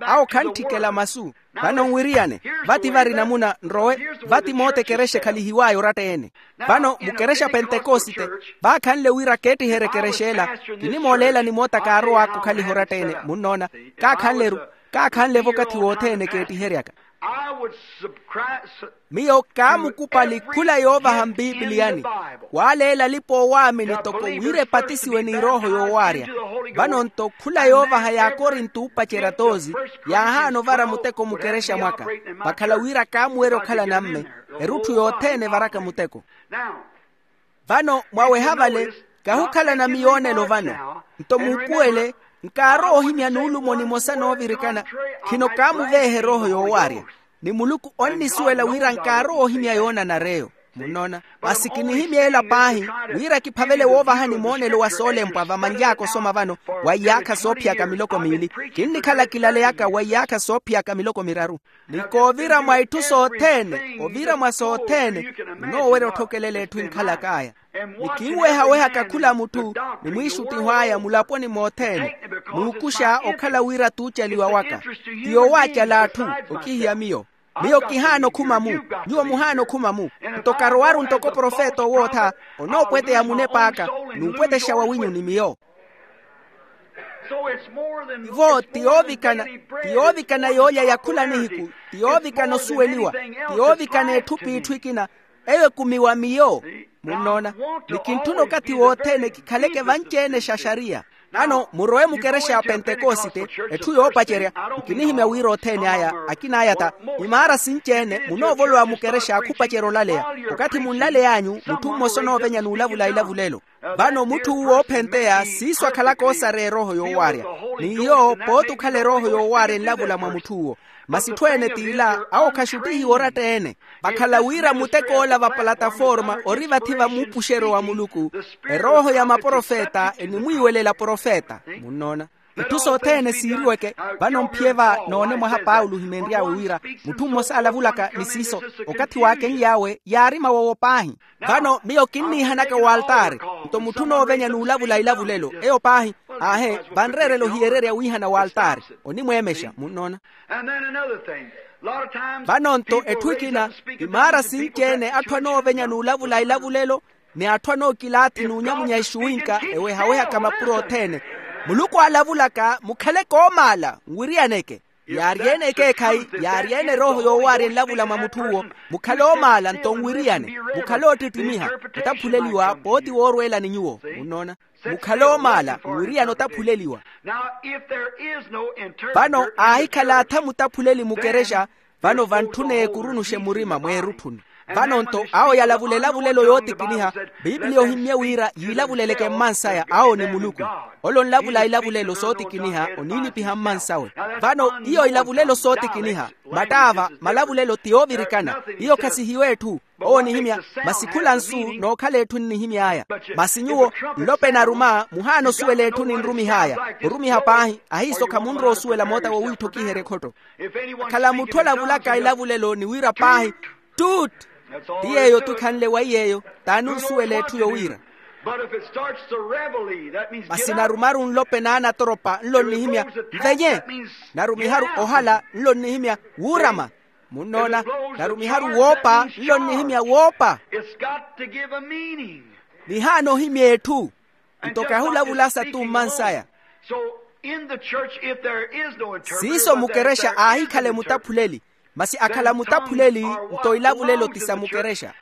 Awo khantthikela masu. Vano nwiriyane, vati vari namuna nrowe. Vati moota ekerexa ekhalihiw'aya oratta-ene. Vano mukerexa pentekosite, vaakhanle wira keettiherye ekerexa ela. Kinimooleela ni moota kaarow'aka okhaliha oratta-ene, munnoona. Kaakhanle-ru. Kaakhanle-vo okathi wothene keettiheryaka. Miyo kaamukupali khula yoovaha mpipiliyani, waaleela alipa oowaamini toko wira epatisiwe n'irooho yoowaarya. Vano nto khula yoovaha y'akorinto oopacerya toozi, yaahaana ovara muteko mukerexa mwaka. Vakhala wira kaamuwerya okhala namme, erutthu yothene evaraka muteko. Vano mwaweha vale, kahukhalana miyoonelo vano. Nto muupuwele, nkaarowa ohimya nuulumo nimosa noovirikana. Khino kaamuveeha erooho yoowaarya. Ni muluku onnisuwela wira nkaarowa ohimya yoonanara eyo. Munnoona. Masi kinihimya ela paahi, wira kiphavele woovahani moonelo wa soolempwa vamanly'aka osoma vano, wa iyaakha soophiyaka miloko miili. Kinnikhala kilaleyaka wa iyaakha soophiyaka miloko miraru. Ni koovira mwa itthu sothene, ovira mwa sothene, munoowerya otthokelela etthu enkhalak'aya. Ni kinwehawehaka khula mutthu, ni mwiixuttiho aya mulaponi mothene, muukuxa okhala wira t'ucaliwa waka. Ti yoowaacala atthu, okihiya miyo. Miyo kihaana okhuma-mu. Nyuwo muhaana okhuma-mu. Nto karowaru ntoko profeta owootha, onoopweteya munep'aka, n'upwetexa wawinyu ni miyo. Ivo ti yoovikana, ti yoovikana yoolya ya khula nihiku, ti yoovikana osuweliwa, ti yoovikana etthu p'itthu ikina. Eyo ekumiwa miyo. Munnoona. Ni kintthuna okathi wothene kikhaleke vanci-ene xaxariya. Vano murowe mukerexa ya pentekosite, etthu yoopacerya. Nkinihimya wira othene aya, akin'aya ta, imaara sinci-ene munoovolowa mukerexa khupacerya olaleya. Okathi munlaley'anyu mutthu mmosa onoovenya n'ulavula ilavulelo. Vano mutthu uwo oophenteya siiso akhalaka oosareya erooho yoowaarya. Ni iyo pooti okhala erooho yoowaarya enlavula mwa mutthu uwo. Masi itthu ene t'ila awo khaxuttihiwa oratta-ene. Vakhala wira mutek'ola va palataforma ori vathi va muupuxeryo wa muluku. Erooho ya maprofeta enimwiiwelela profeta. Munnoona. Itthu sothene siiriweke. Vano mphiye va noone mwaha paulo ohimenry'awe wira mutthu mmosa alavulaka ni siiso, okathi waakenly'awe yaari mawowo paahi. Vano miyo kinniihanaka w'altaari. Nto mutthu onoovenya n'ulavula ilavulelo eyo paahi. Aahe, vanreerela ohiyererya wiihana w'altaari. Onimweemexa munnoona. Vano nto etthu ekina, imaara sinci-ene atthu anoovenya n'ulavula ilavulelo, ni atthu anookilaathi n'unyamunya ixuwinka ewehawehaka mapuro othene. Muluku aalavulaka mukhaleke oomaala nwiriyaneke. Yaari-ene ekeekhayi, yaari-ene erooho yoowaarya enlavula mwa mutthu uwo. Mukhale oomaala nto nwiriyane. Mukhale oottittimiha, otaphuleliwa pooti woorweela ni nyuwo. Munnoona. Mukhale oomaala nwiriyane otaphuleliwa. Vano aahikhala atha mutaphuleli mukerexa. Vano vantthuna eekurunuxe murima mweerutthuni. Vano nto awo yalavula elavulelo yootikiniha. Pipiliya ohimmye wira yiilavuleleke mmansaya awo ni muluku. Ole onlavula elavulelo sootikiniha oniilipiha mmansawe. Vano iyo ilavulelo sootikiniha, mattaava malavulelo ti yoovirikana. Iyo khasihiwa etthu. Owo onihimya, masi khula nsu nookhala etthu nnihimy'aya. Masi nyuwo nlopeni aruma muhaana osuwela etthu ninrumih'aya. Orumiha paahi ahiiso khamunrowa osuwela moota wowiitthokiherya ekhotto. Vakhala mutthu alavulaka elavulelo ni wira paahi, ttuuttu. Ti yeeyo-tho ekhanle wa iy'eyo. T'ani osuwela etthu yowiira? Masi narumaru nlopeni anatoropa nlo nnihimya, nvenye. Narumiharu ohala nlo nnihimya, wuurama. Munnoona, narumiharu woopa nlo nnihimya woopa. It's got to give a meaning. Nihaana ohimya etthu. Nto kahulavulasa tummansaya. So in the church, if there is no interpreter, siiso mukerexa aahikhale mutaphuleli. Masi akhala mutaphuleli, nto ilavulelo ti sa mukerexa.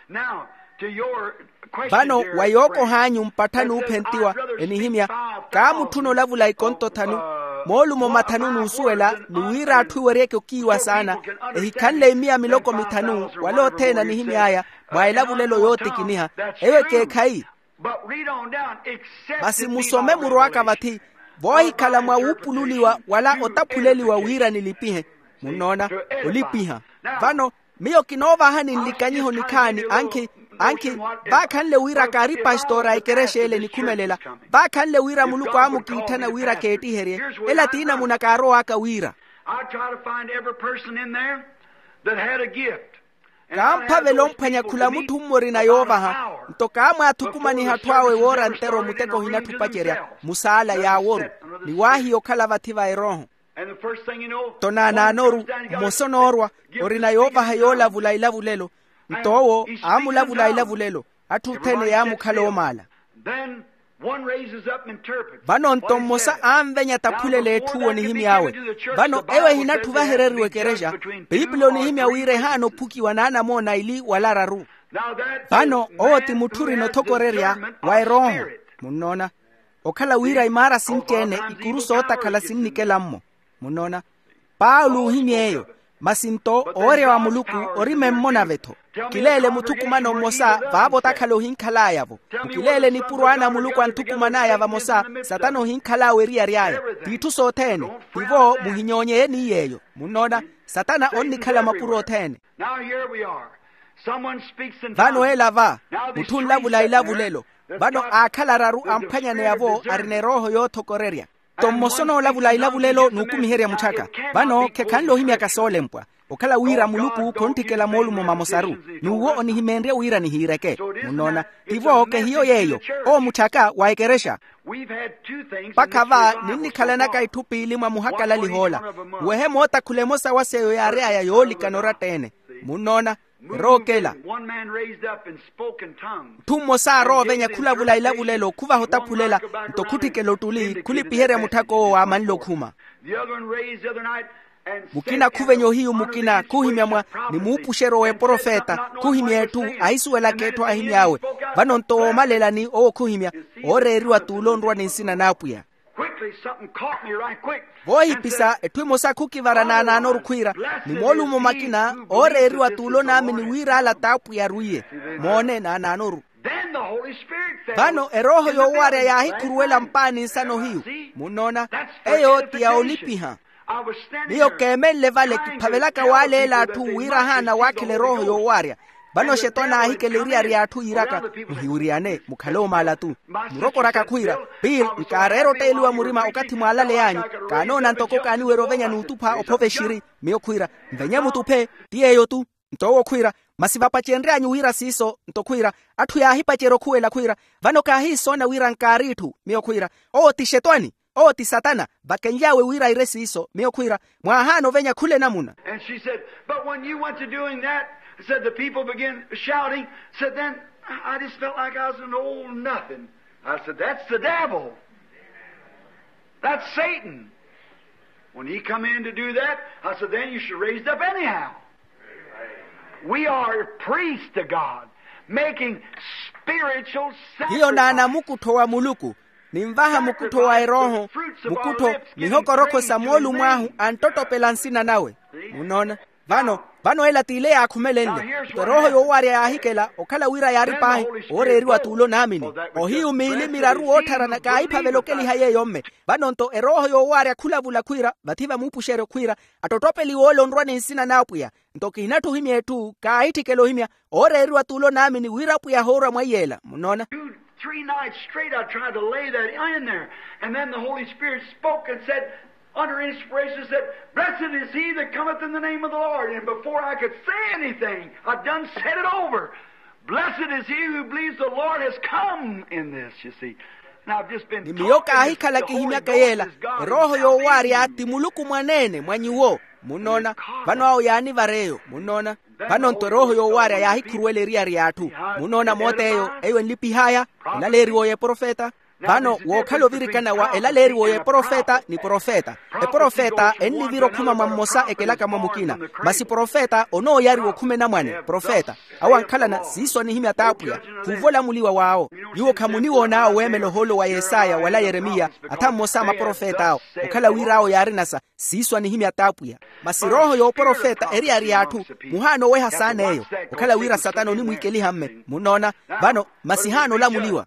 Vano wa yookoh'anyu mpattha n'uphentiwa, enihimya, kaamutthuna olavula ikonto thanu, moolumo mathanu n'usuwela ni wira atthu eweryeke okiiwa saana, ehikhanle imiya miloko mithanu wala othene anihimy'aya, mwa elavulelo yootikiniha. Eyo ekeekhayi. Masi musome murw'aka vathi, voohikhala mwa wuupululiwa wala otaphuleliwa wira nilipihe. Munnoona, olipiha. Vano miyo kinoovahani nlikanyiho nikhaani ankhi, ankhi vaakhanle wira kaari pastora a ekerexa ele nikhumelela, vaakhanle wira muluku aamukiitthana wira keettiherye. Ela ti namuna kaarow'aka wira. I try to find every person in there that had a gift. Kaamphavela omphwanya khula mutthu mmoorina yoovaha. Nto kaamwaathukumaniha atthu awe woora ntero muteko ohinatthu opacerya musaala yaaworu, ni waahiya okhala vathi va erooho. Nto naanaanoru, mmosa onoorwa, orina yoovaha yoolavula ilavulelo. Nto owo aamulavula ilavulelo, atthu othene yaamukhala oomaala. Vano nto mmosa aanvenya taphulele etthu onihimy'awe. Vano eyo ehinatthi ovahereriwa ekerexa. Piipili onihimya wira ehaana ophukiwa n'anamoona aili wala araru. Vano owo ti mutthu orina othokorerya wa erooho. Munnoona, okhala wira imaara sinci-ene, ikuru sootakhala sinnikela-mmo. Munnoona, paulo oohimya eyo. Masi nto owerya wa muluku ori memmona-ve-tho. Kileele muthukumano mmosa vaavo otakhala ohinkhal'aya-vo. Mukileele nipuro ana a muluku anthukuman'aya vamosa, satana ohinkhal'awe eriyari aya. T'itthu sothene. Tivo muhinyoonyeye ni yeeyo. Munnoona, satana onnikhala mapuro othene. Vano ela va, mutthu onlavula ilavulelo. Vano aakhala araru amphwanyaneya-vo arina erooho yoothokorerya. Nto mmosa onoolavula ilavulelo n'ukumiherya mutthu aka. Vano khekhanle ohimyaka soolempwa, okhala wira muluku khontthikela moolumo mamosaru. N'uwo onihimeenrye wira nihiireke. Munnoona, tivo kehiyo yeeyo. Owo mutthu aka wa ekerexa. Mpakha va ninnikhalanaka itthu piili mwa muhakalaliho ola. Nwehe mootakhula emosa wa s'eyo yaary'aya yoolikana oratta-ene. Munnoona, erookela. Mutthu mmosa aarowa ovenya khulavula ilavulelo khuvaha otaphulela, nto khutthikela ottuli khulipiherya mutthak'owo waamanle okhuma. Mukina khuvenya ohiyu mukina khuhimya mwa, ni muupuxeryo w'eprofeta. Khuhimya etthu ahisuwelaka etthu aahimy'awe. Vano nto woomalelani owo khuhimya, ooreeriwa t'ule onrwa ni nsina n'apwiya. Voohipisa etthu emosa khukivara naanaanoru khwiira, ni moolumo makina ooreeriwa t'ule onaamini wira ala t'apwiya arwiye. Moone naanaanoru. Vano erooho yoowarya yaahikhuruwela mpaani nsano hiyu. Munnoona, eyo ti ya olipiha. Miyo keemenle vale kiphavelaka waaleela atthu wira ahaana waakhela erooho yoowarya. Vano xetwani aahikela eriyari y'atthu yiiraka, muhiwiriyane mukhale omaala-tu. Murokoraka khwiira, pili nkaareera otteeliwa murima okathi mwaalaley'anyu. Kaanoona ntoko kaaniwerya ovenya n'utupha ophove xiri. Miyo khwiira, nvenye mutuphe. Ti yeeyo-tu. Nto owo khwiira, masi vapacenry'anyu wira siiso. Nto khwiira, atthu yaahipacerya okhuwela khwiira, vano kaahiisoona wira nkaari itthu. Miyo khwiira, owo ti xetwani. Owo ti satana vakenly'awe wira aire siiso. Miyo khwiira, mwaahaana ovenya khula enamuna. And she said, but when you went to doing that, said the people began shouting, said then I just felt like I was an old nothing. I said, that's the devil. That's Satan. When he come in to do that, I said, then you should raise it up anyhow. We are priests to God, making spiritual sacrifice. Hiyo naana mukuttho wa muluku, nimvaha mukuttho wa erooho, mukuttho mihokorokho sa moolumo ahu anttottopela nsina nawe. Munnoona, vano, vano ela t'ile yaakhumelenle. Nto erooho yoowarya yaahikela okhala wira yaari paahi, ooreeriwa t'ule onaamini. Ohiyu miili miraru woottharana kaahiphavela okeliha yeeyo mme. Vano nto erooho yoowarya khulavula khwiira vathi va muupuxeryo khwiira, attottopeliwe ole onrwa ni nsina n'apwiya. Nto kihinatthu ohimya etthu kaahitthikela ohimya, ooreeriwa t'ule onaamini wira apwiya ahoorwa mwa iyeela. Munnoona. Three nights straight I tried to lay that in there. And then the Holy Spirit spoke and said, under inspiration, said, blessed is he that cometh in the name of the Lord. And before I could say anything, I done said it over. Blessed is he who believes the Lord has come in this, you see. Ni miyo kaahikhala kihimyaka yeela. Erooho yoowaarya ti muluku mwaneene mwa nyuwo. Munnoona? Vano awo yaanivara eyo. Munnoona? Vano-nto erooho yoowaarya yaahikhuruwela eriyari y'atthu. Munnoona moota eyo? Eyo enlipih'aya. Elaleeriwo y'eprofeta. Vano wookhala ovirikana wa elaleeriwo y'eprofeta ni profeta. Eprofeta ennivira okhuma mwa mmosa ekelaka mwa mukina. Masi profeta onooyariwa okhuma enamwane profeta. Awo ankhalana siiso anihimya t'apwiya. Khuuvolamuliwa w'awo. Nyuwo khamuniwoon'awo weemela ohoolo wa yesaya wala yeremiya, atha mmosa a maprofet'awo. Okhala wira awo yaarina sa siiso anihimya t'apwiya. Masi erooho y'oprofeta eriyari y'atthu. Muhaana oweha saana eyo. Okhala wira satana onimwiikeliha mme munnoona. Vano masi haana olamuliwa.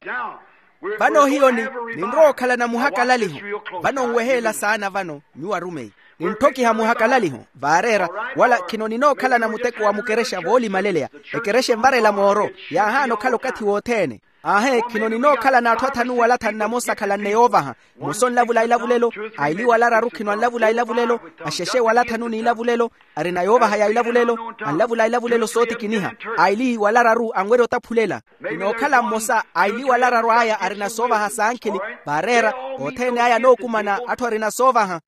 Vano hiyo ni ninrowa okhalana muhakalaliho. Vano nweheela saana vano nyuwo arumeyi. Nintthokiha muhakalaliho vaareera. Wala khino ninookhalana muteko wa mukerexa voolimaleleya. Ekerexa envarela mooro. Yaahaana okhala okathi wothene. Aahe khino ninookhalana atthu athanu wala athanu namosa akhalanne yoovaha. Mmosa onlavula ilavulelo. Aili wala araru khino anlavula ilavulelo. Axexe wala athanu n'ilavulelo. Arina yoovaha ya ilavulelo. Anlavula ilavulelo sootikiniha. Aili wala araru anwerya otaphulela. Inookhala mmosa aili wala araru aya arina soovaha sankhili. Vaareera othene aya anookumana atthu arina soovaha.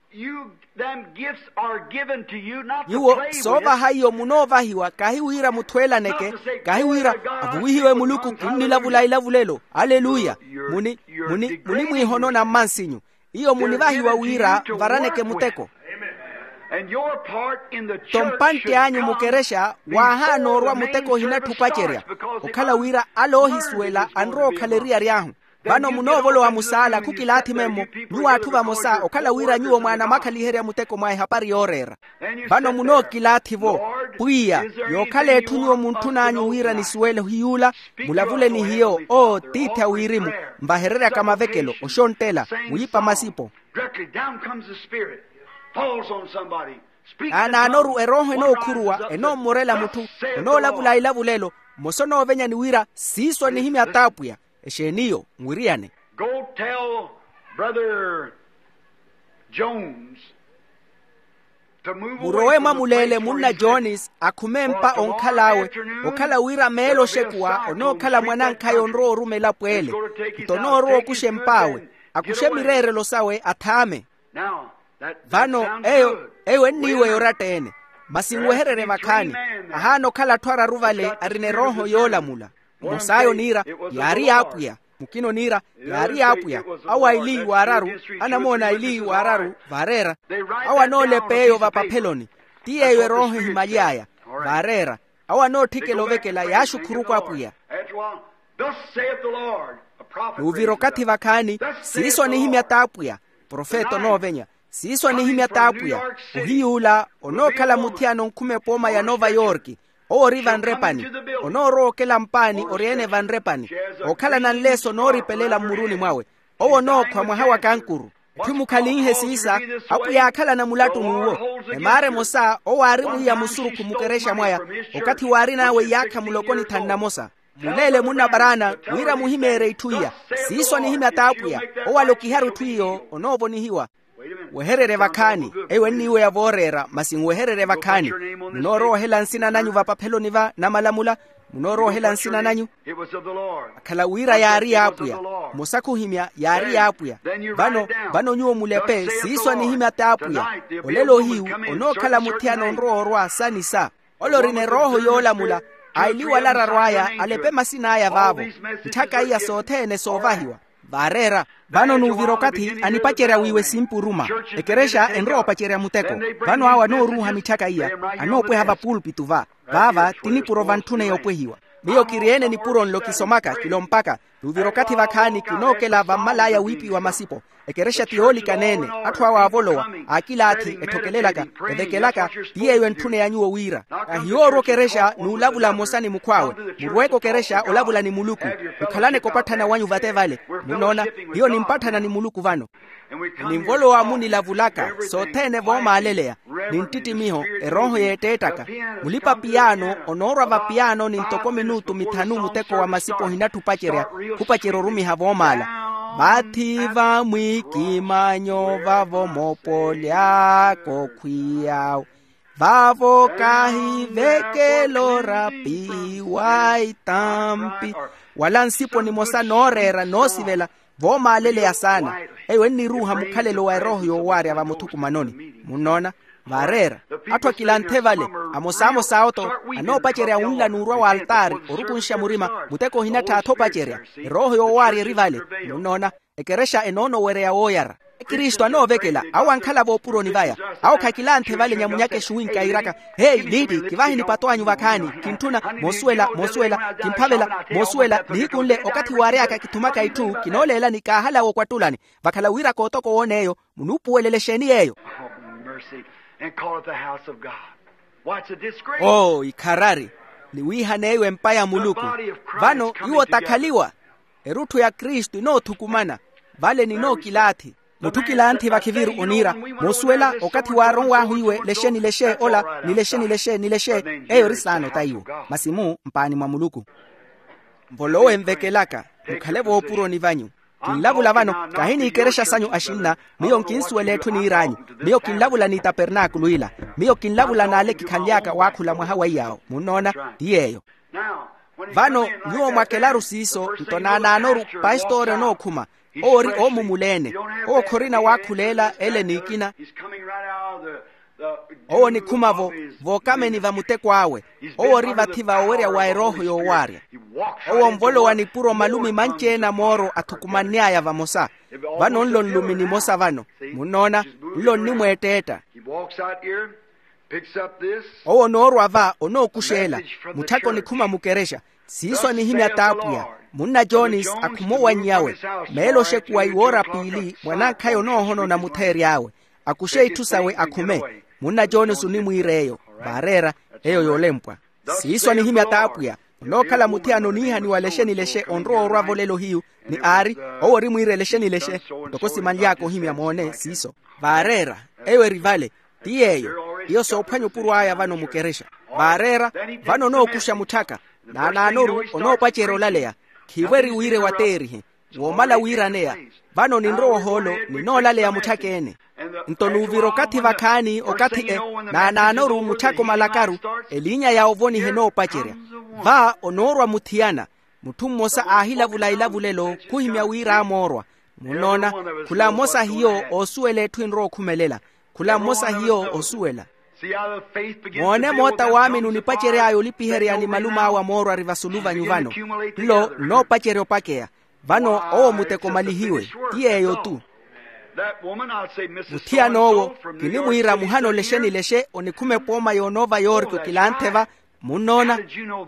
Nyuwo soovaha iyo munoovahiwa kahi wira muthwelaneke. Kahi wira avuwihiwe muluku kinnilavula ilavulelo. Aleluya. Munimwiihonona mmansinyu. Iyo munivahiwa wira mvaraneke muteko. Nto mpantte anyu mukerexa waahaana orwa muteko ohinatthu opacerya. Okhala wira ale oohisuwela anrowa okhala eriyari ahu. Vano munoovolowa musaala khukilaathi memmo. Nyuwo atthu vamosa okhala wira nyuwo mwaana mwaakhaliherya muteko mwa ehapari yooreera. Vano munookilaatthi-vo, pwiya, yookhala etthu nyuwo muntthun'anyu wira nisuwele ohiyuula. Mulavule ni hiyo oo tiithi a wirimu. Nvahereryaka mavekelo oxonttela, mwiipa masipo. Directly down comes the Spirit, falls on somebody. Naanaanoru erooho enookhuruwa enoommorela mutthu. Onoolavula ilavulelo. Mmosa onoovenya ni wira siiso anihimya t'apwiya. Exeeni iyo nwiriyane. Go tell Brother Jones to move away. Murowe mwa muleele munna jones akhume empa onkhal'awe. Okhala wira meelo oxekuwa onookhala mwanankhaya onrowa oruma elapo ele. Nto onoorowa okuxa emp'awe, akuxe mireerelo sawe athaame. Vano eyo eyo enniiweya oratta-ene. Masi nwehererye vakhaani. Ahaana okhala atthu araru vale arina erooho yoolamula. Mos'aya oniira yaari y'apwiya. Mukina oniira yaari y'apwiya. Awo aili w'araru, anamoona aili w'araru vaareera. Awo anoolepa eyo vapapheloni. Ti yeeyo erooho ehimaly'aya vaareera. Awo anootthikela ovekela yaaxukhuruku apwiya. Nuuvira okathi vakhaani. Siiso anihimya t'apwiya. Profeta onoovenya. Siiso anihimya t'apwiya. Ohiyuula onookhala muthiyana onkhuma epooma ya nova yorki. Owo ori vanrepani. Onoorowa okela mpaani ori-ene vanrepani. Ookhalana nleeso nooripelela mmuruni mwawe. Owo onookhwa mwaha wa kankuru. Etthu mukhalinhe siisa. Apwiya aakhalana mulattunuuwo. Emaara emosa owo aari mwiiya musurukhu mukerexa mwaya. Okathi waarin'awe iyaakha muloko ni thanu namosa. Muleele munna paraana wira muhimeerye itthu iya. Siiso anihimya t'apwiya. Owo alokiharu itthu iyo onoovonihiwa. Wehererye vakhaani. Eyo enniiweya vooreera masi nwehererye vakhaani. Munoorowa ohela nsina nanyu vapapheloni va namalamula. Munoorowa ohela nsina nanyu. Akhala wira yaari y'apwiya. Mmosa khuhimya yaari y'apwiya. Vano vano nyuwo mulepe siiso anihimya t'apwiya. Olelo ohiyu onookhala muthiyana onrowa orwa sa ni sa. Ole orina erooho yoolamula aili wala araru aya alepe masin'aya vaavo. Ntthaka iya sothene soovahiwa vaareera. Vano nuuvira okathi anipacerya wiiwa esimpuruma. Ekerexa enrowa opacerya muteko. Vano awo anooruuha mitthaka iya anoopweha vapulpitu va. Vaava ti nipuro vantthune yoopwehiwa. Miyo kiri-ene nipuro nlo kisomaka kilompaka. Nuuvira okathi vakhaani kinookela vammal'aya wiipiwa masipo. Ekerexa ti yoolikaneene. Atthu awo aavolowa aakilaathi etthokelelaka evekelaka. Ti yeeyo entthune ya nyuwo wira kahiyoorwa okerexa n'ulavula mmosa ni mukhw'awe. Murweeke okerexa olavula ni muluku. Mukhalaneke opatthana wanyu vate vale. Munnoona hiyo nimpatthana ni muluku vano. Ninvolowa munilavulaka sothene voomaaleleya ni nttittimiho erooho yeetteettaka. Mulipa-piyaano onoorwa vapiyaanoni ntoko minutu mithanu muteko wa masipa ohinatthu opacerya khupacerya orumiha voomaala. Vathi vamwikimanyo vavo moopoly'aka okhwiyawe vavo kahivekela orapiwa itampi wala nsipo nimosa nooreera noosivela. Voomaaleleya saana. Eyo enniruuha mukhalelo wa erooho yoowaarya vamuthukumanoni. Munnoona? Vaareera. Atthu akilanthe vale, amosaamosaawo-tho, anoopacerya wunla n'urwa w'altaari orukunxa murima. Muteko ohinattha atha opacerya. Erooho yoowaarya eri vale. Munnoona? Ekerexa enoonowereya wooyara. Kristu anoovekela awo ankhala voopuroni vaya. Awo khakilanthe vale nyamunyaka exuwinka iiraka, heyi liiti, kivahe nipato anyu vakhaani. Kintthuna moosuwela moosuwela kimphavela moosuwela nihiku nle okathi waary'aka kithumaka itthu kinooleelani kaahalawa okwattulani. Vakhala wira kootoko woona eyo. Munuupuwelele exeeni yeeyo? Oh mercy. And call it the house of God. What's a disgrace? Oo ikharari. Ni wiihana eyo empa ya muluku. Vano iwo takhaliwa. Erutthu ya kristu inoothukumana. Vale ninookilaathi. Mutthu kilanthi vakhiviru oniira, moosuwela okathi waaronw'ahu iwe lexe ni lexe ola ni lexe ni lexe ni lexe. Eyo eri saana ota iwo. Masi mu mpaani mwa muluku. Mvolowe nvekelaka. Mukhale voopuroni vanyu. Kinlavula vano. Kahi n'ikerexasanyu axinna. Miyo nkinsuwela etthu niir'anyu. Miyo kinlavula n'itapernaakulu ila. Miyo kinlavula n'ale kikhanly'aka waakhula mwaha wa iyaawo munnoona. Ti yeeyo. Vano nyuwo mwakelaru siiso nto naanaanoru. Pastoori onookhuma. Owo ori oomumula-ene. Owo khorina waakhuleela ele n'ikina. Owo onikhuma-vo vookameni va muteko awe. Owo ori vathi va owerya wa erooho yoowaarya. Owo onvolowa nipuro malumi manci-ene a mooro athukumanny'aya vamosa. Vano nlo nlumi nimosa vano. Munnoona? Nlo nnimweetteetta. Owo onoorwa va onookuxeela. Mutthaka onikhuma mukerexa. Siiso anihimya t'apwiya. Munna jones akhume owannyawe. Meelo oxekuwa iwoora piili mwan'ankhaya onoohonona mutheery'awe. Akuxe itthu sawe akhume. Munna jones onimwiira eyo. Vaareera. Eyo yoolempwa. Siiso anihimya t'apwiya. Onookhala muthiyana oniihaniwa lexe ni lexe onrowa orwa-vo lelo hiyu. Ni aari, owo ori mwiira elexe ni lexe. Ntoko simanly'aka ohimya moone siiso. Vaareera. Eyo eri vale. Ti yeeyo. Iyo soophwanya opuro aya vano mukerexa. Vaareera. Vano onookuxa mutthaka. Naanaanoru onoopacerya olaleya. Khiivo eri wiire wateerihe. Woomala wiiraneya. Vano ninrowa ohoolo. Ninoolaleya mutthaka-ene. Nto nuuvira okathi vakhaani okathi e. Naanaanoru mutthaka omalakaru. Eliinya ya ovoniha enoopacerya. Va onoorwa muthiyana. Mutthu mmosa aahilavula ilavulelo khuhimya wira amoorwa. Munnoona? Khula mmosa hiyo oosuwela etthu enrowa okhumelela. Khula mmosa hiyo oosuwela. Moone moota waamini onipacery'aya olipiherya ni malum'awe amoorwa ari vasulu vanyu vano. Nlo nnoopacerya opakeya. Vano owo muteko omalihiwe. Ti yeeyo-tu. Muthiyan'owo. Kinimwiira muhana olexe ni lexe onikhuma epooma yoonoova yooriki okilanthe va. Munnoona?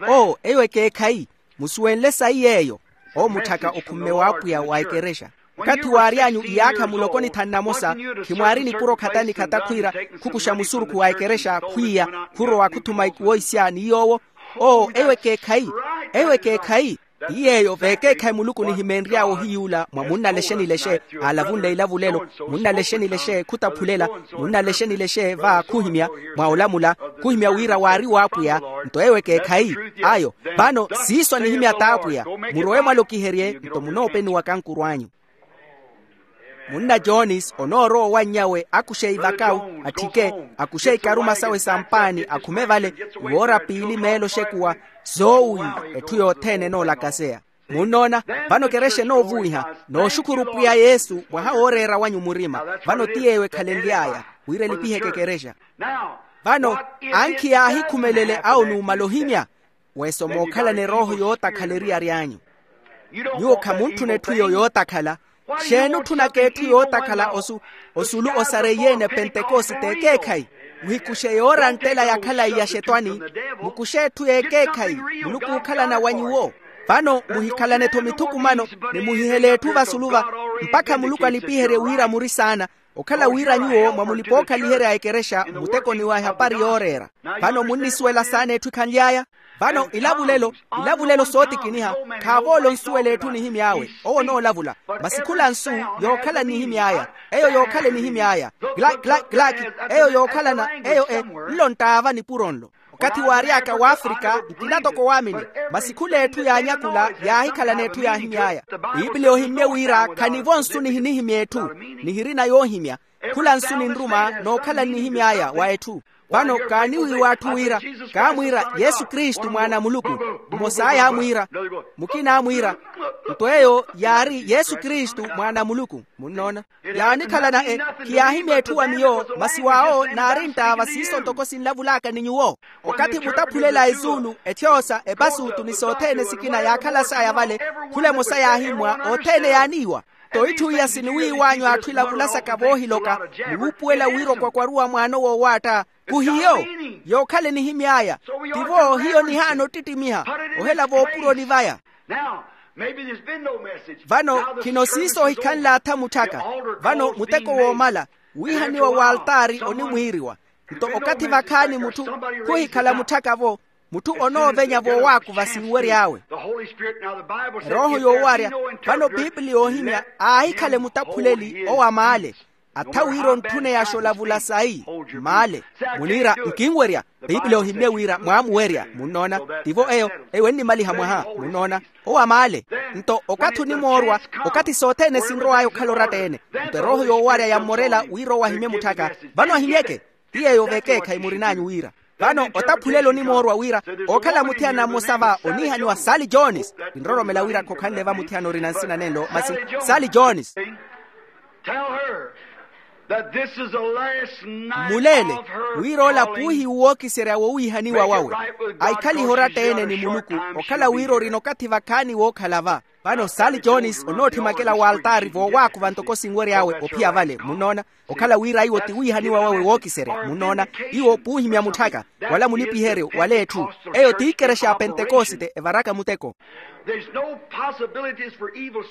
Oo eyo ekeekhayi. Musuwenle sayi yeeyo. Owo mutthaka okhumme w'apwiya wa ekerexa. Okathi waary'anyu iyaakha muloko ni thanu namosa, khimwaari nipuro khata ni khata khwiira khukuxa musurukhu wa ekerexa khwiiya khurowa khuthuma ikuwo isya ni yoowo. Oo eyo ekeekhayi. Eyo ekeekhayi. Ti yeeyo veekeekhayi muluku nihimeenry'awe ohiyuula mwa munna lexe ni lexe. Aalavunle ilavulelo. Munna lexe ni lexe khutaphulela. Munna lexe ni lexe va khuhimya mwa olamula. Khuhimya wira waari w'apwiya. Nto eyo ekeekhayi. Ayo. Vano siiso anihimya t'apwiya. Murowe mwalokiherye nto munoopeniwaka nkuru anyu. Munna jones onoorowa owannyawe akuxe ivakawu atthike. Akuxe ikaruma sawe sa mpaani akhume vale. Iwoora piili meelo oxekuwa. Zoowi. Etthu yothene enoolakaseya. Munnoona? Vano kerexa enoovuwiha. Nooxukhuru pwiya yesu mwaha wooreera wanyu murima. Vano ti yeeyo ekhalenly'aya wira elipiheke ekerexa. Vano ankhi yaahikhumelele awo numala ohimya. Weso mookhalana erooho yootakhala eriyari anyu. Nyuwo khamuntthuna etthu eyo yootakhala. Xeeni otthunaka etthu yootakhala osu osulu osareiye-ene pentekosite ekeekhayi? Muhikuxe yoora nttela ya khalayi ya xetwani. Mukuxe etthu y'ekeekhayi. Muluku ookhalana wa nyuwo. Vano muhikhalane-tho mithukumano ni muhihele etthu vasulu va mpakha muluku alipiherye wira muri saana. Okhala wira nyuwo mwa mulipa-ookhaliherya a ekerexa mmutekoni wa ehapari yooreera. Vano munnisuwela saana etthu ekhanly'aya. Vano ilavulelo ilavulelo sootikiniha. Khaavoola onsuwela etthu onihimy'awe owo onoolavula. Masi khula nsu yookhala nnihimy'aya. Eyo yookhala enihimy'aya. Glaki glaki glaki. Eyo yookhalana eyo e nlo nttaava nipuro nlo. Okathi waary'aka w'afrika nkina toko waamini. Masi khula etthu yaanyakula yaahikhalana etthu yaahimy'aya. Piipili ohimmye wira khanivo nsu nihinihimya etthu. Nihirina yoohimya. Khula nsu ninruma nookhala nnihimy'aya wa etthu. Vano kaaniwiiwa atthu wira, kaamwiira, yesu kristu mwaana a muluku. Mmos'aya aamwiira, mukina aamwiira, nto eyo yaari yesu kristu mwaana a muluku. Munnoona? Yaanikhalana e, khiyaahimya etthu wa miyo masi waawo naarinttaava siiso ntoko sinlavul'aka ni nyuwo. Okathi mutaphulela ezuulu, ethyoosa, epasuutu ni sothene sikina yaakhala saya vale, khula emosa yaahimmwa othene yaaniiwa. Nto itthu iya siniwiiw'anyu atthu elavula saka voohiloka, muwuupuwela wira okwakwaruwa mwaano woowaatta. Khuhiyo. Yookhala enihimy'aya. Tivo hiyo nihaana ottittimiha, ohela voopuroni vaya. Vano khino siiso ohikhanle-atha mutthaka. Vano muteko woomala, wiihaniwa w'altaari onimwiiriwa. Nto okathi vakhaani mutthu khuhikhala mutthaka-vo, mutthu onoovenya voowaakuva sinwery'awe. Erooho yoowarya. Vano piipili yoohimya aahikhale mutaphuleli owo a maale. Atha wira ontthuneyaxa olavula sayi. Maale. Muniira nkinwerya. Piipili yoohimmye wira mwaamuwerya munnoona. Tivo eyo, eyo ennimaliha mwaha. Munnoona. Owo a maale. Nto okathi onimoorwa, okathi sothene sinrow'aya okhala oratta-ene. Nto erooho yoowarya yammorela wira owo ahimye mutthaka. Vano ahimyeke. Ti yeeyo vekeekhayi murin'anyu wira. Vano otaphulelo onimoorwa wira, ookhala muthiyana mmosa va oniihaniwa sali jones. Kinroromela wira khokhanle va muthiyana orina nsina nenlo masi, sali jones. Muleele wira ola puuhiwu wookiserya wowiihaniwa wawe, aikhalihe oratta-ene ni muluku. Okhala wira orina okathi vakhaani wookhala va. Vano sali jones onootthimyakela w'altaari voowaakuva ntoko sinwery'awe ophiya vale munnoona. Okhala wira iwo ti wiihaniwa wawe wookiserya munnoona. Iwo puuhimya mutthaka, wala mulipiheryo wala etthu. Eyo ti ikerexa ya pentekosite evaraka muteko.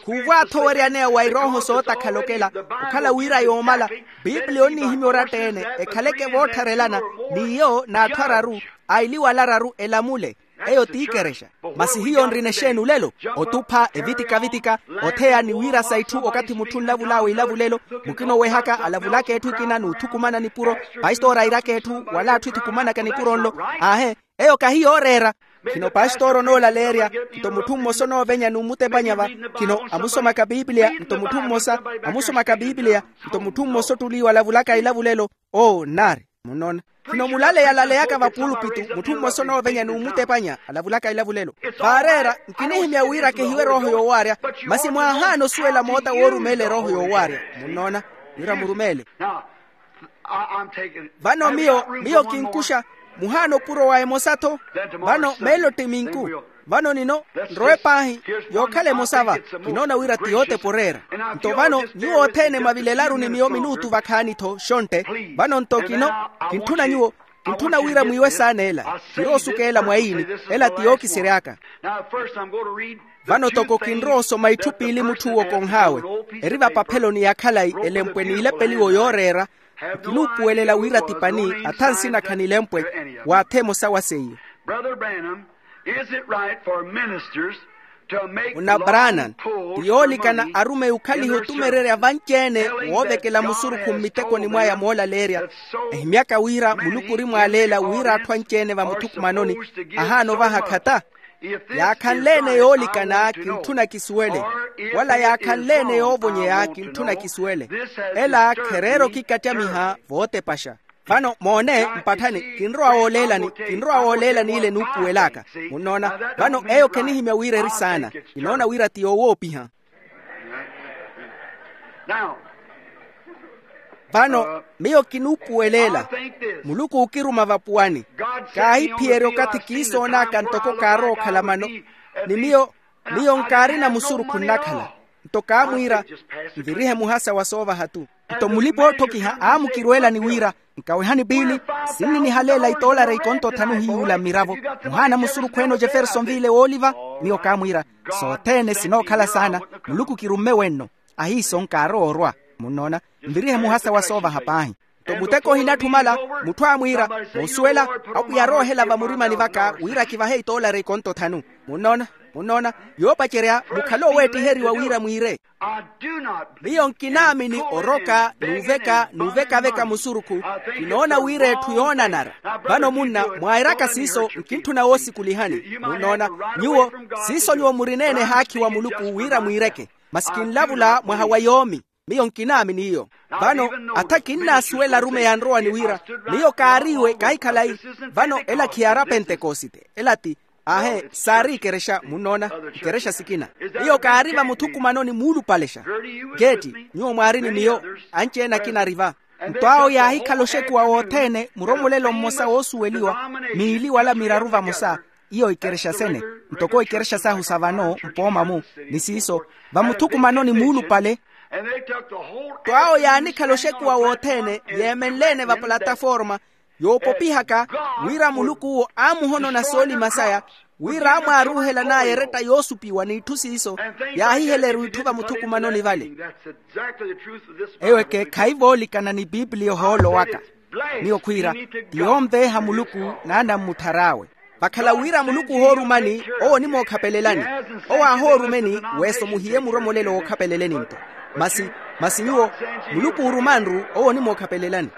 Khuuvo athoweryaneya wa erooho sootakhala okela. Okhala wira yoomala, piipili onniihimya oratta-ene ekhaleke voottharelana, n'iyo n'atthu araru, ailiwala araru elamule. Eyo ti ikerexa. Masi hiyo nrina exeeni olelo? Otupha evitika-vitika, otheya ni wiirasa itthu okathi mutthu onlavul'awe ilavulelo. Mukina owehaka alavulaka etthu ekina n'uthukumana nipuro. Pastori airaka etthu wala atthu ethukumanaka nipuro nlo. Aahe. Eyo kahi yooreera. Khino pastori onoolaleerya, nto mutthu mmosa onoovenya n'umutepanya va. Khino amusomaka piipiliya nto mutthu mmosa, amusomaka piipiliya nto mutthu mmosa ottuliiwa alavulaka ilavulelo. Oo nnaari. Munnoona? Khino mulaleya alaleyaka vapulpitu mutthu mmosa onoovenya n'umutepanya alavulaka ilavulelo. Vaareera, nkinihimya wira kehiwe erooho yoowaarya. Masi mwaahaana osuwela moota woorumeela erooho yoowaarya. Munnoona? Wira murumeele. Vano miyo miyo kinkuxa, muhaana opuro wa emosa-tho. Vano meelo tti minku. Vano nino nrowe paahi, yookhala emosa va. Kinoona wira ti yootepa oreera. Nto vano nyuwo othene mwavilelaru ni miyo minuutu vakhaani-tho xontte. Vano nto kino kintthuna nyuwo, kintthuna wira mwiiwe saana ela. Kiroosuka ela mwaini. Ela ti yookisery'aka. Vano toko kinrowa osoma itthu piili mutthu owo konh'awe, eri vapapheloni ya khalayi elempwe n'ilepeliwo yooreera. Nkinuupuwelela wira ti pani atha nsinakha n'ilempwe, w'atha emosa wa seiyo. Muna branham, ti yoolikana arumeyi okhaliha otumererya vanci-ene, woovekela musurukhu mmitekoni mwaya moolaleerya. Ehimyaka wira muluku orimwaaleela wira atthu anci-ene vamuthukumanoni, ahaana ovaha khata. Yaakhanle-ene yoolikana kintthuna kisuwele, wala yaakhanle-ene yoovonyeya kintthuna kisuwele. Ela khereera okikattamiha vootepaxa. Vano moone mpatthani, kinrowa wooleelani kinrowa wooleelani ile nuupuwel'aka. Munnoona? Vano eyo khenihimya wira eri saana. Kinoona wira ti yoowoopiha. Vano miyo kinuupuweleela. Muluku ookiruma vapuwani. Kaahiphiyerya okathi kiisoon'aka ntoko kaarowa okhala mano. Ni miyo miyo nkaarina musurukhu nnakhala. Nto kaamwiira, nvirihe muhasa wa soovaha-tu. Nto mulipa-ootthokiha aamukirweelani wira, nkawehani piili, sinninihalela itoolari ikonto thanu hiy'ula mmiravo. Muhaana musurukhu-ene ojeferson viile wooliva. Miyo kaamwiira, sothene sinookhala saana. Muluku kirumme wenno. Ahiiso nkaarowa orwa. Munnoona? Nvirihe muhasa wa soovaha paahi. Nto muteko ohinatthumala, mutthu aamwiira, moosuwela, apwiya aroohela vamurimani vaka wira kivahe itoolari ikonto thanu. Munnoona? Munnoona? Yoopacerya mukhale oweettiheriwa wira mwiire. Miyo nkinaamini oroka n'uveka n'uvekaveka musurukhu. Kinoona wira etthu yoonanara. Vano munna mwairaka siiso nkintthuna woosukulihani. Munnoona? Nyuwo siiso nyuwo murina-ene ehaakhi wa muluku wira mwiireke. Masi kinlavula mwaha wa yoomi. Miyo nkinaamini iyo. Vano atha kinnaasuwela arumeyi anrowani wira miyo kaariiwe kahikhalayi. Vano ela khiyaari apentekosite, ela ti ahe saari ikerexa munnoona, ikerexa sikina. Miyo kaari vamuthukumanoni muulupalexa. Keeti, nyuwo mwaari ni miyo, anci-ene akina ari va. Nto awo yaahikhala oxekuwa wothene muromolelo mmosa woosuweliwa, miili wala miraru vamosa, iyo ikerexa sene, ntoko ikerexa sahu sa vano mpooma-mu, ni siiso vamuthukumanoni muulupale. Nto awo yaanikhala oxekuwa wothene yeemenle-ene vapulataforma, yoopopihaka wira muluku-wo aamuhonona soolima saya, wira aamwaaruuhelan'aya eretta yoosupiwa n'itthu siiso, yaahiheleru itthu vamuthukumanoni vale. Eyo ekeekhayi voolikana ni piipiliya ohoolo waka. Miyo khwiira, ti yoonveeha muluku n'anammuthar'awe. Vakhala wira muluku ohoorumani, owo onimookhapelelani. Owo aahoorumeni, weeso muhiye muromolelo wookhapeleleni-nto. Masi, masi nyuwo, muluku oorumanru owo onimookhapelelani.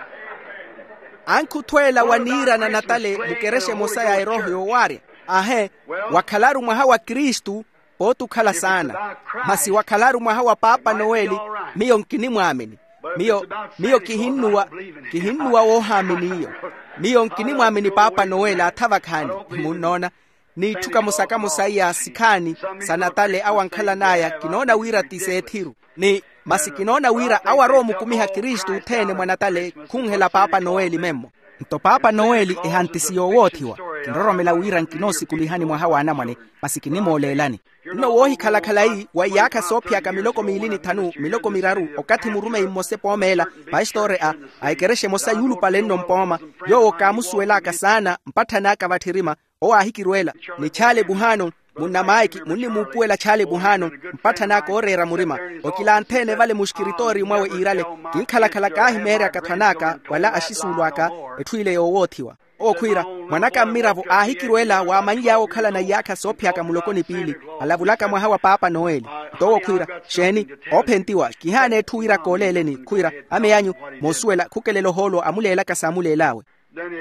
Ankhuthweela wa niirana natale mukerexa emosa ya erooho yoowaarya. Ahe, wakhalaru mwaha wa kristu, pooti okhala saana. Masi wakhalaru mwaha wa paapa noweli, miyo nkinimwaamini. Miyo, miyo kihinnuwa, kihinnuwa woohaamini iyo. Miyo nkinimwaamini paapa noweli atha vakhaani. Munnoona, n'itthu kamosa kamosa iya sikhaani sa natale awo ankhalan'aya kinoona wira ti seethiru. Ni masi kinoona wira awo aroomukumiha kristu othene mwa natale khunhela paapa noweli memmo. Nto paapa noweli ehantisi yoowoothiwa. Kinroromela wira nkinoosukulihani mwaha w'anamwane, masi kinimooleelani. Nno woohikhala khalayi wa iyaakha soophiyaka miloko miili ni thanu miloko miraru okathi murumeyi mmosa epoomeela, pastori a a ekerexa emosa yuulupale nno mpooma, yoowo kaamusuwel'aka saana mpatthani aka vatthirima. Owo aahikirweela ni chaale buhaano, munnamaiki munnimuupuwela chaale buhaano mpatthani aka ooreera murima. Okilanthe-ene vale muxkiritooriyo mwawe iirale, kinkhalakhala kaahimeeryaka thwan'aka wala axisuulu aka, etthu ile yoowoothiwa. Owo khwiira, mwan'aka mmiravo aahikirweela waamanly'awe okhalana iyaakha soophiyaka muloko ni piili, alavulaka mwaha wa paapa noweli. Nto owo khwiira, xeeni, oophentiwa kihaana etthu wira kooleeleni khwiira, ame anyu, moosuwela khukelela ohoolo amuleelaka saamuleel'awe.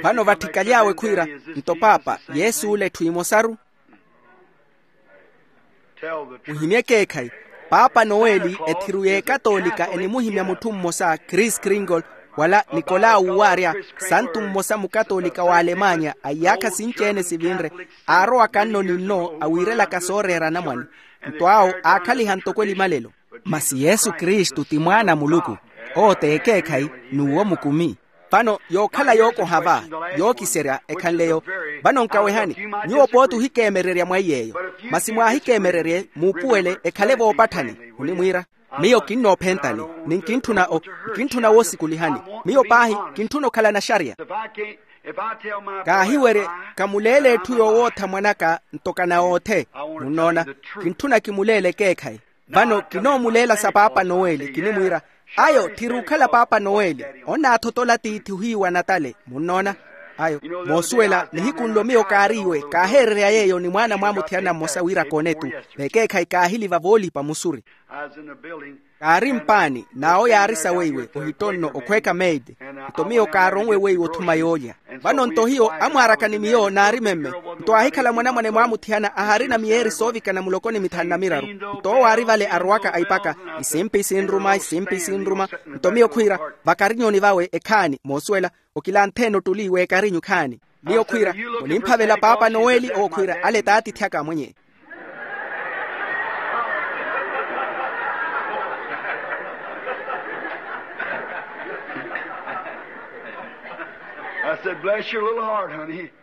Vano vatthikaly'awe khwiira, nto paapa, yesu ole etthu emosaru. Muhimye ekeekhayi. Paapa noweli ethiru y'ekatoolika enimuhimya mutthu mmosa chris kringle, wala nikola wuwaarya, santu mmosa mukatoolika w'alemanya a iyaakha sinci-ene sivinre, aarowaka nno ni nno awiirelaka sooreera anamwane. Nto awo aakhaliha ntoko elimalelo. Masi yesu kristu ti mwaana a muluku. Owo t'ekeekhayi, n'uwo mukumi. Vano yookhala yookoha va, yookiserya ekhanleyo. Vano nkawehani, nyuwo pooti ohikeemererya mwa iy'eyo. Masi mwaahikeemererye muupuwele ekhale voopatthani. Munimwiira, miyo kinnoophentani, ni nkintthuna o, nkintthuna woosukulihani. Miyo paahi, kintthuna okhalana xarya. Kaahiwerye, kamuleele etthu yoowootha mwan'aka nto kanawoothe. Munnoona, kintthuna kimuleele ekeekhayi. Vano kinoomuleela sa paapa noweli kinimwiira, ayo tthiri okhala paapa noweli. Onnaathotola tiithi ohiiwa natale munnoona. Ayo, moosuwela nihiku nlo miyo kaariiwe kaaheererya yeeyo ni mwaana mwaamuthiyana mmosa wira koonetu. Vekeekhayi kaahili vavoolipa musuri. Kaari mpaani n'awo yaari saweiwe ohitonno okhweeka meidi. Nto miyo kaaronwe weiwe othuma yoolya. Vano nto hiyo amwaaraka ni miyo naari memme. Nto aahikhala mwanamwane mwaamuthiyana aharina miyeeri soovikana muloko ni mithanu na miraru. Nto owo aari vale arowaka aipaka, isimpi sinruma isimpi sinruma. Nto miyo khwiira, vakarinyoni vawe ekhaani moosuwela, okilanthe-ene ottuli w'ekarinyu khaani. Miyo khwiira, munimphavela paapa noweli owo khwiira ale t'atiithi aka amwenye.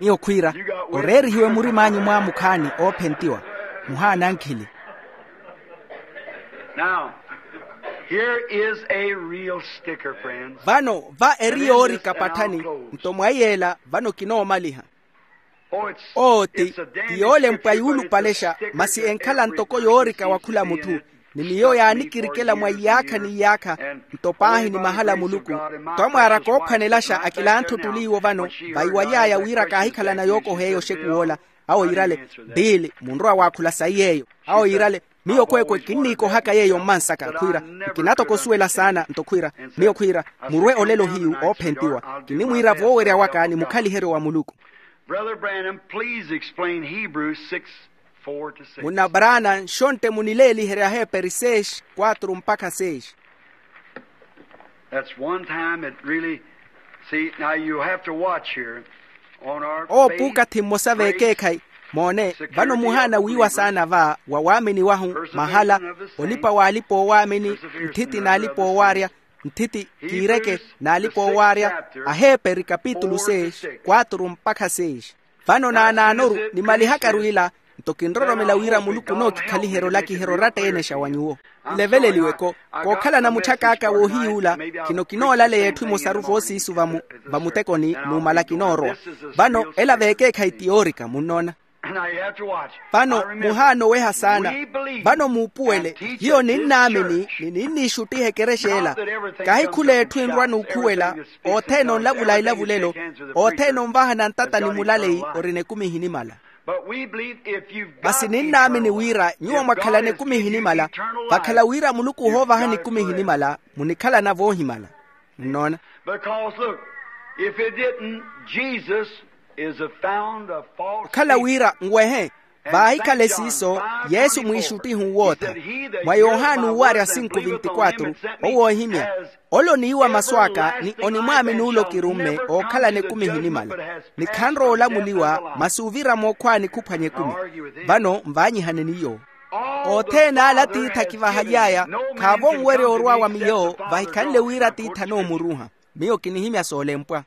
Miyo khwiira, oreerihiwe murim'anyu mwaamukhaani oophentiwa. Muhaana ankhili. Now, here is a real sticker, friends. Vano va eri yoorika patthani. Nto mwaiy'ela vano kinoomaliha. Oo ti, ti yoolempwa yuulupalexa masi enkhala ntoko yoorika wa khula mutthu. Ni miyo yaanikirikela mwa iyaakha n'iyaakha. Nto paahi ni mahala a muluku. Nto amwaaraka oophwanelaxa akilanthe ottuli iwo vano, vaiwaly'aya wira kaahikhalana yookoha eyo oxekuw'ola. Awo iirale, biili munrowa waakhula sayi yeeyo. Awo iirale, miyo kweekwe kinniikohaka yeeyo mmansaka khwiira, nkinatoko osuwela saana nto khwiira. Miyo khwiira, murwe olelo hiyu oophentiwa. Kinimwiira voowerya waka ni mukhaliheryo wa muluku. Brother Branham, please explain Hebrews six four to six. Munna braana nxontte munileeliherye aheeperi seis kwatru mpakha seis. That's one time it really, see, now you have to watch here on our owo puukathi mmosa veekeekhayi. Moone, vano muhaana wiiwa saana va wa waamini wahu, mahala olipa waalipa owaamini, nthiti naalipa owaarya, nthiti kiireke naalipa owaarya. Aheeperi kapitulu seis, kwaturu mpakha seis. Vano naanaanoru nimalihakaru ila, nto kinroromela wira muluku onookikhaliherya olakiherya oratta-ene xa wa nyuwo. Nleveleliweko, kookhalana mutthak'aka woohiyuula, khino kinoolaleya etthu emosaru voosiisu vamu, vamutekoni numala kinoorowa. Vano ela veekeekhayi tiyoorika munnoona. Vano muhaana oweha saana. Vano muupuwele, hiyo ninnaamini ni ninniixuttiha ekerexa ela. Kahi khula etthu enrwa n'ukhuwela, othene onlavula elavulelo, othene onvahana ntata ni mulaleyi orina ekumi ehinimala. Masi ninnaamini wira nyuwo mwakhalana ekumi ehinimala, vakhala wira muluku ohoovahani ekumi ehinimala, munikhalana voohimala. Nnoona? Because look, if it didn't, Jesus is a found a false okhala wira nwehe, vaahikhale siiso, yesu mwiixuttihu wootha. Mwa yohani uuwarya sinku vintikwatru, owo oohimya, ole oniiwa masu aka ni onimwaamini ole okirumme ookhalana ekumi ehinimala, ni khanrowa olamuliwa masi ovira mookhwaani khuphwanya ekumi. Vano nvaanyihaneni iyo. Othene ale atiithi akivahaly'aya khaavo onwerya orwa wa miyo, vahikhanle wira atiithi anoomuruuha. Miyo kinihimya soolempwa.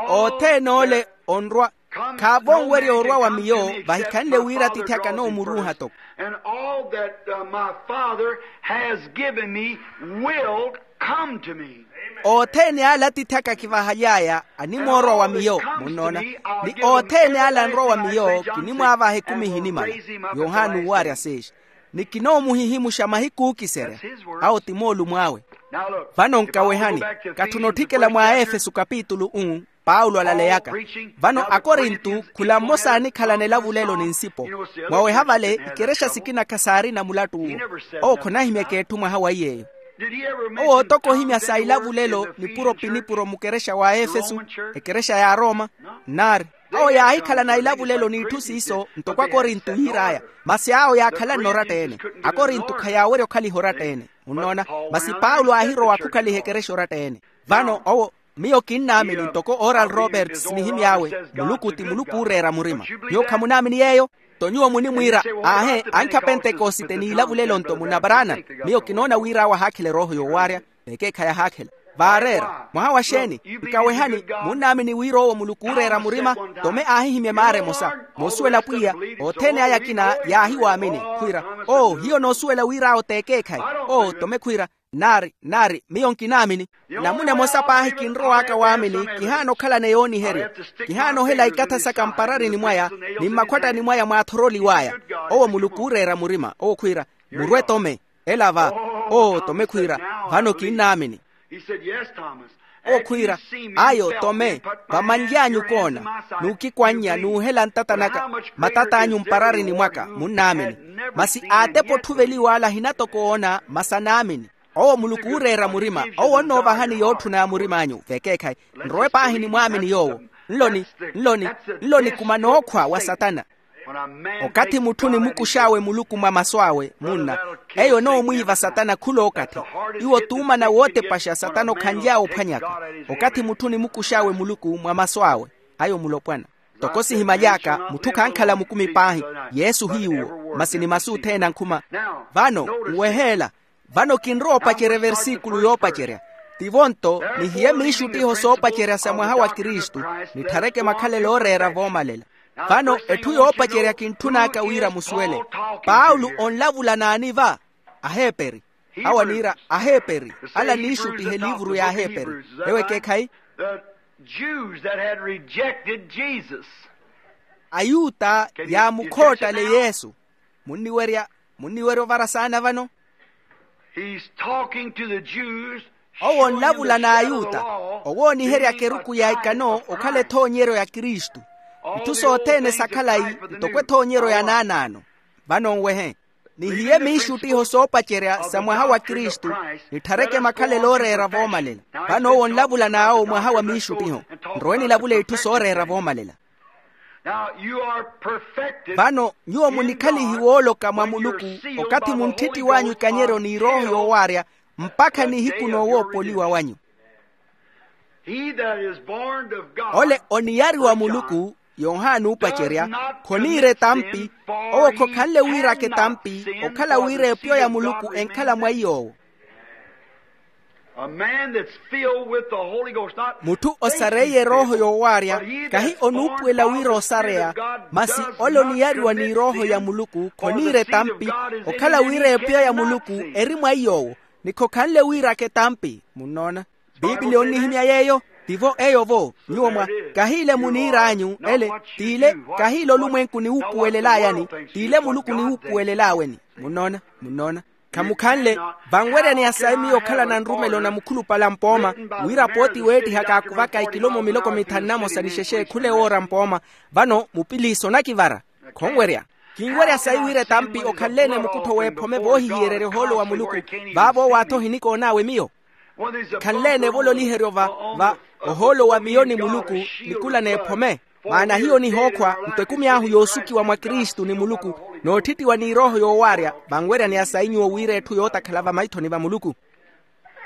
Othene ole onrwa khaavo onwerya orwa wa miyo, vahikhanle wira atiithi aka anoomuruuha toko. And all that uh, my father has given me will come to me. Othene ale atiithi aka akivahaly'aya animoorwa wa miyo. Munnoona? Ni othene ale anrwa wa miyo kinimwaavaha ekumi ehinimala. Yohani uuwarya seis. Ni kinoomuhihimuxa mahiku ookiserya. Awo ti moolumo awe. Vano nkawehani, katthuna otthikela mwa aefesu kapitulu um, paulo alaleyaka. Vano akorintu khula mmosa aanikhalana elavulelo ni nsipo. Mwaweha vale ikerexa sikina khasaarina mulattu uwo. Owo khonahimyaka etthu mwaha wa iy'eyo. Owo otoka ohimya sa ilavulelo nipuro pi nipuro mukerexa wa aefesu, ekerexa ya aroma? Nnaari. Awo yaahikhalana ilavulelo n'itthu siiso ntoko akorintu yiir'aya. Masi awo yaakhalanne oratta-ene. Akorintu khayaawerya okhaliha oratta-ene. Munnoona? Masi paulo aahirowa khukhaliha ekerexa oratta-ene. Vano owo, miyo kinnaamini ntoko oral roberts nihimy'awe, muluku ti muluku ooreera murima. Nyuwo khamunaamini yeeyo? Nto nyuwo munimwiira, aahe, ankha pentekosite n'ilavulelo nto munaparaana. Miyo kinoona wira awo ahaakhela erooho yoowarya. Vekeekhayi ahaakhela. Vaareera mwaha wa xeeni? Nkawehani, munnaamini wira owo muluku ooreera murima? Tome aahihimya emaara emosa, moosuwela pwiya. Othene aya akina yaahiwaamini. Khwiira, oo hiyo noosuwela wira awo t'ekeekhayi. Oo tome khwiira, nnaari nnaari miyo nkinaamini. Namuna emosa paahi kinrow'aka waamini. Kihaana okhalana yooniheryo. Kihaana ohela ikatha saka mpararini mwaya, ni mmakhwattani mwaya mwaathoroliw'aya. Owo muluku ooreera murima owo khwiira, murwe tome. Ela va. Oo tome khwiira, vano kinnaamini. Owo khwiira, ayo tome, vamanly'anyu koona, n'ukikwannya n'uhela ntata naka, matat'anyu mpararini mwaka munnaamini. Masi aatepa otthuveliw'ala ahina toko oona masi anaamini. Owo muluku ooreera murima owo onnoovahani yootthuna ya murim'anyu vekeekhayi. Nrowe paahi nimwaamini yoowo. Nlo ni nlo ni nlo nikuma nookhwa wa satana. Okathi mutthu onimukux'awe muluku mwa masu awe munna, eyo enoomwiiva satana khul'okathi. Iwo t'umana wootepaxa satana okhanly'awe ophwanyaka. Okathi mutthu onimukux'awe muluku mwa masu awe, ayo mulopwana. Ntoko sihimaly'aka mutthu khankhala mukumi paahi. Yesu hiy'uwo masi ni masu othene ankhuma. Vano nweheela. Vano kinrowa opacerya eversikulo yoopacerya. Tivo nto nihiye miixuttiho soopacerya sa mwaha wa kristu, nithareke makhalelo ooreera voomalela. Vano etthu yoopacerya kintthun'aka wira musuwele. Paulo onlavula naani va? Aheeperi. Awo aniira aheeperi, ala aniixuttiha eliivuru y'aheeperi. Ewo ekeekhayi? Ayuta yaamukhoottale yesu. Munniwerya munniwerya ovara saana vano? Owo onlavula n'ayuta, owooniheryaka eruku ya ikano okhala ethoonyeryo ya kristu. Itthu sothene sa khalayi ntoko ethoonyeryo ya naanaano. Vano nwehe. Nihiye miixuttiho soopacerya sa mwaha wa kristu, nitthareke makhalelo ooreera voomalela. Vano owo onlavula n'awo mwaha wa miixuttiho. Nrowe nilavule itthu sooreera voomalela. Vano nyuwo munikhalihi wooloka mwa muluku okathi muntthitti w'anyu ikanyeryo n'irooho yoowaarya, mpakha nihiku noowoopoliwa wanyu. Ole oniyari wa muluku, yohani oopacerya, khoniira etampi. Owo khokhanle wiiraka etampi okhala wira epyo ya muluku enkhala mwa iy'owo. Mutthu osareiye erooho yoowaarya, kahi onuupuwela wira osareya, masi ole oniyariwa n'irooho ya muluku khoniira etampi, okhala wira epyo ya muluku eri mwa iy'owo, ni khokhanle wiiraka etampi. Munnoona? Piipili onnihimya yeeyo. Tivo eyo vo nyuwo mwa, kahiile muniir'anyu ele, t'ile, kahiile olumwenku niwuupuwelelayani, t'ile muluku niwuupuwelelaweni. Munnoona? Munnoona? Khamukhanle. Vanweryaneya sayi miyo okhalana nrumelo na mukhulupale a mpooma, wira pooti weettihaka aakuvaka ekilomo miloko mithanu na mosa ni xexeekhule woora mpooma. Vano mupiliisa onakivara. Khonwerya. Kinwerya sayi wira etampi okhanle-ene mukuttho w'ephome voohihiyererya ohoolo wa muluku. Vaavo owaatho ohinikoon'awe miyo. Khanle-ene evololiheryo va, va ohoolo wa miyo ni muluku, nikula n'ephome. Maana hiyo nihookhwa nto ekumi ahu yoosukiwa mwa kristu ni muluku, n'otthittiwa n'irooho yoowaarya. Vanweryaneya sayi nyuwo wira etthu yootakhala vamaithoni va muluku.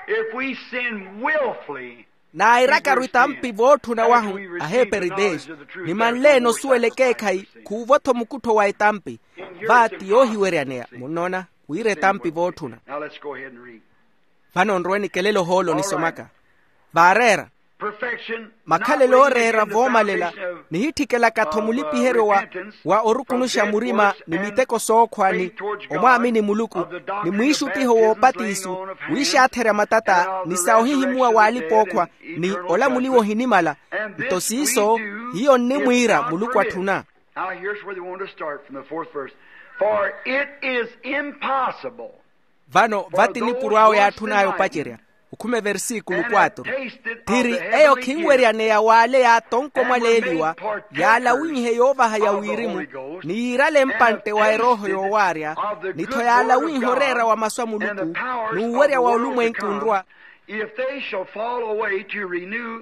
If we sin willfully, naayirakaru itampi vootthuna wahu, aheeperi dez, ni manle-ene osuwela ekeekhayi khuuvo-tho mukuttho wa etampi. Va ti yoohiweryaneya munnoona, wira etampi vootthuna. Now let's go ahead and read. Vano nrowe nikelele ohoolo nisomaka. Vaareera. Perfection, makhalelo ooreera voomalela, nihittikelaka-tho mulipiheryo wa, wa orukunuxa murima ni miteko sookhwa ni omwaamini muluku, ni mwiixuttiho woopatiisu, wiixaatherya matata ni sa ohihimuwa w'alipa-ookhwa, ni olamuliwa ohinimala. Nto siiso, hiyo nnimwiira muluku atthuna. Now here's where they want to start from the fourth verse. For it is impossible. Vano vati nipuro awo yaatthun'aya opacerya. Okhuma eversikulu quatro. Thiri eyo khinweryaneya w'ale yaatonko mwaleeliwa, yaalawinhe yoovaha ya wirimu, ni yiirale mpantte wa erooho yoowaarya, ni-tho yaalawinhe oreera wa masu a muluku, n'uwerya wa olumwenku nrwa. If they shall fall away to renew.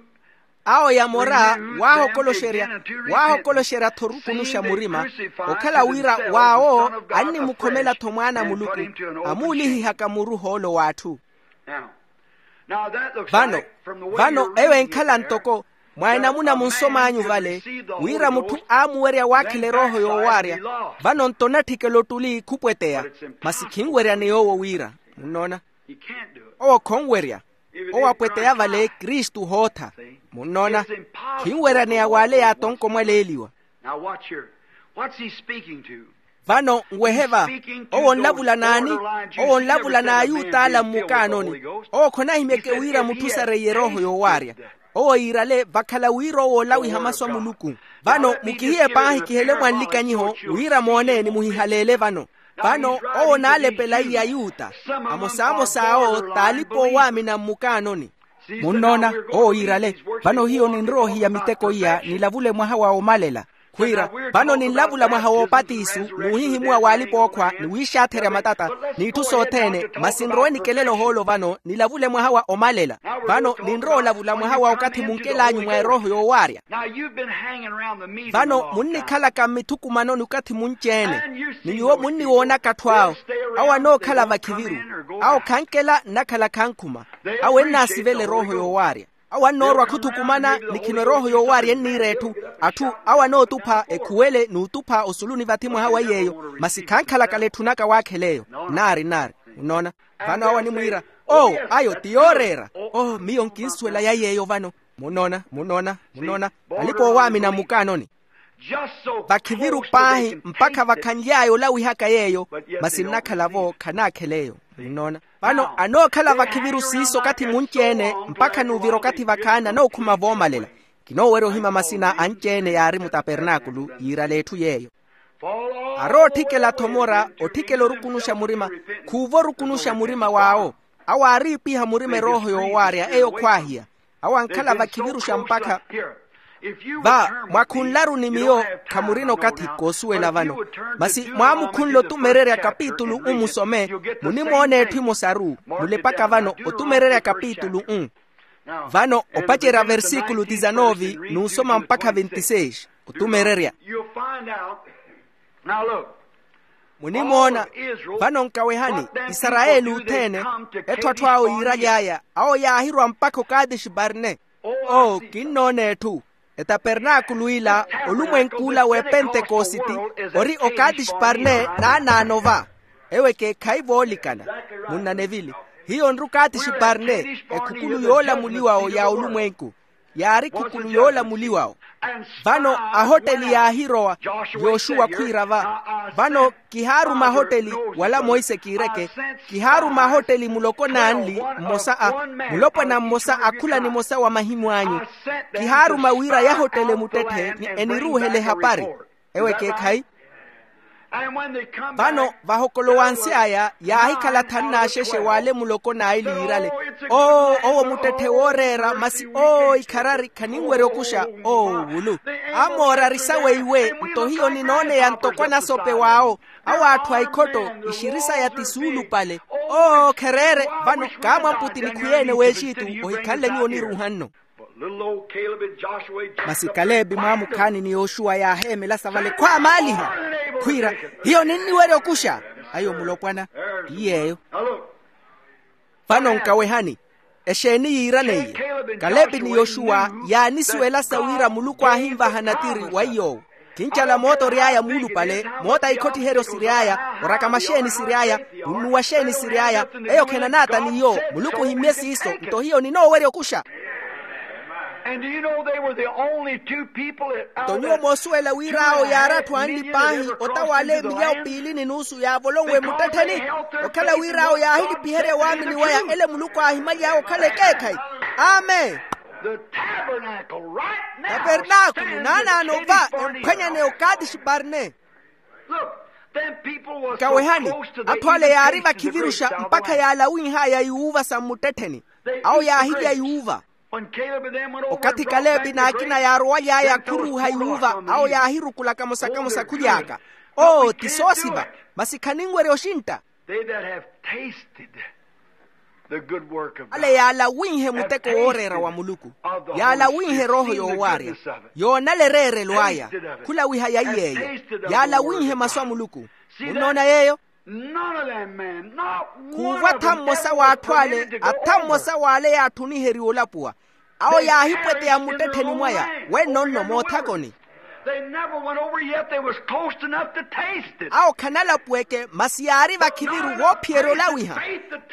Awo yamora waahokoloxerya, waahokoloxerya-tho orukunuxa murima, okhala wira waawo annimukhomela-tho mwaana a muluku, amuulihihaka muru hoolo w'atthu. Vano, vano eyo enkhala ntoko mwa enamuna munsom'anyu vale, wira mutthu aamuwerya waakhela erooho yoowaarya. Vano nto onatthikela ottuli khupweteya, masi khinweryaneya owo wira. Munnoona? Owo khonwerya. Owo apweteya vale kristu hootha. Munnoona? Khinweryaneya w'ale yaatonko mwaleeliwa. Now watch here. What's he speaking to? Vano nwehe va. Owo onlavula n'ani? Owo onlavula n'ayuta ala mmukaanoni. Owo khonahimyeke wira mutthu osareiye erooho yoowaarya. Owo yiirale vakhala wira owo olawiha masu a muluku. Vano mukihiye paahi kihele mwa nlikanyiho, wira moone ni muhihaleele vano. Vano owo onaalepela iyayuta, amosamosa awo t'alipa-oowaamina mmukaanoni. Munnoona? Owo yiirale. Vano hiyo ninrowa ohiya miteko iya nilavule mwaha wa omalela. Khwiira, vano ninlavula mwaha woopatiisu, n'uhihimuwa w'alipa-ookhwa ni wiixaatherya matata, n'itthu sothene, masi nrowe nikelele ohoolo vano nilavule mwaha wa omalela. Vano ninrowa olavula mwaha wa okathi munkel'anyu mwa erooho yoowaarya. Vano munnikhalaka mmithukumanoni okathi munci-ene, ni nyuwo munniwoonaka atthu awo. Awo anookhala vakhiviru. Awo khankela nnakhala khankhuma. Awo ennaasivela erooho yoowaarya. Awo annoorwa khuthukumana ni khino erooho yoowaarya enniira etthu. Atthu awo anootupha ekhuwele n'utupha osuluni vathi mwaha wa yeeyo. Masi khankhalakala etthunaka waakhela eyo. Nnaari nnaari. Munnoona? Vano awo animwiira, oo, ayo ti yooreera. Oo, miyo nkinsuwela ya yeeyo vano. Munnoona? Munnoona? Munnoona? Alipa-oowaamina mmukaanoni. Vakhiviru paahi mpakha vakhanly'aya olawihaka yeeyo. Masi nnakhala-vo khanaakhela eyo. Munnoona? Vano anookhala vakhiviru siiso okathi munci-ene, mpakha n'uvira okathi vakhaani anookhuma voomalela. Kinoowerya ohima masina anci-ene yaari mutapernaakulu yiirale etthu yeeyo. Arootthikela-tho mora otthikela orukunuxa murima. Khuuva orukunuxa murima w'awo. Awo aariipiha murima erooho yoowaarya eyo khwaahiya. Awo ankhala vakhiviruxa mpakha. Va mwakhunlaru ni miyo khamurina okathi koosuwela vano. Masi mwaamukhunle otumererya kapitulu u musome, munimoona etthu emosaru. Mulepaka vano otumererya kapitulu u. Vano opacerya versikulu disanove n'usoma mpakha ventiseis. Otumererya. Munimoona? Vano nkawehani, isarayeli othene, etthu atthu awo yiiraly'aya awo yaahirwa mpakha okadeshi-barne. Oo, kinnoona etthu. Etapernaakulu ila, olumwenk'ula w'epentekositi, ori okatixparne naanaano va. Ewo ekeekhayi voolikana. Munna nevili. Hiyo nri okatixparne, ekhukulu yoolamuliwawo ya olumwenku. Yaari ekhukulu yoolamuliwawo. Vano ahotteli yaahirowa, yoxuwa khwiira va. Vano kihaaruma ahotteli, wala monse kiireke. Kihaaruma ahotteli muloko n'anli, mmosa a, mulopwana mmosa a khula nimosa wa mahimu anyu. Kihaaruma wira yahottele muttetthe ni eniruuhele ehapari. Ewo ekeekhayi. Vano vahokolowansy'aya yaahikhala thanu n'axexe w'ale muloko n'aili yiirale. Oo, owo muttetthe wooreera masi oo ikharari khaninwerya okuxa. Oo, wulu. Amoorari sawe iwe nto hiyo ninooneya ntoko anasope w'awo. Awo atthu a ikhotto, ixiri saya ti suulupale. Oo khereere. Vano kaamwamputi nikhuyeene w'exitu, ohikhanle nyuwo oniruuhanno. Masi kalebi mwaamukhaani ni yoxuwa yaaheemela savale khwaamaaliha, khwiira, hiyo ninniwerya okuxa. Ayo mulopwana. Ti yeeyo. Vano nkawehani. Exeeni yiiraneiye? Kalebi ni yoxuwa yaanisuwelasa wira muluku aahinvaha natiri wa iy'owo. Khincala mooto ory'aya muulupale, moota ikhottiheryo siry'aya, oraka maxeeni siry'aya, munnuwa xeeni siry'aya. Eyo khenanaata n'iyo. Muluku ohimmye siiso, nto hiyo ninoowerya okuxa. Nto nyuwo moosuwela wira awo yaari atthu anli paahi ota w'ale milyawo piili ni nuusu yaavolonwe muttettheni. Okhala wira awo yaahilipiherya waamini waya ele muluku aahimaly'awe okhala ekeekhayi. Amen. Tapernaakulu naanaano va emphwanyane okatixparne. Nkawehani. Atthu ale yaari vakhiviruxa mpakha yaalawinh'aya yuuva sa mmuttettheni. Awo yaahilya yuuva. Okathi kalebi n'akina yaarowaly'aya khuruuha yuuva, awo yaahirukula kamosa-kamosa khuly'aka. Oo ti soosiva. Masi khaninwerya oxintta. Ale yaalawinhe muteko wooreera wa muluku. Yaalawinhe erooho yoowaarya. Yoonala ereerelo aya. Khulawiha ya iy'eyo. Yaalawinhe masu a muluku. Munnoona yeeyo? Khuuva atha mmosa w'atthu ale, atha mmosa w'ale yaatthuniheriwa olapuwa. Awo yaahipweteya mmuttettheni mwaya. Wenno nno moothakoni. Awo khanalapuweke masi yaari vakhiviru woophiyerya olawiha.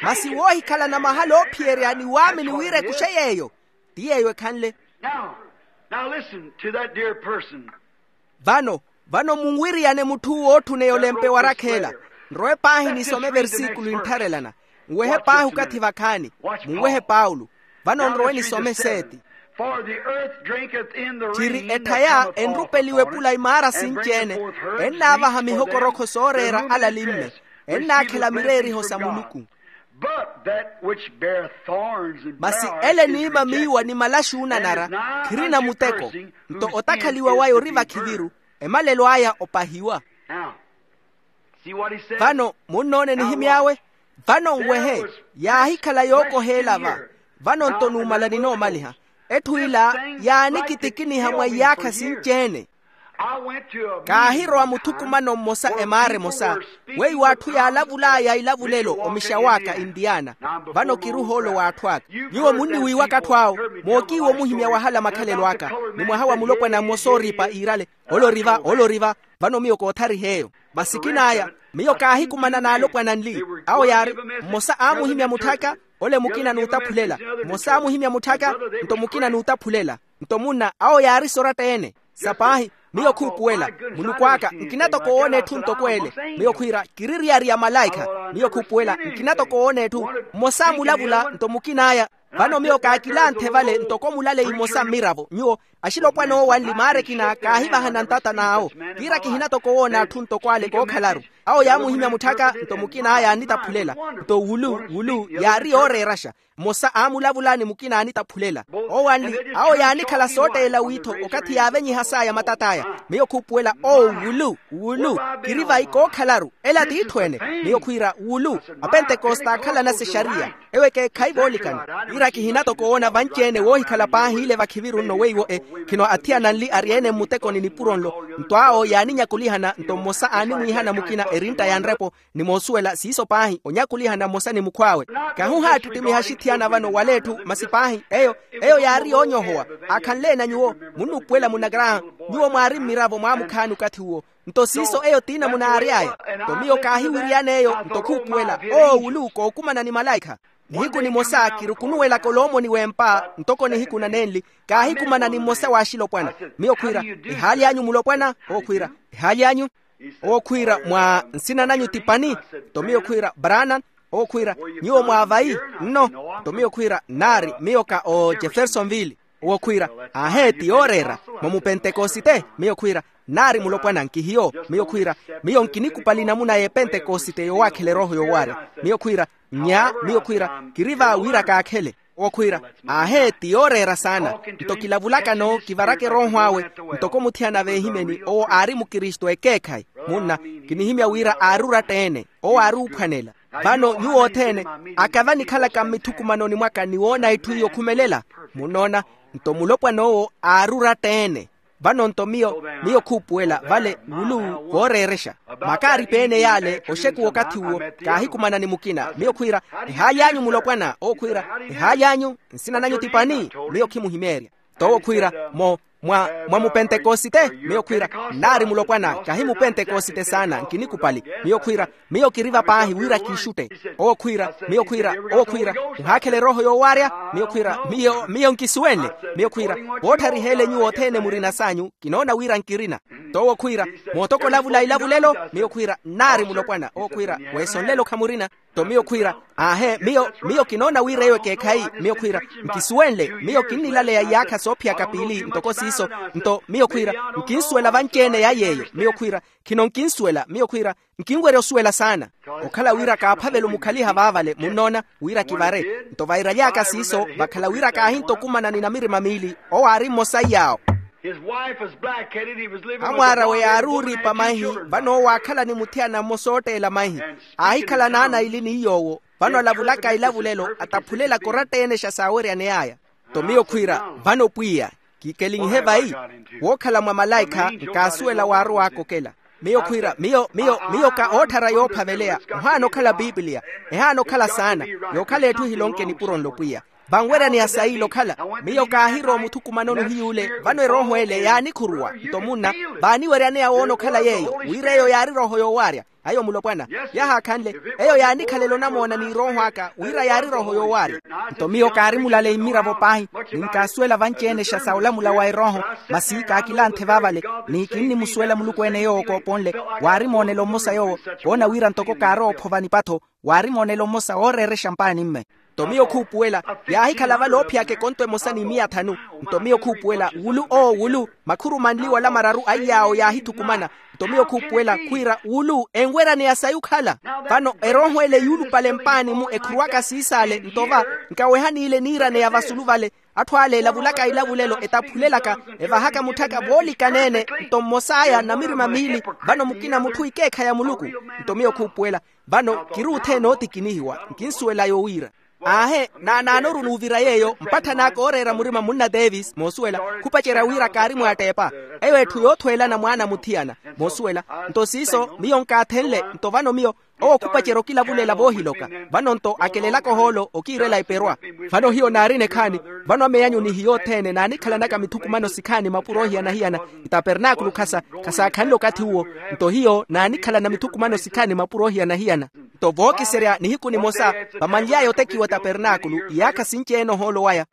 Masi woohikhalana mahala oophiyerya ni waamini wira ekuxe yeeyo. Ti yeeyo ekhanle. Vano, vano munwiriyane mutth'uwo ootthuneya olempe wa rakheela. Nrowe paahi nisome eversikulo enttharelana. Nwehe paahi okathi vakhaani. Munwehe paulo. Vano nrowe nisome seeti. Tthiri etthaya enrupeliwe epula imaara sinci-ene. Ennaavaha mihokorokho sooreera alalimme. Ennaakhela mireeriho sa muluku. Masi ele eniima miiwa ni malaxi oonanara khirina muteko. Nto otakhaliwa waya ori vakhiviru. Emalelo aya opahiwa. Vano munnoona enihimy'awe. Vano nwehe. Yaahikhala yookoheela va. Vano nto numala ninoomaliha. Etthu ila yaanikitikiniha mwa iyaakha sinci-ene. Kaahirowa muthukumano mmosa emaara emosa. Weiwo atthu yaalavul'aya ilavulelo omixaw'aka intiyana. Vano kiri ohoolo w'atthu aka. Nyuwo munniwiiwaka atthu awo. Mookiiwa omuhimya wahala makhalelo aka. Ni mwaha wa mulopwana mmosa ooripa iirale. Ole ori va, ole ori va. Vano miyo koothariha eyo. Masi kin'aya. Miyo kaahikumana n'alopwana anli. Awo yaari. Mmosa aamuhimya mutth'aka. Ole mukina n'utaphulela. Mmosa aamuhimya mutth'aka. Nto mukina n'utaphulela. Nto munna awo yaari soratta-ene. Sa paahi. Miyo khuupuwela. Muluku aka nkina toko woona etthu ntoko ele. Miyo khwiira kiri riyari ya malaikha. Miyo khuupuwela nkina toko woona etthu. Mmosa aamulavula nto mukin'aya. Vano miyo kaakilanthe vale ntoko mulaleyi mmosa mmiravo nyuwo. Axilopwana owo anli maara ekina kaahivahana ntata n'awo. Kiira kihina toko woona atthu ntoko ale kookhalaru. Awo yaamuhimya mutth'aka nto mukin'aya aanitaphulela. Nto wulu wulu yaari yooreeraxa. Mmosa aamulavula ni mukina aanitaphulela. Owo anli awo yaanikhala sootteela wiitho okathi yaavenyihas'aya matat'aya. Miyo khuupuwela oo wulu wulu. Kiri vayi kookhalaru ela t'itthu-ene. Miyo khwiira wulu. Apentekoste aakhalana sexariya. Ewo ekeekhayi voolikana. Kiira kihina toko woona vanci-ene woohikhala paahi ile vakhiviru nno weiwo e. Khino athiyana nli ari-ene mmutekoni nipuro nlo. Nto awo yaaninyakulihana nto mmosa aanimwiihana mukina erintta ya nrepo. Ni moosuwela siiso paahi onyakulihana mmosa ni mukhw'awe. Kahuhaattittimiha axithiyana vano wala etthu masi paahi eyo eyo yaari yoonyohowa. Aakhanle-ene nyuwo munnuupuwela munagraha. Nyuwo mwaari mmiravo mwaamukhaani okathi uwo. Nto siiso eyo t'inamunaari aya. Nto miyo kaahiwiriyana eyo nto khuupuwela owo wulu kookumana ni malaikha. Nihiku nimosa kirukunuwelaka oloomoni w'empa ntoko nihiku nanenli. Kaahikumana ni mmosa w'axilopwana. Miyo khwiira ehaali anyu mulopwana? Owo khwiira ehaali anyu. Owo khwiira mwa nsina nanyu ti pani? Nto miyo khwiira branan. Owo khwiira nyuwo mwa vayi? Nno. Nto miyo khwiira nnaari miyo ka o jeffersonville. Owo khwiira aahe ti yooreera mwa mupentekosite? Miyo khwiira nnaari mulopwana nkihiyo. Miyo khwiira miyo nkinikupali namuna y'epentekosite yowaakhela erooho yowaarya. Miyo khwiira nnya miyo khwiira kiri va wira kaakhele. Owo khwiira aahe ti yooreera saana. Nto kilavulakano kivaraka erooho awe ntoko muthiyana veehimeni owo aari mukristu ekeekhayi. Munna kinihimya wira aari oratta-ene owo aari oophwanela. Vano nyuwo othene akava nikhalaka mmithukumanoni mwaka ni woona itthu iyo okhumelela. Munnoona nto mulopwan'owo aari oratta-ene. Vano nto miyo miyo khuupuwela vale wulu vooreerexa makaaripi-ene yaale oxekuwa okathi uwo. Kaahikumana ni mukina miyo khwiira ehaali anyu mulopwana owo khwiira ehaali anyu nsina nanyu ti pani? Miyo khimuhimeerya. Nto owo khwiira mo mwa mwa mupentekosite? Miyo khwiira nnaari mulopwana kahi mupentekosite saana nkinikupali. Miyo khwiira miyo kiriva paahi wira kiixutte. Owo khwiira miyo khwiira owo khwiira muhaakhela erooho yoowaarya? Miyo khwiira miyo miyo nkisuwenle. Miyo khwiira voottharihele nyuwo othene murina s'anyu kinoona wira nkirina. Nto owo khwiira mootoko olavula ilavulelo? Miyo khwiira nnaari mulopwana owo khwiira weesonlelo khamurina. Nto miyo khwiira aahe miyo miyo kinoona wira eyo ekeekhayi. Miyo khwiira nkisuwenle miyo kinnilaleya iyaakha soophiyaka piili ntoko siiso. Nto miyo khwiira nkinsuwela vanci-ene ya yeeyo miyo khwiira khino nkinsuwela miyo khwiira nkinwerya osuwela saana. Okhala wira kaaphavela omukhaliha vaavale munnoona wira kivare. Nto vairaly'aka siiso vakhala wira kaahintta okumana ni namirima miili owo aari mmosa iy'awo. Amwaar'awe yaari ooriipa mahi vano owo aakhala ni muthiyana mmosa ootteela mahi aahikhala n'ana aili ni iy'owo. Vano alavulaka ilavulelo ataphulelaka oratta-ene xa saaweryane aya. Nto miyo khwiira vano pwiya kiikelinhe vayi? Wookhala mwa malaikha nkaasuwela waarow'aka okela. Miyo khwiira miyo miyo miyo ka ootthara yoophaveleya ohaana okhala piipiliya ehaana okhala saana yookhala etthu ehilonke nipuro nlo pwiya. Vanweryaneya sayiila okhala miyo kaahirowa omuthukumanoni ohiy'ule vano erooho ele yaanikhuruwa nto munna vaaniweryaneya woona okhala yeeyo wira eyo yaari erooho yoowaarya. Ayo mulopwana yahaakhanle eyo yaanikhalela onamoona n'irooho aka wira yaari erooho yoowaarya. Nto miyo kaari mulaleyi mmiravo paahi ni nkaasuwela vanci-ene xa sa olamula wa erooho masi kaakilanthe vaavale ni kinnimusuwela muluku-ene yoowo kooponle. Waari moonelo mmosa yoowo koona wira ntoko kaarowa ophova nipatho waari moonelo mmosa wooreerexa mpaani mme. Nto miyo khuupuwela yaahikhala vale oophiyaka ekonto emosa ni miya thanu. Nto miyo khuupuwela wulu owo wulu makhuru manli wala mararu a iy'awo yaahithukumana. Nto miyo khuupuwela khwiira wulu enweryaneya sayi okhala. Vano erooho ele yuulupale mpaani-mu ekhuruwaka siisaale nto va nkaweha n'ile niiraneya vasulu vale. Atthu ale elavulaka ilavulelo etaphulelaka evahaka mutthaka voolikaneene. Nto mmos'aya namirima miili vano mukina mutthu ikeekha ya muluku. Nto miyo khuupuwela vano kiri othene ootikinihiwa nkinsuwela yowiira aahe naanaanoru n'uvira yeeyo mpatthanaaka ooreera murima munna davis moosuwela khupacerya wira kaari mwaatteepa. Eyo etthu yoothweelana mwaana muthiyana moosuwela. Nto siiso miyo nkaathenle nto vano miyo owo khupacerya okilavulela voohiloka vano nto akelelaka ohoolo okiirela eperwa. Vano hiyo naarina ekhaani vano ameyanyuni hiyo othene naanikhalanaka mithukumano sikhaani mapuro ohiyana-hiyana itapernaakulu khasa khasaakhanle okathi uwo. Nto hiyo naanikhalana mithukumano sikhaani mapuro ohiyana-hiyana. Nto vookiserya nihiku nimosa vamanly'aya otekiwa tapernaakulu iyaakha sinci-ene ohoolo waya.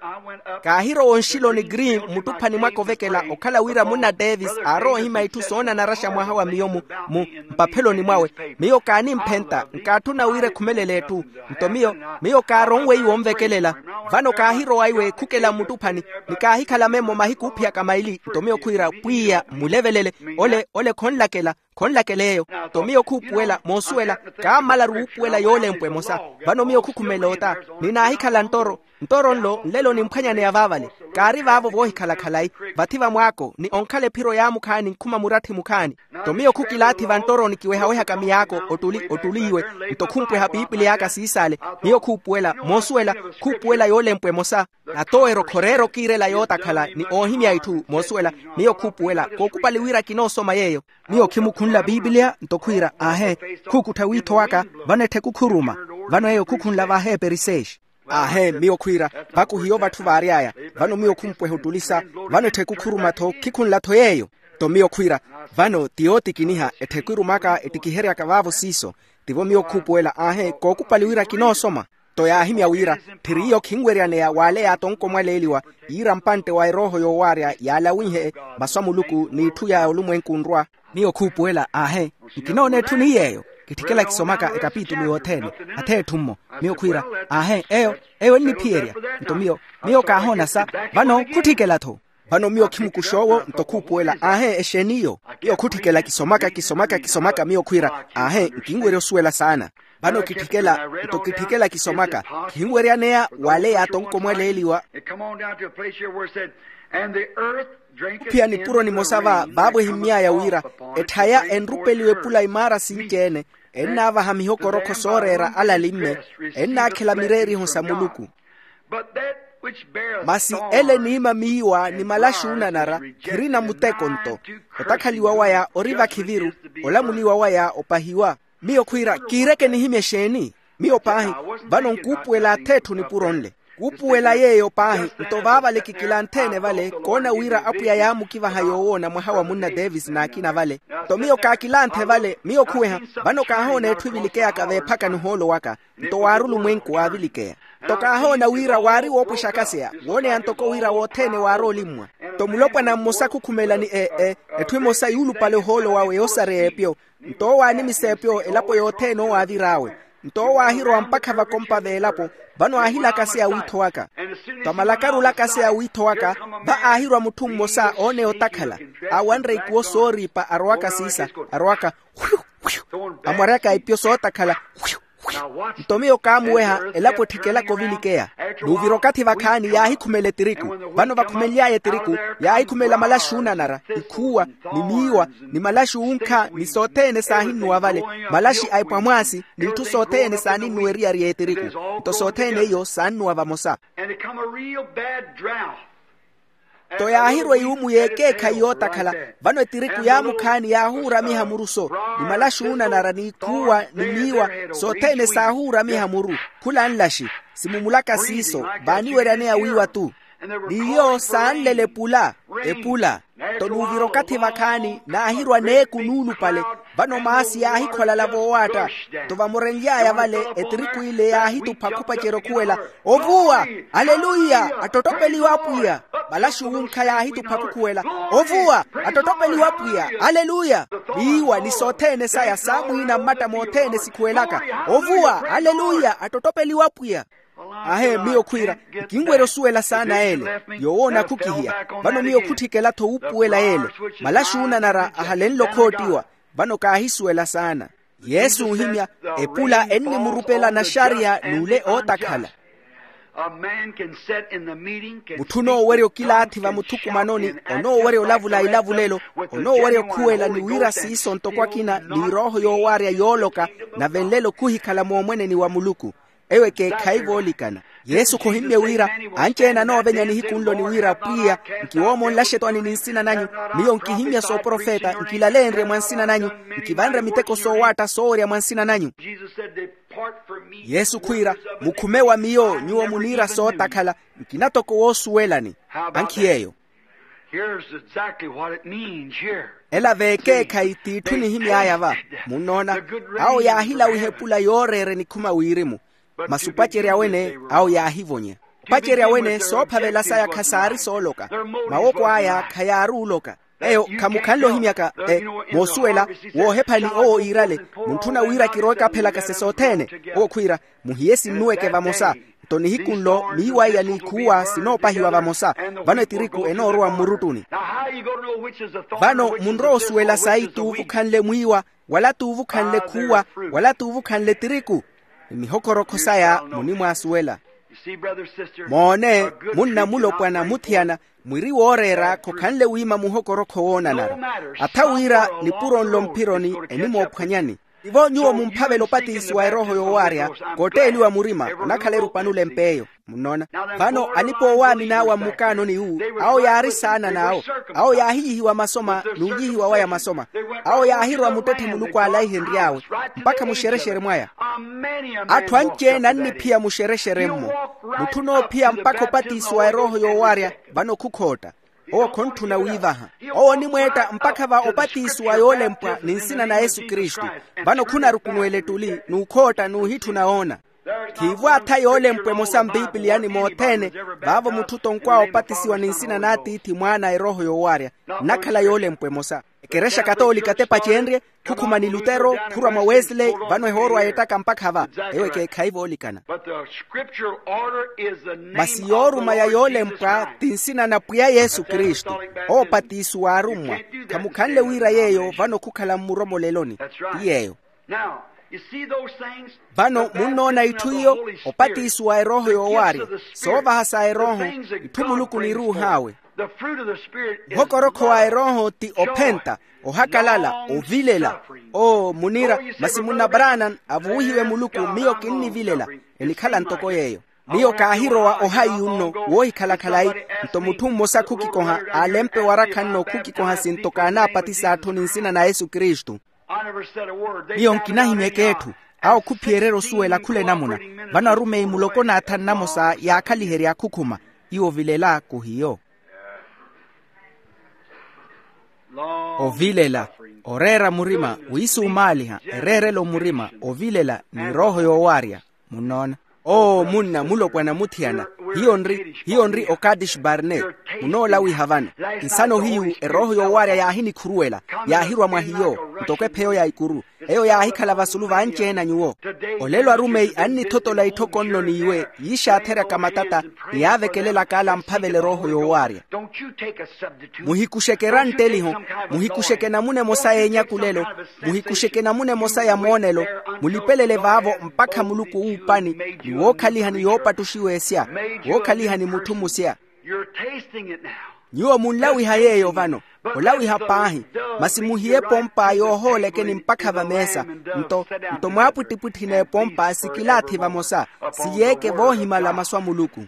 Kaahirowa onxiloni green mmuttuphani mwaka ovekela okhala wira munna davis aarowa ohima itthu soonanaraxa mwaha wa miyo mu mu mpapheloni mwawe. Miyo kaanimphenta nkaatthuna wira ekhumelele etthu. Nto miyo miyo kaaronwe iwo onvekelela vano kaahirowa iwe ekhukela mmuttuphani ni kaahikhala memmo mahiku oophiyaka maili nto miyo khwiira pwiya mmulevelele ole ole khonlakela. Khonlakela eyo. Nto miyo khuupuwela moosuwela, kaammalaru wuupuwela yoolempwa emosa. Vano miyo khukhumela ota, ni naahikhala nttoro. Nttoro nlo nlelo nimphwanyaneya vaavale. Kaari vaavo voohikhala khalayi, vathi va mwaako ni onkhala ephiro yaamukhaani nkhuma muratthi mukhaani. Nto miyo khukilaathi va nttoroni kiwehawehaka miyaako ottuli ottuliiwe. Nto khumpweha piipili aka siisaale. Miyo khuupuwela moosuwela, khuupuwela yoolempwa emosa. Natowero khoreera okiirela yootakhala ni oohimya itthu moosuwela. Miyo khuupuwela kookupali wira kinoosoma yeeyo. Miyo khimukhunla piipiliya nto khwiira aahe, khuukuttha wiitho waka. Vano ettheku khuruma. Vano eyo khukhunla vaaheeperi seexi. Aahe miyo khwiira, vakuhiyo vatthu vaary'aya. Vano miyo khumpweha ottulisa. Vano ettheku khuruma-tho khikhunla-tho yeeyo. Nto miyo khwiira, vano ti yootikiniha ettheku erumaka ettikiheryaka vaavo siiso. Tivo miyo khuupuwela aahe kookupali wira kinoosoma. Nto yaahimya wira, tthiri iyo khinweryaneya waaleya atonko mwaleeliwa, yiira mpantte wa erooho yoowaarya yaalawinhe masu a muluku n'itthu ya olumwenku nrwa. Miyo khuupuwela aahe, nkinoona etthu ni yeeyo. Kitthikela kisomaka ekapitulu yothene, atheetthu-mmo. Miyo khwiira, aahe eyo, eyo enniphiyerya. Nto miyo, miyo kaahoona sa. Vano khutthikela-tho. Vano miyo khimukuxa owo nto khuupuwela aahe exeeni iyo. Miyo khutthikela kisomaka kisomaka kisomaka miyo khwiira, aahe nkinwerya osuwela saana. Vano kitthikela, nto kitthikela kisomaka, khinweryaneya waaleya atonko mwaleeliwa. Khuphiya nipuro nimosa va vaavo ehimmy'aya wira, etthaya enrupeliwa epula imaara sinci-ene, ennaavaha mihokorokho sooreera alalimme, ennaakhela mireeriho sa muluku. Masi ele eniima miiwa ni malaxi oonanara, khirina muteko nto. Otakhaliwa waya ori vakhiviru, olamuliwa waya opahiwa. Miyo khwiira kiireke nihimye exeeni? Miyo paahi, vano nkuupuwela atheetthu nipuro nle. Kuupuwela yeeyo paahi nto vaavale kikilanthe-ene vale koona wira apwiya yaamukivaha yoowoona mwaha wa munna davis n'akina vale. Nto miyo kaakilanthe vale miyo khuweha. Vano kaahoona etthu evilikeyaka veephakani ohoolo waka. Nto waari olumwenku waavilikeya. Nto kaahoona wira waari woopwexa akaseya wooneya ntoko wira wothene waari olimmwa. Nto mulopwana mmosa khukhumelani e e etthu emosa yuulupale ohoolo wawe yoosareya epyo. Nto owo aanimisa epyo elapo yothene owo aavir'awe. Nto owo aahirowa mpakha vakompa v'elapo. Vano aahilakaseya wiitho waka. Nto amalakaru olakaseya wiitho waka, va aahirowa mutthu mmosa ooneya otakhala, aawanre ikuwo sooriipa arowaka siisa, arowaka hwiyu hwiyu, amwaryaka ipyo sootakhala hwiyu hwiyu. Nto miyo kaamuweha elapo etthikelaka ovilikeya. N'uvira okathi vakhaani yaahikhumela etiriku. Vano vakhumenly'aya etiriku, yaahikhumela malaxi oonanara, ikhuuwa, ni miiwa, ni malaxi oonkha ni sothene saahinnuwa vale, malaxi a epwamwaasi, n'itthu sothene saaninnuwa eriyari y'etiriku. Nto sothene iyo saannuwa vamosa. Nto yaahirwa eyuumu y'ekeekhayi yootakhala. Vano etiriku yaamukhaani yaahuuramiha muru-so, ni malaxi oonanara n'ikhuuwa ni miiwa, sothene saahuuramiha muru. Khula nlaxi, simumulaka siiso, vaaniweryaneya wiiwa-tu. N'iyo saanlela epula, epula. Nto n'uvira okathi vakhaani naahirwa neeku nuulupale. Vano maasi yaahikholala voowaatta. Nto vamurenly'aya vale, etiriku ile yaahitupha khupacerya okhuwela, ovuwa, aleluya, attottopeliwe apwiya. Malaxi wunkha yaahitupha khukhuwela, ovuwa, attottopeliwe apwiya, aleluya. Miiwa ni sothene saya saamwiina mmatta mothene sikhuwelaka, ovuwa, aleluya, attottopeliwe apwiya. Ahe miyo khwiira, nkinwerya osuwela saana ele. Yoowoona khukhihiya. Vano miyo khutthikela-tho wuupuwela ele. Malaxi oonanara ahalenle okhoottiwa. Vano kaahisuwela saana. Yesu oohimya, epula ennimurupela naxariya n'ule ootakhala. Mutthu onoowerya okilaathi vamuthukumanoni, onoowerya olavula ilavulelo, onoowerya okhuwela ni wira siiso ntoko akina n'irooho yoowaarya yooloka. Nave nlelo khuhikhala moomweneni wa muluku. Eyo ekeekhayi voolikana. Yesu khohimmye wira, anci-ene anoovenya nihiku nlo ni wira, pwiya, nkiwoomonlaxe etwani ni nsina nanyu. Miyo nkihimmya sooprofeta nkilaleenrye mwa nsina nanyu, nkivanre miteko soowaatta soowerya mwa nsina nanyu. Yesu khwiira, mukhume wa miyo nyuwo muniira sootakhala. Nkina toko woosuwelani. Ankhi yeeyo. Ela veekeekhayi t'itthu nihimy'aya va. Munnoona, awo yaahilawiha epula yooreera enikhuma wirimu. Masi opacerya wene awo yaahivonya. Opacerya wene soophavela saya khasaari sooloka. Mawoko aya khayaari oloka. Eyo khamukhanle ohimyaka. Moosuwela, woohephani owo iirale, muntthuna wira kirowe kaaphelaka se sothene. Owo khwiira, muhiye sinnuweke vamosa. Nto nihiku nlo miiwa iya n'ikhuuwa sinoopahiwa vamosa. Vano etiriku enoorowa mmuruttuni. Vano munrowa osuwela sayi t'uvo okhanle mwiiwa, wala t'uvo okhanle khuuwa, wala t'uvo okhanle tiriku. Ni mihokorokho saya munimwaasuwela. Moone, munna mulopwana muthiyana, mwiri wooreera khokhanle wiima muhokorokho woonanara. Atha wira nipuro nlo mphironi enimoophwanyani. Tivo nyuwo mumphavela opatisiwa erooho yoowaarya, kotteeliwa murima onakhala erupanule mp'eyo. Munnoona? Vano alipa-owaamina awo a mmukaanoni iwu, awo yaari saana n'awo. Awo yaahiyihiwa masoma n'uyihiwa waya masoma. Awo yaahirwa muttetthe muluku aalaihenry'awe, mpakha muxerexere mwaya. Atthu anci-ene anniphiya muxerexere-mmo. Mutthu onoophiya mpakha opatisiwa erooho yoowaarya, vano khukhootta. Owo khontthuna wiivaha. Owo onimweetta mpakha va opatisiwa yoolempwa ni nsina na yesu kristu. Vano khunarukunuwela ettuli n'ukhootta n'uhitthuna woona. Khiivo atha yoolempwa emosa mpipiliyani mothene. Vaavo mutthu otonkw'awe opatisiwa ni nsina n'atiithi mwaana erooho yoowaarya, nnakhala yoolempwa emosa. Ekerexa katoolika tepacenrye, khukhuma ni lutero, khurwa mwa wesley, vano ehoorwa yeettaka mpakha va. Eyo ekeekhayi voolikana. Masi yooruma ya yoolempwa ti nsina na pwiya yesu kristu. Oopatisiwa arummwa. Khamukhanle wira yeeyo vano khukhala mmuromoleloni. Ti yeeyo. Vano munnoona itthu iyo, opatisiwa erooho yoowaarya, soovaha sa erooho, itthu muluku oniruuh'awe. Muhokorokho wa erooho ti ophenta, ohakalala, ovilela. Oo munira, masi munna branan avuwihiwe muluku, miyo kinnivilela. Enikhala ntoko yeeyo. Miyo kaahirowa ohayi unno, woohikhala khalayi. Nto mutthu mmosa khukikoha aalempe warakha nno khukikoha sinto kaanaapatisa atthu ni nsina na yesu kristu. Miyo nkinahimyeke etthu. Awo khuphiyererya osuwela khula enamuna. Vano arumeyi muloko n'athanu namosa yaakhaliherya khukhuma. Iwo ovilela khuhiyo. Ovilela, oreera murima, wiisumaaliha, ereerelo murima, ovilela ni erooho yoowaarya. Munnoona? Oo munna mulopwana muthiyana. Hiyo nri hiyo nri okadish barne. Munoolawiha vano. Nsano hiyu erooho yoowaarya yaahinikhuruwela, yaahirwa mwa hiyo, ntoko epheyo ya ikuru. Eyo yaahikhala vasulu vanci-ene a nyuwo. Olelo arumeyi annithotola itthoko nno n'iwe, yiixaatheryaka matata, ni yaavekelelaka ala amphavela erooho yoowaarya. Muhikuxeke erantteliho, muhikuxeke namuna emosa y'enyakulelo, muhikuxeke namuna emosa ya moonelo. Mulipelele vaavo mpakha muluku wuupani, ni wookhaliha ni yoopattuxiwa esya, wookhaliha ni mutthu musya. Nyuwo munlawiha yeeyo vano. Olawiha paahi. Masi muhiye epompa yoohoolekeni mpakha vameesa. Nto nto mwaapwittipwitthi n'epompa sikilaathi vamosa, siyeeke voohimala masu a muluku.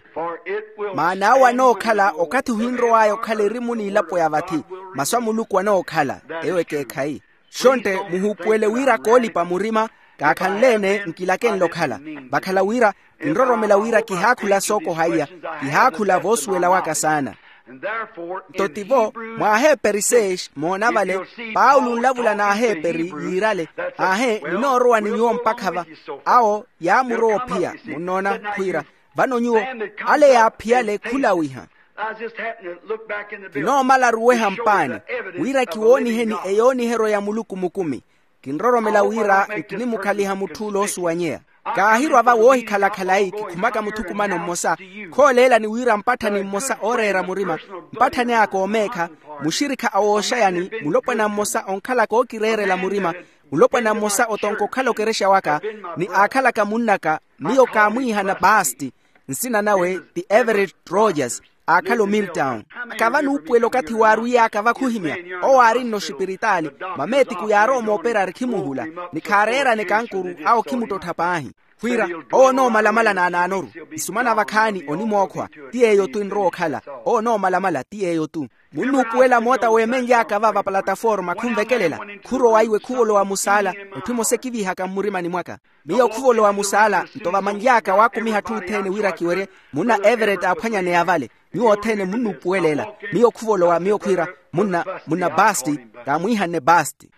Maana awo anookhala okathi ohinrow'aya okhala erimu n'ilapo ya vathi. Masu a muluku anookhala. Eyo ekeekhayi. Xontte muhuupuwele wira koolipa murima. Kaakhanle-ene nkilakenle okhala. Vakhala wira kinroromela wira kihaakhula sookoha iya. Kihaakhula voosuwela waka saana. Nto tivo, mw'aheeperi seis moona vale, paulo nlavula n'aheeperi yiirale. Aahe ninoorowa ni nyuwo mpakha va. Awo yaamurowa ophiya munnoona khwiira, vano nyuwo ale yaaphiyale khulawiha. Kinoomala aruweha mpaani wira kiwooniheni eyooniheryo ya muluku mukumi. Kinroromela wira nkinimukhaliha mutth'ule oosuwanyeya. Kaahirwa va woohikhala khalayi kikhumaka muthukumano mmosa. Khooleelani wira mpatthani mmosa ooreera murima, mpatthani aka omeekha, muxirikha a wooxayani, mulopwana mmosa onkhalaka ookireerela murima, mulopwana mmosa otonka okhala okerexa waka, ni aakhalaka munn'aka, miyo kaamwiihana baasti. Nsina nawe ti everett rogers. Aakhala omiltown. Aka vanuupuwela okathi waarwiyaaka vakhuhimya. Owo aari nno oxipiritaali. Mameetiku yaarowa mooperari khimuhula, ni khaareerane kankuru awo khimuttottha paahi. Khwiira, owo onoomalamala naanaanoru. Isumana vakhaani onimookhwa. Ti yeeyo-tu enrowa okhala. Owo onoomalamala ti yeeyo-tu. Munnuupuwela moota weemenly'aka va vapalataforma khunvekelela. Khurowa iwe khuvolowa musaala. Etthu emosa ekivihaka mmurimani mwaka. Miyo khuvolowa musaala nto vamanly'aka waakumiha atthu othene wira kiwerye. Munna everett aaphwanyaneya vale. Nyuwo othene munnuupuwela ela. Miyo khuvolowa miyo khwiira, munna munna baasti. Kaamwiihanne baasti.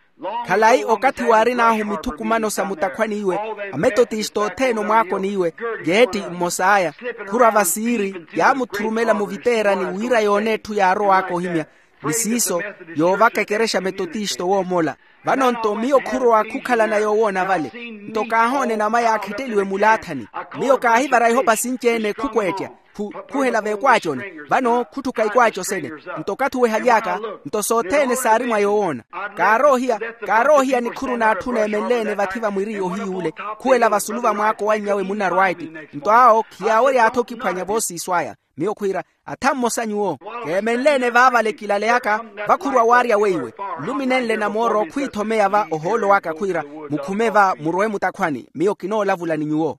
Khalayi okathi waarin'ahu mithukumano sa mutakhwani iwe, ametotista othene omwaakoni iwe, geeti mmos'aya, khurwa vasiiri yaamuthurumela muviteerani wira yoone etthu yaarow'aka ohimya. Ni siiso, yoovaka ekerexa metotista owoomola. Vano nto miyo khurowa khukhalana yoowoona vale. Nto kaahoona enama yaakhetteliwe mulaathani. Miyo kaahivara ihopa sinci-ene khukweettya, khuhela veekwaaco-ne. Vano khutthuka ikwaaco sene. Nto okathi owehaly'aka, nto sothene saari mwa yoowoona. Kaaroohiya, kaaroohiya nikhuru n'atthu neemenle-ene vathi va mwiri ohiy'ule, khuwela vasulu va mwaako wanny'awe munna rwaiti. Nto awo khiyaawerya atho okiphwanya voosiiso aya. Miyo khwiira, atha mmosa nyuwo, keemenle-ene vaavale kilaleyaka, vakhurwa waarya weiwe. Nluminenle namooro khwiithomeya va ohoolo waka khwiira, mukhume va murowe mutakhwani, miyo kinoolavula ni nyuwo.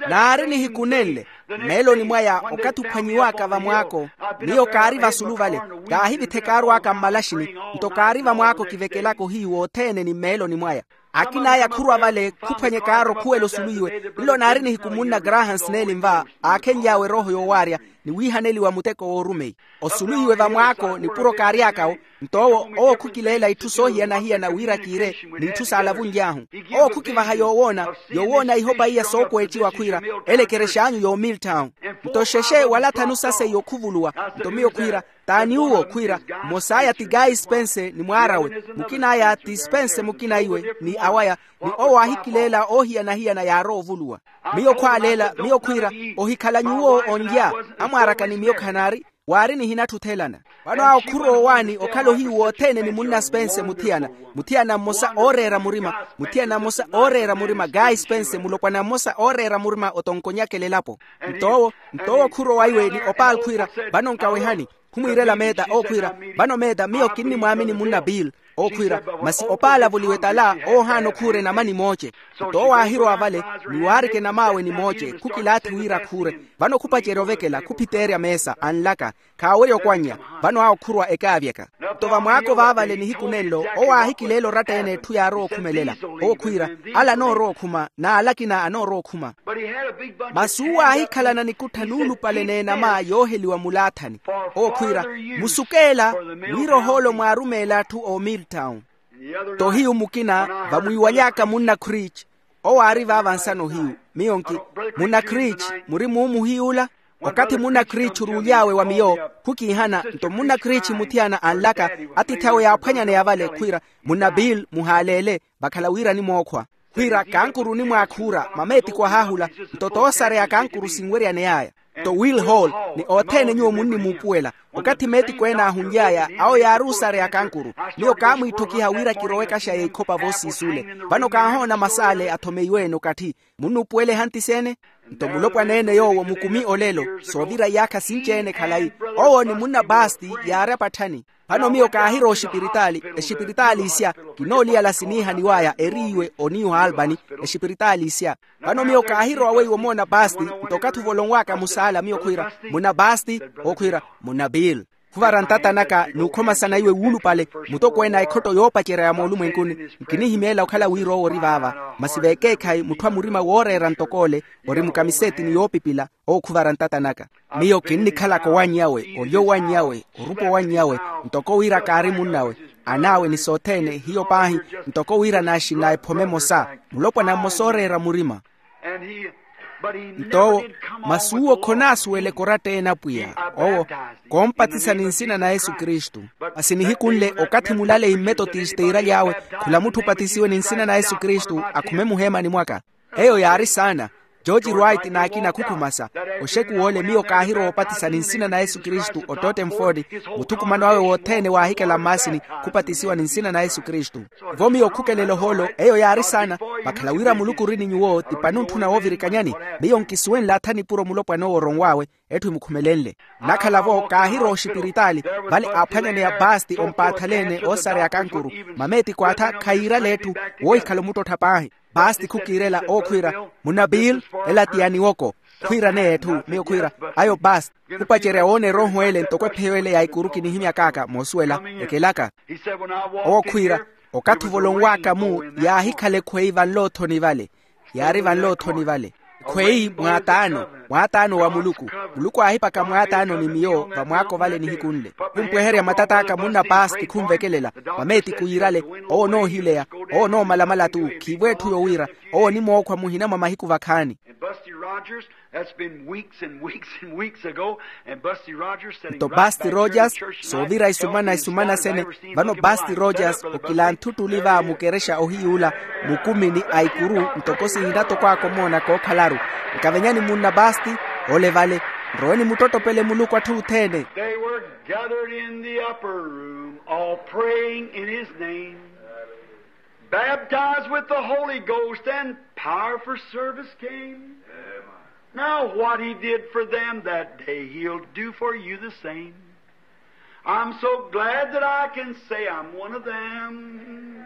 Naari nihiku nenle, mmeeloni mwaya okathi ophwanyiwaka vamwaako, miyo kaari vasulu vale, kaahivithe kaarw'aka mmalaxini. Nto kaari vamwaako kivekelaka ohiyu wothene ni mmeeloni mwaya. Akin'aya khurwa vale khuphwanye kaaro khuwela osulu iwe. Nlo naari nihiku munna graham snelin va, aakhenly'awe erooho yoowaarya, ni wiihaneliwa muteko woorumeyi. Osulu iwe vamwaako nipuro kaary'akawo. Nto owo, owo khukileela itthu soohiyana-hiyana wira kiire, n'itthu saalavunly'ahu. Owo khukivaha yoowoona, yoowoona ihopa iya sookweettiwa khwiira, ele ekerex'anyu yoomiltawu. Nto xexe wala thanu sa seiyo khuvuluwa. Nto miyo khwiira, t'ani uwo khwiira, mmos'aya ti gayi spense ni mwaar'awe, mukin'aya ti spense mukina iwe ni awaya. Ni owo aahikileela oohiyana-hiyana yaarowa ovuluwa. Miyo khwaaleela, miyo khwiira, ohikhala nyuwo onlya. Amwaar'aka ni miyo khanaari, waari nihinatthu othelana. Vano awo khurowa owaani okhala ohiyu wothene ni munna spense muthiyana, muthiyana mmosa ooreera murima, muthiyana mmosa ooreera murima gayi spense mulopwana mmosa ooreera murima otonkonyakela elapo. Nto owo, nto owo khurowa iwe ni opaali khwiira, vano nkawehani. Khumwiirela meeta owo khwiira, vano meeta miyo kinnimwaamini munna bill. Owo khwiira, masi opaala voliwe tala owo ohaana okhuura enama nimooce. Nto owo aahirowa vale, ni waarika enam'awe nimooce khukilaathi wira khuure. Vano khupacerya ovekela khuphiteerya meesa anlaka, khaawerya okwannya. Vano awo khurwa ekaavyaka. Nto vamwaako vaavale nihiku nenlo owo aahikileela oratta-ene etthu yaarowa okhumelela. Owo khwiira, ala anoorowa okhuma n'ala akina anoorowa okhuma. Masi uwo aahikhalana nikuttha nuulupale n'enama yooheliwa mulaathani. Owo khwiira, musukeela, wira ohoolo mwaarumeela atthu o milltown. Tohiyu mukina, vamwiiwaly'aka munna creech. Owo aari vaava nsana ohiyu. Miyo nki, munna creech, muri muumu ohiy'ula? Okathi munna creech oruuly'awe wa miyo, khukiihana. Nto munna creech muthiyana anlaka, atiithi awe yaaphwanyaneya vale khwiira, munna bill muhaaleele, vakhala wira nimookhwa. Khwiira kankuru onimwaakhuura mameetiko ahaahula. Nto toosareya kankuru sinweryaney'aya. Nto will hall, ni othene nyuwo munnimuupuwela. Okathi meetiko ene aahunly'aya, awo yaari osareya kankuru. Miyo kaamwiitthokiha wira kirowe ekaxa y'ikhopa voosiis'ule. Vano kaahoona mas'ale athomeyiwe-ene okathi. Munnuupuwela ehanti s'ene? Nto mulopwana-ene yoowo mukumi olelo, soovira iyaakha sinci-ene khalayi. Owo ni munna baasti yaari apatthani. Vano miyo kaahirowa oxipiritaali, exipiritaali isya, kinooliyala siniihaniw'aya eriiwe o new albany. Exipiritaali isya. Vano miyo kaahirowa weiwo omoona baasti. Nto okathi ovolonw'aka musaala miyo khwiira, munna baasti. Owo khwiira, munna bill. Khuvara ntata naka n'ukhomasana iwe wuulupale, mutokweene a ekhotto yoopacerya ya moolumwenkuni. Nkinihimeela okhala wira owo ori vaava, masi veekeekhayi mutthu a murima wooreera ntok'ole, ori mukamiseeti ni yoopipila. Owo khuvara ntata naka. Miyo kinnikhalaka owannyawe, olya owannyawe, orupa owannyawe, ntoko wira kaari munnawe. An'awe ni sothene hiyo paahi, ntoko wira naaxinna ephome emosa, mulopwana mmosa ooreera murima. Nto owo, masi uwo khonaasuweleke oratta-ene apwiya. Owo, koompatisa ni nsina na yesu kristu. Masi nihiku nle okathi mulaleyi mmetotista iiraly'awe, khula mutthu opatisiwe ni nsina na yesu kristu akhume muheemani mwaka. Eyo yaari saana. George wright n'akina khukhumasa. Oxekuw'ole miyo kaahirowa opatisa ni nsina na yesu kristu o tottenford, muthukumano awe wothene waahikela mmaasini, khupatisiwa ni nsina na yesu kristu. Vo miyo khukelela ohoolo eyo yaari saana. Vakhala wira muluku ori ni nyuwo ti pani ontthuna woovirikanyani. Miyo nkisuwenle atha nipuro mulopwana owo oronw'awe, etthu emukhumelenle. Nnakhala-vo kaahirowa oxipiritaali, vale aaphwanyaneya baasti ompaathaleene oosareya kankuru. Mameetiko atha khayiirala etthu, woohikhala omuttottha paahi. Baasti khukiirela owo khwiira, munna bill, ela ti ya niwoko. Khwiiraneya etthu miyo khwiira, ayo baasti. Khupacerya woona erooho ele ntoko epheyo ele ya ikuru kinihimyak'aka moosuwela, ekelaka. Owo khwiira, okathi ovolonw'aka-mu, yaahikhala ekhweyi vanloothoni vale. Yaari vanloothoni vale. Khweyi mwaataano, mwaataano wa muluku. Muluku aahipaka mwaataano ni miyo vamwaako vale nihiku nle. Khumpweherya matat'aka munna paasti khunvekelela. Mameetiko yiirale. Owo onoohileya. Owo onoomalamala tu khiivo etthu yowiira. Owo onimookhwa muhina mwa mahiku vakhaani. Rogers, that's been weeks and weeks and weeks ago, and Busty Rogers sitting nto right Basti back here in Rogers church tonight, soovira isumana helping isumana sene. Vano Basti Rogers okilanthu ttuli va mukerexa ohiyuula mukumini a ikuru ntoko sihina toko akomoona kookhalaru. Nkavenyani munna Basti, ole vale, nroweni muttottopele Muluku atthu othene. They were gathered in the upper room, all praying in his name, baptized with the Holy Ghost, and power for service came. Now, what he did for them that day, he'll do for you the same. I'm so glad that I can say I'm one of them.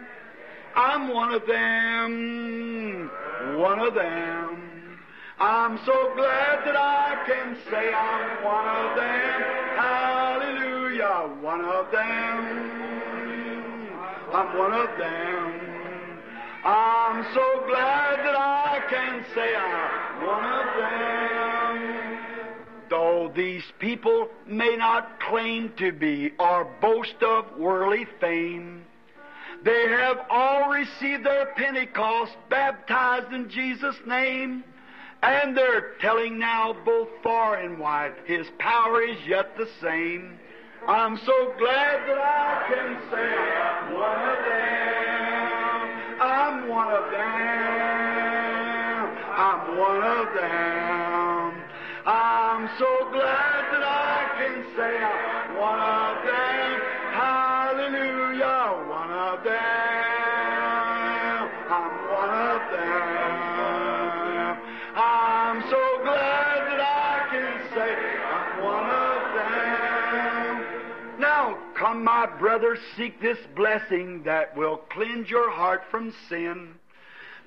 I'm one of them. One of them. I'm so glad that I can say I'm one of them. Hallelujah, one of them. I'm one of them. I'm so glad that I can say I'm one of them. Though these people may not claim to be or boast of worldly fame, they have all received their Pentecost, baptized in Jesus' name, and they're telling now both far and wide, his power is yet the same. I'm so glad that I can say I'm one of them. I'm one of them. I'm one of them. I'm so glad that I can say I'm one of them. Hallelujah, one of them. I'm one of them. I'm so glad that I can say I'm one of them. Now, come, my brothers, seek this blessing that will cleanse your heart from sin,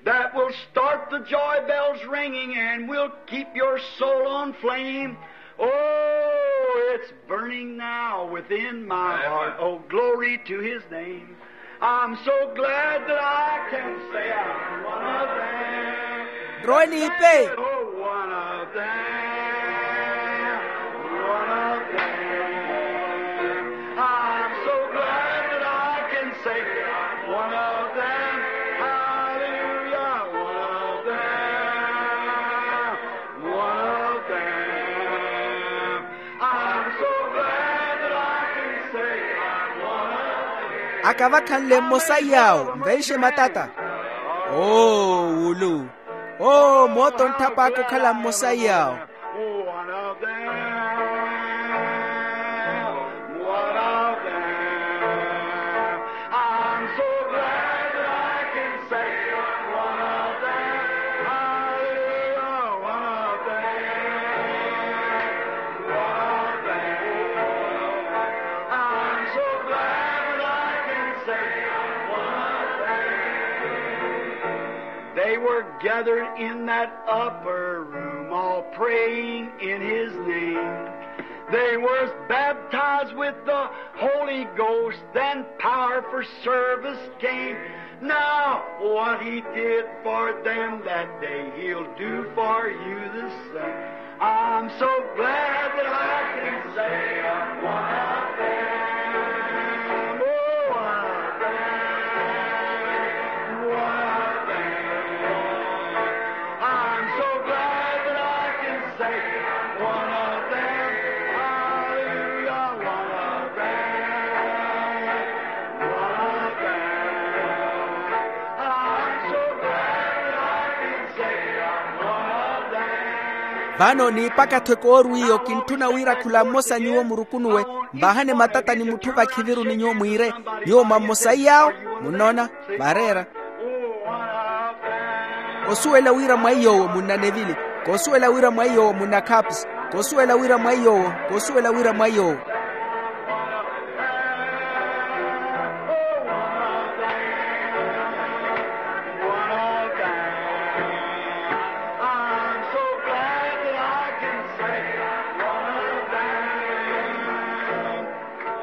that will start the joy bells ringing and will keep your soul on flame. Oh, it's burning now within my heart. Oh, glory to his name. I'm so glad that I can say I'm one of them. Nroweni ipe. Oh, one of them. One of them. I'm so glad that I can say I'm one of them. Hallelujah, one of them. One of them. I'm so glad that I can say I'm one of them. Akavakhanle mmosa iy'awo, nvenxe matata. Oo, wulu. Oo, mooto ntthap'aka okhala mmosa iy'awo. One of them, one of them. I'm so glad that I can say one of them. Hallelujah, one of them. One of them. I'm so glad that I can say one of them. They were gathered in that upper room, all praying in his name. They were baptized with the Holy Ghost, then power for service came. Now, what he did for them that day, he'll do for you the same. I'm so glad that I can say I'm one of them. Oh, one of them. One of them. I'm so glad that I can say I'm one of them. Hallelujah, one of them. One of them. I'm so glad that I can say I'm one of them. Vano niipaka-tho ekoorwiyo, kintthuna wira khula mmosa nyuwo murukunuwe, mvaahane matata ni mutthu vakhiviru ni nyuwo mwiire, nyuwo mwa mmosa iy'awo. Munnoona? Vaareera. Kosuwela wira mwa iy'owo munna Nevili. Kosuwela wira mwa iy'owo munna Kapsi. Kosuwela wira mwa iy'owo. Kosuwela wira mwa iy'owo.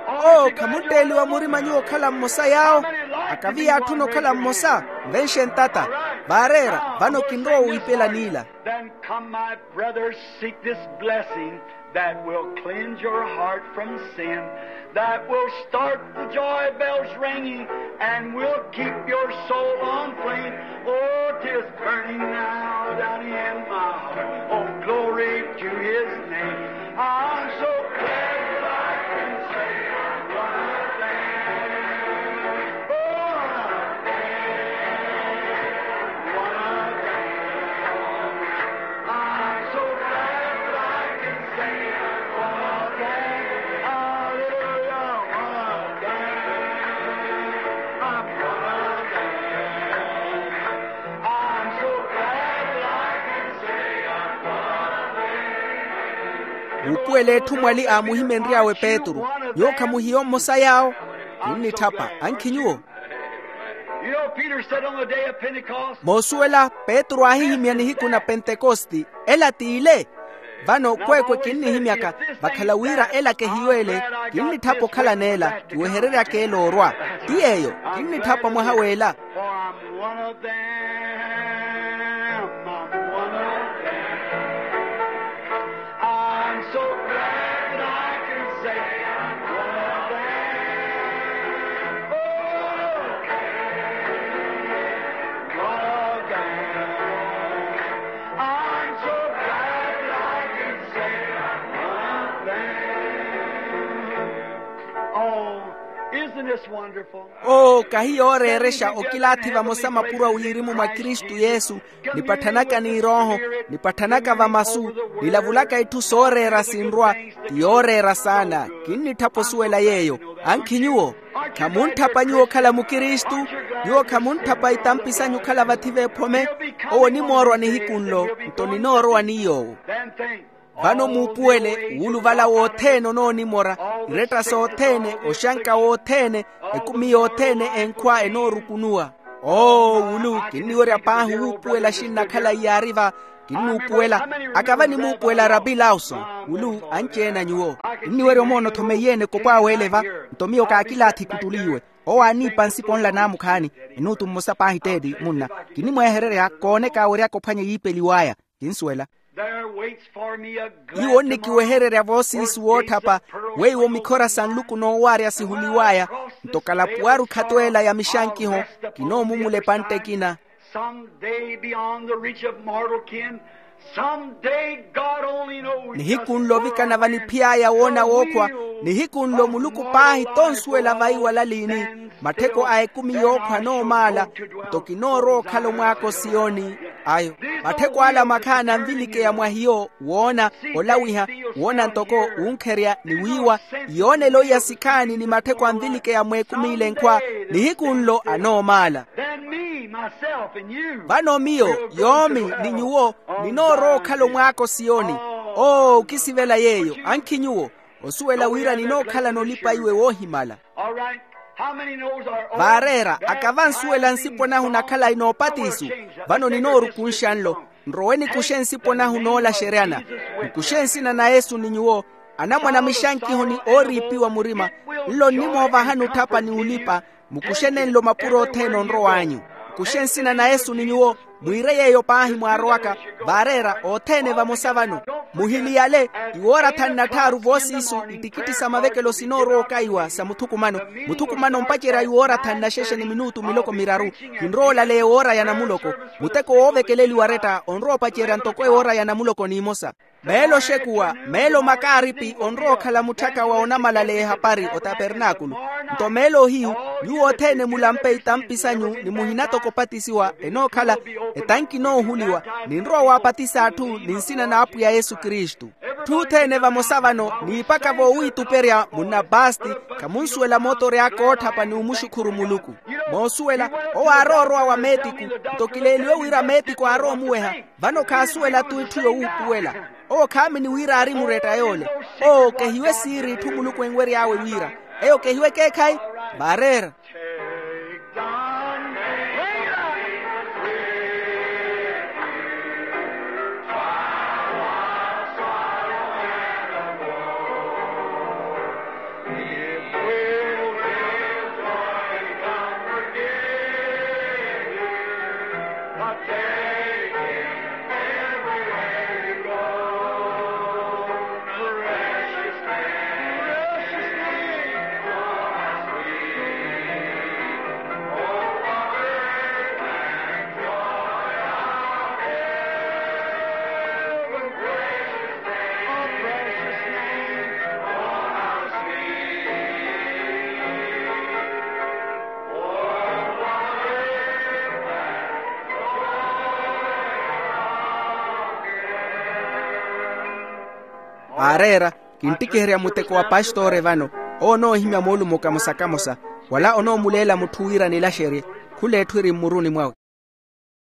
Oo, khamuntteeliwa murima nyuwo okhala mmosa yaawo? Akaviya atthuna okhala mmosa. Nvenxe ntata. Vaareera. Vano kinrowa wiipela n'ila. Then come, my brothers, seek this blessing that will cleanse your heart from sin, that will start the joy bells ringing, and will keep your soul on flame. Oh, 'tis burning now down in my heart. Uupuwela etthu mwali aamuhimenry'awe petru. Nyuwo khamuhiyo mmosa yaawo? Kinnitthapa ankhi nyuwo. Moosuwela, petru aahihimya nihiku na pentekosti. Ela t'ile. Vano kweekwe kinnihimyaka, vakhala wira ela kehiyo ele. Kinnitthapa okhalana ela, kiwehereryaka ela orwa. Ti yeeyo. Kinnitthapa mwaha w'ela. Oo, kahi yooreerexa okilaathi vamosa mapuro a wirimu mwa kristu yesu, nipatthanaka n'irooho, nipatthanaka vamasu, nilavulaka itthu sooreera sinrwa. Ti yooreera saana. Kinnitthapa osuwela yeeyo. Ankhi nyuwo? Khamuntthapa nyuwo okhala mukristu? Nyuwo khamuntthapa itampi sanyu okhala vathi v'ephome? Owo onimoorwa nihiku nlo. Nto ninoorowa ni yoowo. Vano muupuwele, wuuluvala wothene onoonimora, iretta sothene, oxanka wothene, ekumi yothene enkhwa enoorukunuwa. Oo wulu kinniwerya paahi wuupuwela xinnakhala iyaari va. Kinnuupuwela. Akava nimuupuwela rapi lawson. Wulu anci-ene a nyuwo. Kinniwerya omoona othomeiyene ekopw'awe ele va. Nto miyo kaakilaathi kuttuliiwe. Owo aaniipa nsipo nla naamukhaani. Minutu mmosa paahi tteeti munna. Kinimwehererya kooneka aweryaka ophwanya yiipeliw'aya. Kinsuwela. Iwo onnikiwehererya voosiisu wootthapa, weiwo mikhora sa nluku noowaarya sihuliw'aya. Nto kalapuwaru khatweela ya mixankiho. Kinoomumula epantte ekina. Some day beyond the reach of mortal kin. Some day God only knows. Nihiku nlo ovikana vaniphiy'aya woona wookhwa. Nihiku nlo muluku paahi tonsuwela vaiwala liini. Mattheko a ekumi yookhwa anoomaala. Nto kinoorowa okhala omwaako siyoni. Ayo. Mattheko ala makhaana anvilikeya mwa hiyo, woona, olawiha, woona ntoko, wunkherya ni wiiwa. Iyoonelo iya sikhaani ni mattheko anvilikeya mw'ekumi ile nkhwa. Nihiku nlo anoomaala. Vano miyo, yoomi, ni nyuwo, ninoorowa okhala omwaako siyoni. Oo okisivela yeeyo. Ankhi nyuwo? Osuwela wira ninookhalana olipa iwe woohimala. Vaareera, aka vansuwela nsipo nahu na khalayi noopatisu. Vano ninoorukunxa nlo. Nrowe nikuxe nsipo nahu noolaxeryana. Nkuxe nsina na yesu ni nyuwo, anamwane a mixankiho ni ooriipiwa murima. Nlo nnimoovahani otthapa ni olipa. Mukuxe nenlo mapuro othene onrow'anyu. Nkuxe nsina na yesu ni nyuwo. Mwiire yeeyo paahi mwaarowaka. Vaareera othene vamosa vano. Muhiliyale. Iwoorathani na tthaaru voosiisu ittikitti sa mavekelo sinoorowa okaiwa sa muthukumano. Muthukumano ompacerya iwoorathani na xexe ni minutu miloko miraru. Kinrowa olaleya ewoora ya namuloko. Muteko woovekeleliwa aretta onrowa opacerya ntoko ewoora ya namuloko n'imosa. Meelo oxekuwa, meelo makaaripi onrowa okhala mutthaka wa onamalaleya ehapari otapernaakulu. Nto meelo ohiyu, nyuwo othene mulampe itampi sanyu ni muhinatoko opatisiwa enookhala etanki enoohuliwa. Ninrowa waapatisa atthu ni nsina n'apwiya yesu kristu. Etthu othene vamosa vano niipaka voowiituperya munna pasti. Khamunsuwela mootori aka ootthapa ni omuxukhuru muluku. Moosuwela, owo aarowa orowa wa meetiku. Nto kileeliwe wira meetiku aarowa omuweha. Vano khaasuwela-tu itthu yowuupuwela. Owo khaamini wira aari muretta yoole. Oo kehiwe siiri itthu muluku enwery'awe wira. Eyo kehiwe ekeekhayi. Vaareera. Aareera, kinttikiherya muteko wa pastore vano. Owo onoohimya moolumo kamosa-kamosa. Wala onoomuleela mutthu wira nilaxerye. Khula etthu eri mmuruni mwawe.